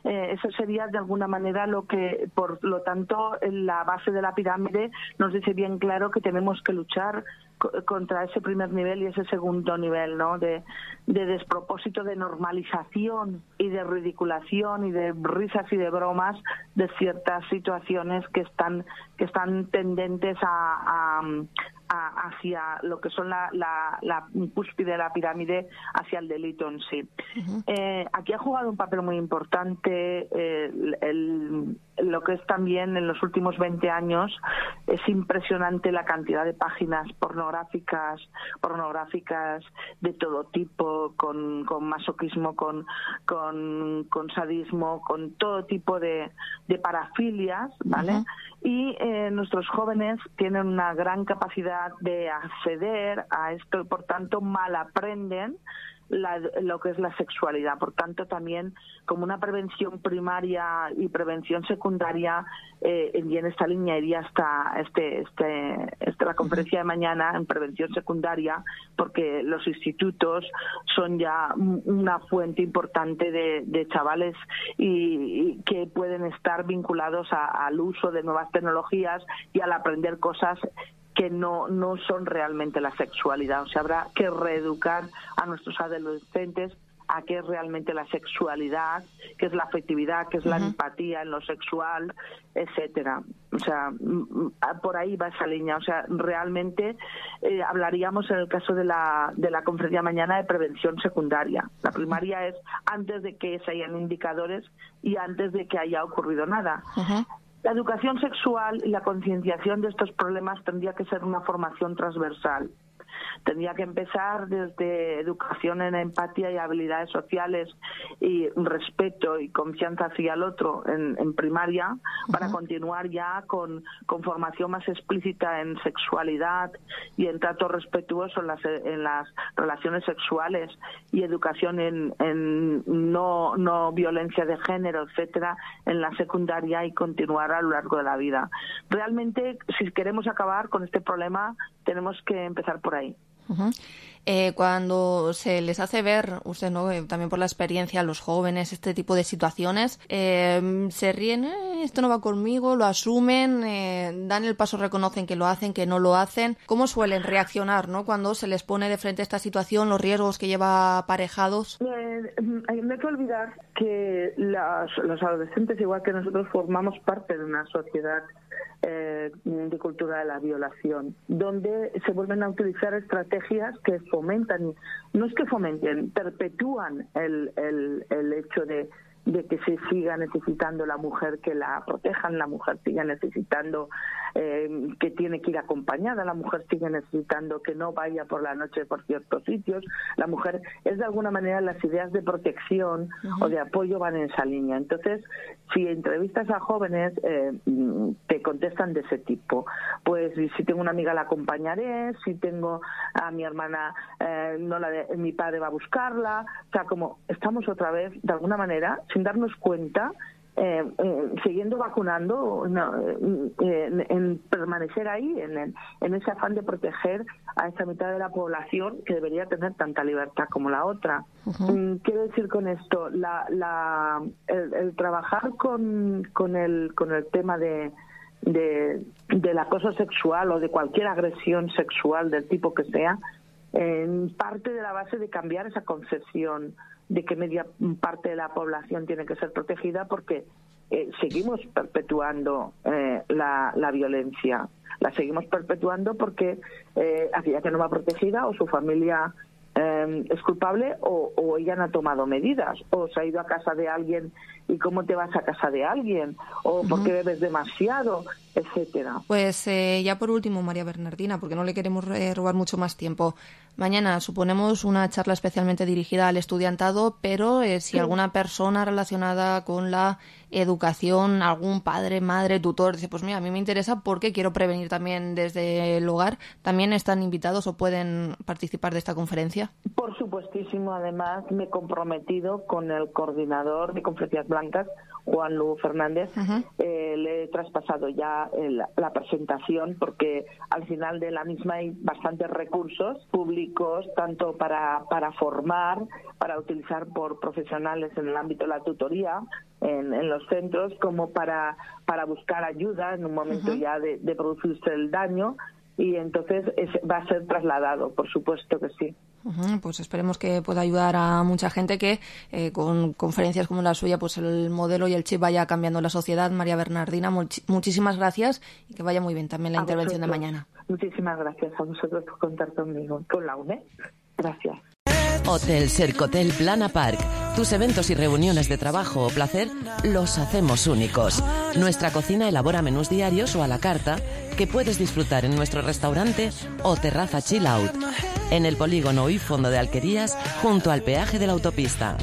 Eh, eso sería de alguna manera lo que, por lo tanto, en la base de la pirámide nos dice bien claro que tenemos que luchar contra ese primer nivel y ese segundo nivel, ¿no? De, de despropósito, de normalización y de ridiculación y de risas y de bromas de ciertas situaciones que están que están tendentes a, a hacia lo que son la, la, la cúspide de la pirámide, hacia el delito en sí. Uh-huh. Eh, aquí ha jugado un papel muy importante eh, el, el, lo que es también en los últimos veinte años. Es impresionante la cantidad de páginas pornográficas, pornográficas de todo tipo, con, con masoquismo, con, con, con sadismo, con todo tipo de, de parafilias, ¿vale? Uh-huh. Y eh, nuestros jóvenes tienen una gran capacidad de acceder a esto y por tanto mal aprenden la, lo que es la sexualidad. Por tanto, también como una prevención primaria y prevención secundaria, eh, y en esta línea iría hasta este, este, este, la conferencia de mañana en prevención secundaria, porque los institutos son ya una fuente importante de, de chavales y, y que pueden estar vinculados a, al uso de nuevas tecnologías y al aprender cosas que no, no son realmente la sexualidad. O sea, habrá que reeducar a nuestros adolescentes a qué es realmente la sexualidad, qué es la afectividad, qué es la uh-huh. empatía en lo sexual, etcétera. O sea, por ahí va esa línea. O sea, realmente eh, hablaríamos en el caso de la, de la conferencia mañana de prevención secundaria. La primaria es antes de que se hayan indicadores y antes de que haya ocurrido nada. Uh-huh. La educación sexual y la concienciación de estos problemas tendría que ser una formación transversal. Tendría que empezar desde educación en empatía y habilidades sociales y respeto y confianza hacia el otro en, en primaria, uh-huh. para continuar ya con, con formación más explícita en sexualidad y en trato respetuoso en las, en las relaciones sexuales y educación en, en no, no violencia de género, etcétera, en la secundaria y continuar a lo largo de la vida. Realmente, si queremos acabar con este problema, tenemos que empezar por ahí. Uh-huh. Eh, cuando se les hace ver, usted no, eh, también por la experiencia, a los jóvenes, este tipo de situaciones, eh, se ríen, eh, esto no va conmigo, lo asumen, eh, dan el paso, reconocen que lo hacen, que no lo hacen. ¿Cómo suelen reaccionar, no, cuando se les pone de frente a esta situación, los riesgos que lleva aparejados? Eh, no hay que olvidar que las, los adolescentes, igual que nosotros, formamos parte de una sociedad eh, de cultura de la violación, donde se vuelven a utilizar estrategias que fomentan, no es que fomenten, perpetúan el, el, el hecho de, de que se siga necesitando la mujer que la protejan, la mujer siga necesitando eh, que tiene que ir acompañada, la mujer sigue necesitando que no vaya por la noche por ciertos sitios. La mujer es de alguna manera, las ideas de protección uh-huh. o de apoyo van en esa línea. Entonces, si entrevistas a jóvenes, eh, te contestan de ese tipo. Pues si tengo una amiga la acompañaré, si tengo a mi hermana, eh, no la de, mi padre va a buscarla. O sea, como estamos otra vez, de alguna manera, sin darnos cuenta, eh, eh, siguiendo vacunando, no, eh, en, en permanecer ahí, en, en ese afán de proteger a esa mitad de la población que debería tener tanta libertad como la otra. Uh-huh. Quiero decir con esto, la, la, el, el trabajar con, con, el, con el tema de, de, del acoso sexual o de cualquier agresión sexual del tipo que sea, en parte de la base de cambiar esa concepción de que media parte de la población tiene que ser protegida, porque eh, seguimos perpetuando eh, la, la violencia, la seguimos perpetuando porque eh, aquella que no va protegida o su familia eh, eh, es culpable o, o ella no ha tomado medidas, o se ha ido a casa de alguien y cómo te vas a casa de alguien, o por qué bebes demasiado, etcétera. Pues eh, ya por último, María Bernardina, porque no le queremos eh, robar mucho más tiempo. Mañana suponemos una charla especialmente dirigida al estudiantado, pero eh, si sí. alguna persona relacionada con la educación, algún padre, madre, tutor, dice, pues mira, a mí me interesa porque quiero prevenir también desde el hogar, ¿también están invitados o pueden participar de esta conferencia? Por supuestísimo, además me he comprometido con el coordinador de Conferencias Blancas, Juan Lu Fernández, uh-huh. eh, le he traspasado ya el, la presentación porque al final de la misma hay bastantes recursos públicos, tanto para, para formar, para utilizar por profesionales en el ámbito de la tutoría, en, en los centros, como para, para buscar ayuda en un momento uh-huh. ya de, de producirse el daño, y entonces es, va a ser trasladado, por supuesto que sí. Uh-huh, pues esperemos que pueda ayudar a mucha gente, que eh, con conferencias como la suya pues el modelo y el chip vaya cambiando la sociedad. María Bernardina, much- muchísimas gracias y que vaya muy bien también la a intervención vosotros. De mañana. Muchísimas gracias a vosotros por contar conmigo, con la U N E D. Gracias. Hotel Sercotel Plana Park. Tus eventos y reuniones de trabajo o placer los hacemos únicos. Nuestra cocina elabora menús diarios o a la carta que puedes disfrutar en nuestro restaurante o terraza chill out. En el polígono y fondo de Alquerías, junto al peaje de la autopista.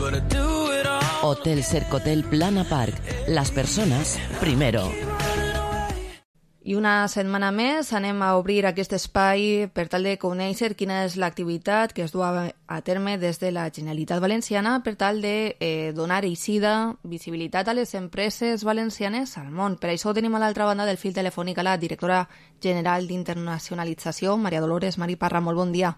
Hotel Sercotel Plana Park. Las personas primero. I una setmana més anem a obrir aquest espai per tal de conèixer quina és l'activitat que es du a terme des de la Generalitat Valenciana per tal de eh, donar eixida, visibilitat a les empreses valencianes al món. Per això tenim a l'altra banda del fil telefònic a la directora general d'Internacionalització, Maria Dolores Marí Parra. Molt bon dia.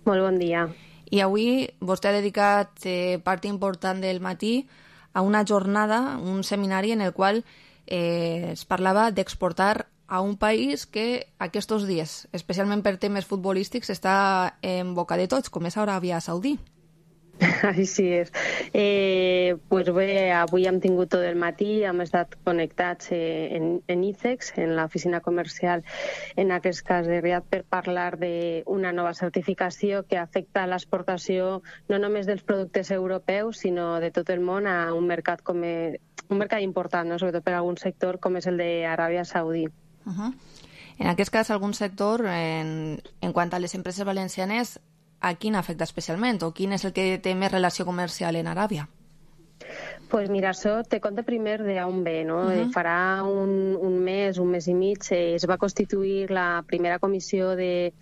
Molt bon dia. I avui vostè ha dedicat eh, part important del matí a una jornada, un seminari en el qual Eh, es parlava d'exportar a un país que aquests dies, especialment per temes futbolístics, està en boca de tots, com és Aràbia Saudí. Així és. Eh, pues bé, avui hem tingut tot el matí, hem estat connectats eh, en, en ICEX, en l'oficina comercial, en aquest cas de Riad, per parlar d'una nova certificació que afecta l'exportació no només dels productes europeus, sinó de tot el món a un mercat com és, un mercat important, no? Sobretot per a algun sector com és el d'Aràbia Saudí. Uh-huh. En aquest cas, algun sector, en, en quant a les empreses valencianes, a quin afecta especialment o quin és el que té més relació comercial en Aràbia? Pues mira, això te conta primer d'on ve, no? Uh-huh. Farà un, un mes, un mes i mig, eh, es va constituir la primera comissió de,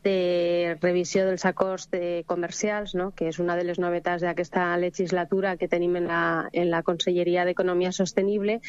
de revisió dels acords de comercials, no? Que és una de les novetats d'aquesta legislatura que tenim en la, en la Conselleria d'Economia Sostenible,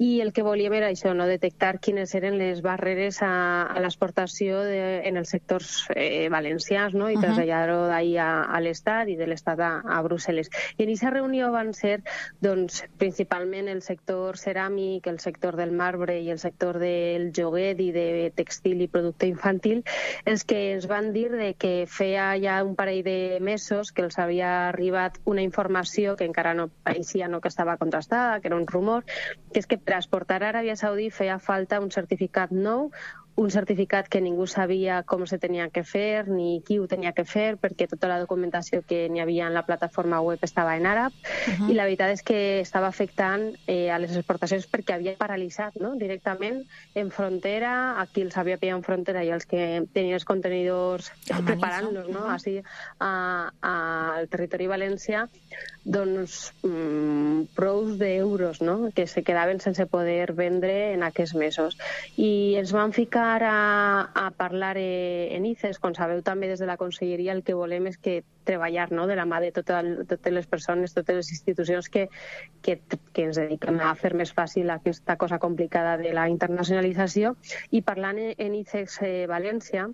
i el que volíem era això, no? Detectar quines eren les barreres a, a l'exportació de, en els sectors eh, valencians, no? I uh-huh. traslladar-ho d'ahir a, a l'Estat i de l'Estat a, a Brussel·les. I en aquesta reunió van ser doncs, principalment el sector ceràmic, el sector del marbre i el sector del joguet i de textil i producte infantil, els que ens van dir de que feia ja un parell de mesos que els havia arribat una informació que encara no pareixia, no que estava contrastada, que era un rumor, que és que per exportar a Aràbia Saudí feia falta un certificat nou, un certificat que ningú sabia com se tenia que fer ni qui ho tenia que fer, perquè tota la documentació que n'hi havia en la plataforma web estava en àrab, uh-huh. i la veritat és que estava afectant eh, a les exportacions perquè havia paralitzat, no? Directament en frontera, aquí els havia pillat en frontera i els que tenien els contenidors preparant-los, no? Així al territori valencià, doncs mmm, prous d'euros, no? Que se quedaven sense poder vendre en aquests mesos. I ens van ficar a, a parlar eh, en ICEX, com sabeu també des de la Conselleria el que volem és que treballar, no? De la mà de tota, totes les persones, totes les institucions que, que, que ens dediquem a fer més fàcil aquesta cosa complicada de la internacionalització. I parlant en ICEX eh, València,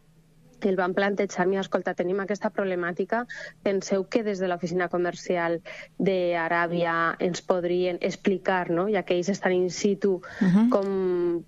el van plantejar, mira, escolta, tenim aquesta problemàtica, penseu que des de l'oficina comercial d'Aràbia ens podrien explicar, no? Ja que ells estan in situ, uh-huh. com...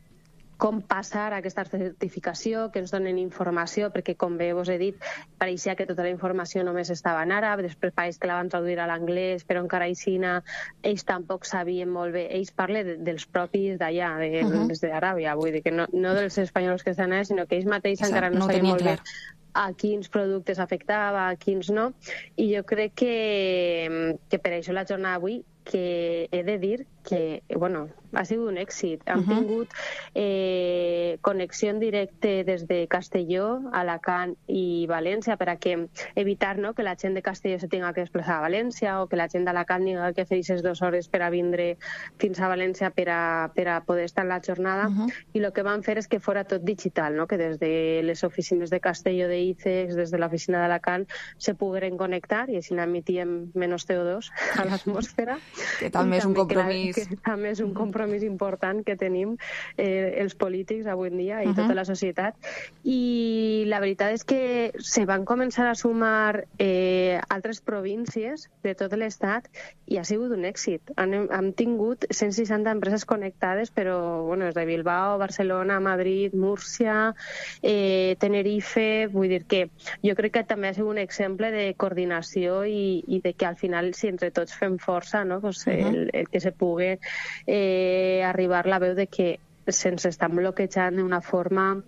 com passar aquesta certificació, que ens donen informació, perquè, com bé vos he dit, pareixia que tota la informació només estava en àrab, després pareix que la van traduir a l'anglès, però encara aixina ells tampoc sabien molt bé. Ells parlen de, dels propis d'allà, de, uh-huh. des d'Aràbia, vull dir que no, no dels espanyols que estan allà, sinó que ells mateixos encara no, no sabien molt clar. bé a quins productes afectava, a quins no, i jo crec que, que per això la jornada d'avui, que he de dir que, bueno, ha sigut un èxit. Hem uh -huh. tingut eh, connexió en directe des de Castelló, Alacant i València per a que evitar, no, que la gent de Castelló se tinga que desplaçar a València o que la gent d'Alacant tinga que fer aquestes dues hores per a vindre fins a València per a, per a poder estar en la jornada. Uh -huh. I el que van fer és que fora tot digital, no? Que des de les oficines de Castelló de I C E X, des de l'oficina d'Alacant, se pogueren connectar i així n'emitíem menys C O dos a l'atmosfera. Que també és un compromís. Que, que també és un compromís important que tenim eh, els polítics avui en dia i uh -huh. tota la societat. I la veritat és que se van començar a sumar eh, altres províncies de tot l'estat i ha sigut un èxit. Hem, hem tingut cent seixanta empreses connectades, però bueno, des de Bilbao, Barcelona, Madrid, Múrcia, eh, Tenerife... Vull dir que jo crec que també ha sigut un exemple de coordinació i, i de que al final, si entre tots fem força, no? Pues, uh -huh. el, el que se pugui eh, arribar la veu de que se'ns estan bloquejant d'una forma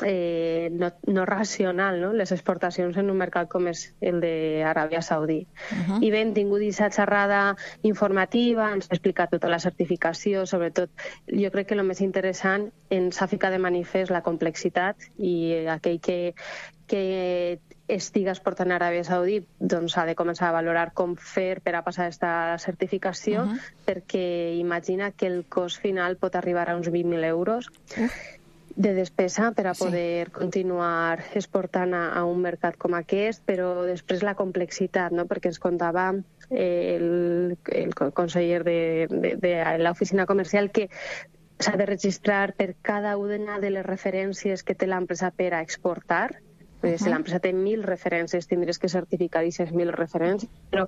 eh, no, no racional, no? Les exportacions en un mercat com és el d'Aràbia Saudí. Uh -huh. I bé, hem tingut aquesta xerrada informativa, ens ha explicat tota la certificació, sobretot jo crec que el més interessant ens ha ficat de manifest la complexitat i aquell que, que estiga exportant a Aràbia Saudí doncs ha de començar a valorar com fer per a passar aquesta certificació, uh -huh. perquè imagina que el cost final pot arribar a uns vint mil euros uh. de despesa per a poder sí. continuar exportant a, a un mercat com aquest, però després la complexitat, no? Perquè ens contava el, el conseller de, de, de l'oficina comercial que s'ha de registrar per cada una de les referències que té l'empresa per a exportar. Uh-huh. Si l'empresa té mil referències, tindries que certificar aquestes mil referències, però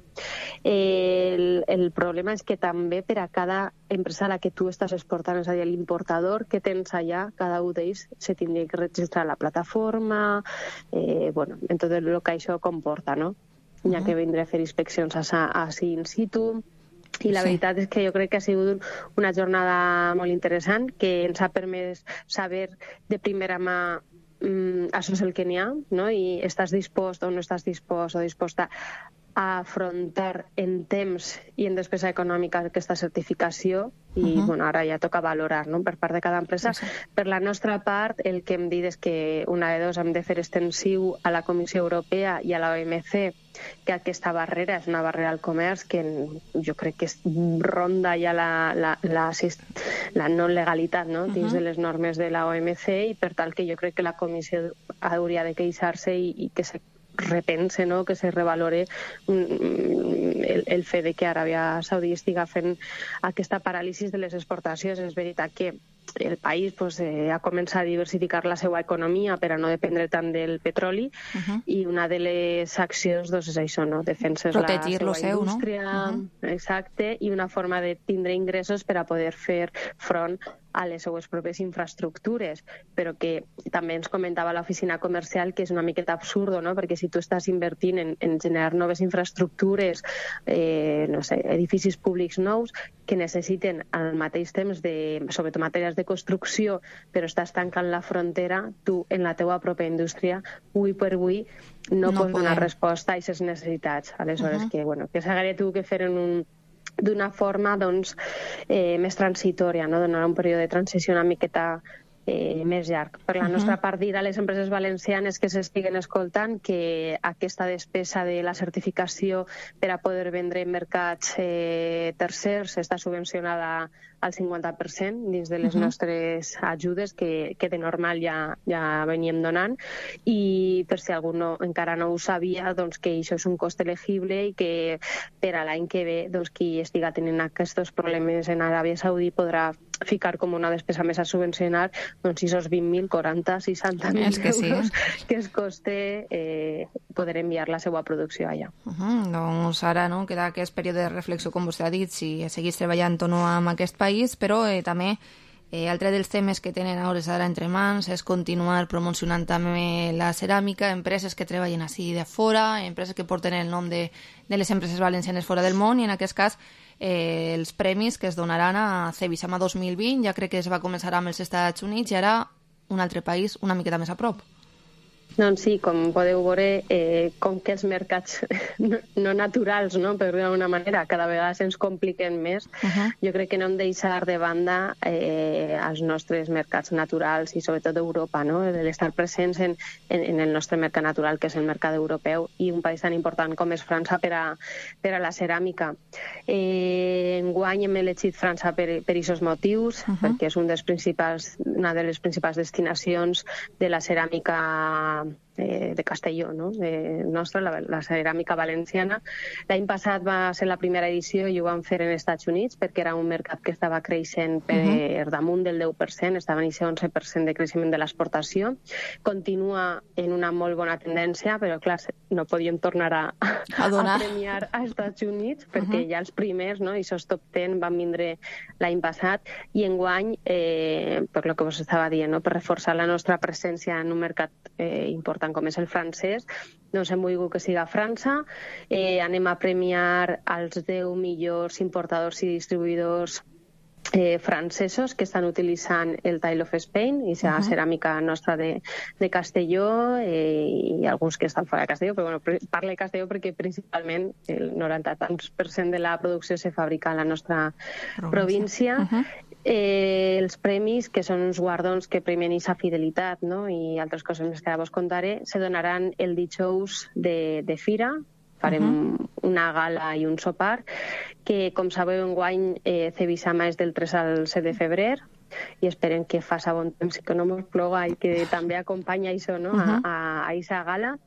eh, el, el problema és que també per a cada empresa a la que tu estàs exportant, és a dir, l'importador que tens allà, cada un d'ells se tindria que registrar a la plataforma, eh, bueno, en tot el que això comporta, no? Hi ha uh-huh. que vindre a fer inspeccions així in situ. I la sí. veritat és que jo crec que ha sigut una jornada molt interessant, que ens ha permès saber de primera mà Mm, això és el que n'hi ha, no? I estàs dispost o no estàs dispost o disposta a afrontar en temps i en despesa econòmica aquesta certificació i uh -huh. bueno, ara ja toca valorar, no? Per part de cada empresa. Sí. Per la nostra part, el que hem dit és que una de dos hem de fer extensiu a la Comissió Europea i a la O M C que aquesta barrera és una barrera al comerç que jo crec que ronda ja la, la, la, la no-legalitat, no? Dins uh -huh. de les normes de la O M C, i per tal que jo crec que la Comissió hauria de queixar-se i, i que se repense, no? Que se revalore el, el fet de que Aràbia Saudí estiga fent aquesta paràlisi de les exportacions. És veritat que el país pues, eh, ha començat a diversificar la seva economia per a no dependre tant del petroli uh -huh. i una de les accions doncs, és això, no? Defenses protegir la seva seu, indústria, no? Uh -huh. exacte, i una forma de tindre ingressos per a poder fer front a les seues pròpies infraestructures, però que també ens comentava l'oficina comercial que és una miqueta absurdo, no? Perquè si tu estàs invertint en, en generar noves infraestructures, eh, no sé, edificis públics nous que necessiten al mateix temps, de, sobretot matèries de construcció, però estàs tancant la frontera, tu en la teua pròpia indústria, avui per avui, no, no pots podem. donar resposta a aquestes necessitats. Aleshores, uh -huh. que, bueno, que s'hauria tingut que fer en un d'una forma doncs, eh, més transitòria, no? Donar un període de transició una miqueta eh, més llarg. Per la uh -huh. nostra part, dir a les empreses valencianes que s'estiguen escoltant que aquesta despesa de la certificació per a poder vendre en mercats eh, tercers està subvencionada al cinquanta per cent dins de les uh -huh. nostres ajudes que, que de normal ja, ja veníem donant, i per si algú no, encara no ho sabia, doncs que això és un cost elegible i que per a l'any que ve doncs, qui estiga tenint aquests problemes en Aràbia Saudí podrà ficar com una despesa més a subvencionar doncs si sos vint mil, quaranta, seixanta mil que sí. euros que es coste eh, poder enviar la seva producció allà. Uh -huh. Doncs ara no, queda aquest període de reflexió, com vostè ha dit, si seguís treballant o no amb aquest país, però eh, també eh, altre dels temes que tenen a hores d'ara entre mans és continuar promocionant també la ceràmica, empreses que treballen així de fora, empreses que porten el nom de, de les empreses valencianes fora del món, i en aquest cas eh, els premis que es donaran a Cebisama dos mil vint, ja crec que es va començar amb els Estats Units i ara un altre país una miqueta més a prop. Doncs sí, com podeu veure, eh, com que els mercats no, no naturals, no, per dir d'alguna manera, cada vegada se'ns compliquen més, uh -huh. jo crec que no hem de deixar de banda eh, els nostres mercats naturals i sobretot Europa, no? L'estar presents en, en, en el nostre mercat natural, que és el mercat europeu, i un país tan important com és França per a, per a la ceràmica. Eh, enguany hem elegit França per aquests motius, uh -huh. perquè és un dels principals, una de les principals destinacions de la ceràmica Eh, de Castelló, no? De nostra, la, la ceràmica valenciana. L'any passat va ser la primera edició i ho vam fer en Estats Units perquè era un mercat que estava creixent per uh-huh. damunt del deu per cent, estava en aquest onze per cent de creixement de l'exportació. Continua en una molt bona tendència, però clar, no podíem tornar a, a, a premiar a Estats Units perquè uh-huh. ja els primers, no? I aquests top deu van vindre l'any passat i enguany, eh, per lo que vos estava dient, no? Per reforçar la nostra presència en un mercat eh, important com és el francès, doncs hem volgut que siga a França. Eh, anem a premiar els deu millors importadors i distribuïdors eh, francesos que estan utilitzant el Tile of Spain i la uh -huh. ceràmica nostra de, de Castelló eh, i alguns que estan fora de Castelló, però bueno, parlo de Castelló perquè principalment el noranta tants per cent de la producció se fabrica a la nostra província. Uh -huh. Eh, els premis, que són uns guardons que premien aquesta fidelitat, no? I altres coses més que ara vos contaré, se donaran el dijous de, de Fira. Farem uh-huh. una gala i un sopar, que, com sabeu, enguany eh, Cebisama és del tres al set de febrer, i esperem que faci bon temps i que no mos ploga i que també acompanya això, no? uh-huh. a aquesta gala.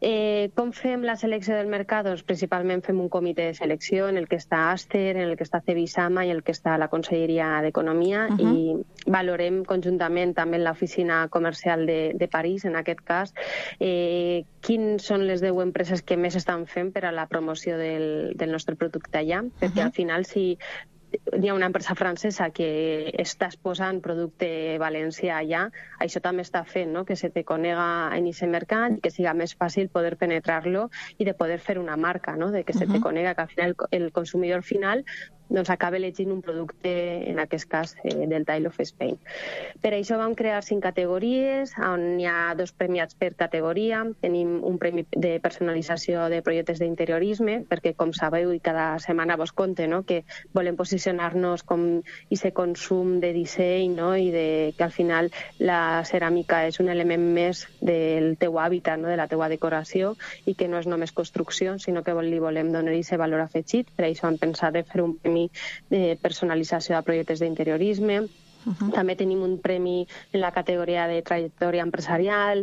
Eh, com fem la selecció del mercat? Doncs principalment fem un comitè de selecció en el que està Aster, en el que està Cebisama i en el que està la Conselleria d'Economia uh-huh. i valorem conjuntament també en l'oficina comercial de, de París, en aquest cas, eh, quins són les deu empreses que més estan fent per a la promoció del, del nostre producte allà, perquè uh-huh. al final si hi ha una empresa francesa que està exposant producte valencià allà, això també està fent, no? Que se te conega en aquest mercat i que siga més fàcil poder penetrar-lo i de poder fer una marca, no? De que se te conega, que al final el consumidor final doncs acaba elegint un producte, en aquest cas, eh, del Tile of Spain. Per això vam crear cinc categories, on hi ha dos premiats per categoria. Tenim un premi de personalització de projectes d'interiorisme, perquè, com sabeu, i cada setmana vos conte, no? Que volem posicionar-nos com aquest consum de disseny, no? I de, que al final la ceràmica és un element més del teu hàbitat, no? De la teua decoració, i que no és només construcció, sinó que li volem donar aquest valor afegit. Per això hem pensat de fer un premi de personalització de projectes d'interiorisme. Uh-huh. També tenim un premi en la categoria de trajectòria empresarial,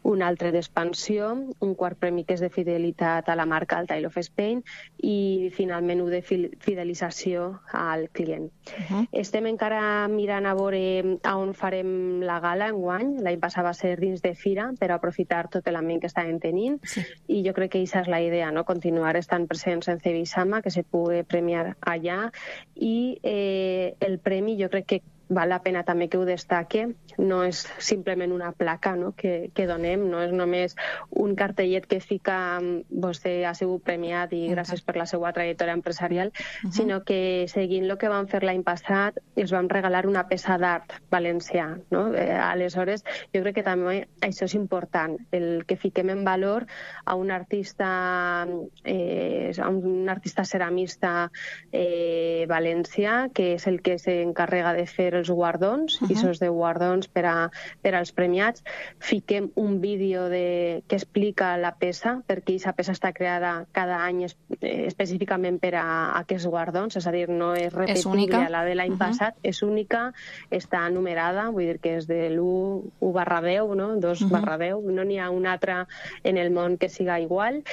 un altre d'expansió, un quart premi que és de fidelitat a la marca, el Tile of Spain, i finalment un de fidelització al client. Uh-huh. Estem encara mirant a veure on farem la gala enguany. L'any passat va ser dins de Fira per aprofitar tot l'ambient que estàvem tenint, sí. I jo crec que aquesta és la idea, no? Continuar estant presents en Cebisama, que se pugui premiar allà, i eh, el premi jo crec que val la pena també que ho destaque, no és simplement una placa, no? que, que donem, no és només un cartellet que fica vostè ha sigut premiat i gràcies per la seva trajectòria empresarial, uh-huh. sinó que seguint el que vam fer l'any passat els vam regalar una peça d'art valencià. No? Eh, aleshores, jo crec que també això és important, el que fiquem en valor a un artista eh, a un artista ceramista eh, valencià, que és el que s'encarrega de fer els guardons, uh-huh. i aquests deu guardons per, a, per als premiats. Fiquem un vídeo de, que explica la peça, perquè aquesta peça està creada cada any es, eh, específicament per a, a aquests guardons, és a dir, no és repetible a la de l'any uh-huh. passat, és única, està numerada, vull dir que és de l'u barra deu, no? dos barra deu, no n'hi ha una altra en el món que siga igual,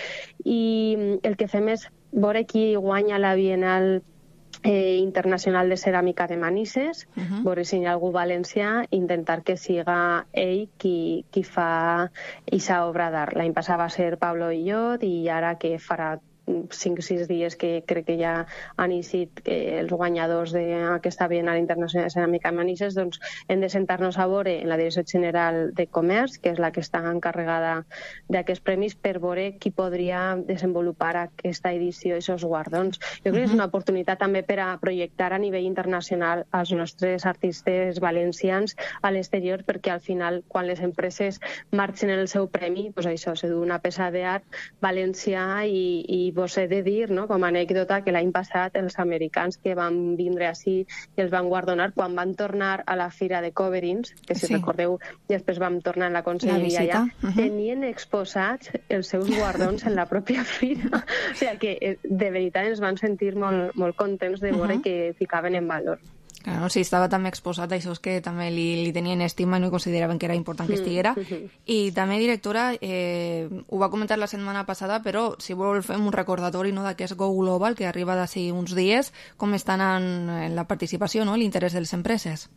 i el que fem és veure qui guanya la Bienal Eh, internacional de ceràmica de Manises, uh-huh. veure si hi ha algú valencià, intentar que siga ell qui, qui fa aquesta obra d'art. L'any passat va ser Pablo Illot i ara que farà cinc o sis dies que crec que ja han eixit eh, els guanyadors d'aquesta Bienal Internacional de Ceràmica de Manises, doncs hem de sentar-nos a veure en la Direcció General de Comerç, que és la que està encarregada d'aquests premis, per veure qui podria desenvolupar aquesta edició i aquests guardons. Jo crec que és una oportunitat també per a projectar a nivell internacional els nostres artistes valencians a l'exterior, perquè al final, quan les empreses marxen el seu premi, doncs això, se du una peça d'art valencià i, i vos he de dir, no, com a anècdota, que l'any passat els americans que van vindre així i els van guardonar, quan van tornar a la fira de Coverins, que si sí. recordeu, després vam tornar en la conselleria allà, uh -huh. tenien exposats els seus guardons en la pròpia fira. O sigui que, de veritat, ens van sentir molt, molt contents de veure uh -huh. que ficaven en valor. Claro, sí, estava també exposat a això que també li, li tenien estima i no consideraven que era important que estiguera. Mm-hmm. I també, directora, eh, ho va comentar la setmana passada, però si vol fem un recordatori, no, d'aquest Go Global que arriba d'ací uns dies, com estan en, en la participació, no, l'interès de les empreses.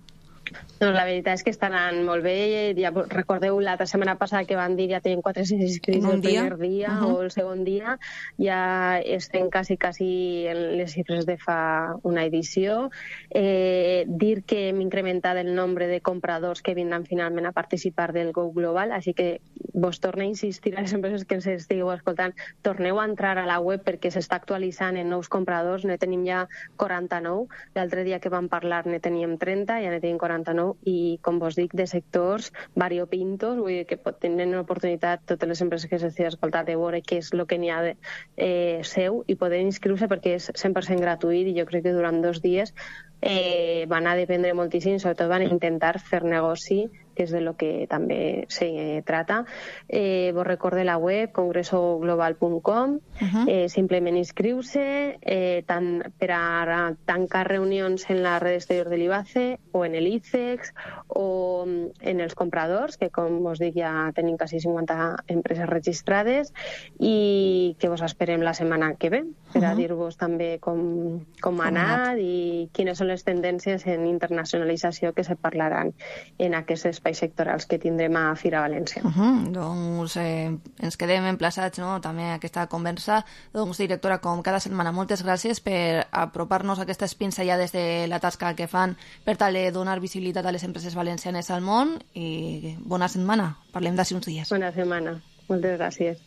Doncs la veritat és que estan anant molt bé. Ja recordeu l'altra setmana passada que van dir ja tenen quatre-cents inscrits el primer dia uh -huh. o el segon dia. Ja estem quasi, quasi en les xifres de fa una edició. Eh, dir que hem incrementat el nombre de compradors que vindran finalment a participar del Go Global, així que vos torno a insistir a les empreses que ens estigueu escoltant, torneu a entrar a la web perquè s'està actualitzant en nous compradors. Ne tenim ja quaranta-nou. L'altre dia que vam parlar ne teníem trenta, ja ne tenim quaranta i, com vos dic, de sectors variopintos, vull dir que tenen l'oportunitat totes les empreses que s'estiguin escoltant de veure què és el que n'hi ha de eh, seu i poder inscriure-se perquè és cent per cent gratuït i jo crec que durant dos dies eh, van a dependre moltíssim, sobretot van a intentar fer negoci, que és de lo que també se trata. Eh, vos recorde la web congreso global punt com, uh-huh. eh, simplement inscriu-se eh, tant per a tancar reunions en la red exterior de l'I B A C E o en el I C E X o en els compradors, que com vos dic ja tenim quasi cinquanta empreses registrades i que vos esperem la setmana que ve per a uh-huh. dir-vos també com, com ha anat i quines són les tendències en internacionalització que se parlaran en aquests espais sectorals que tindrem a Fira València. Uh -huh. Doncs eh, ens quedem emplaçats, no?, també a aquesta conversa. Doncs, directora, com cada setmana, moltes gràcies per apropar-nos a aquestes pinzellades de la tasca que fan per tal de donar visibilitat a les empreses valencianes al món i bona setmana. Parlem d'ací uns dies. Bona setmana. Moltes gràcies.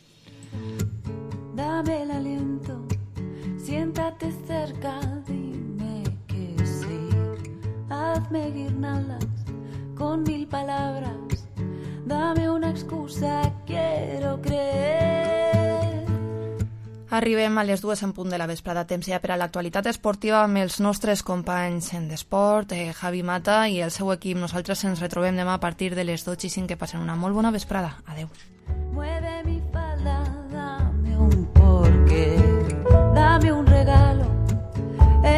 Dame el aliento, siéntate cerca, dime que sí. Hazme guirnaldas con mil palabras, dame una excusa, quiero creer. Arribem a les dues en punt de la vesprada, temps ja per a l'actualitat esportiva amb els nostres companys en d'esport, eh, Javi Mata i el seu equip. Nosaltres ens retrobem demà a partir de les dotze i cinc. Que passen una molt bona vesprada. Adeu.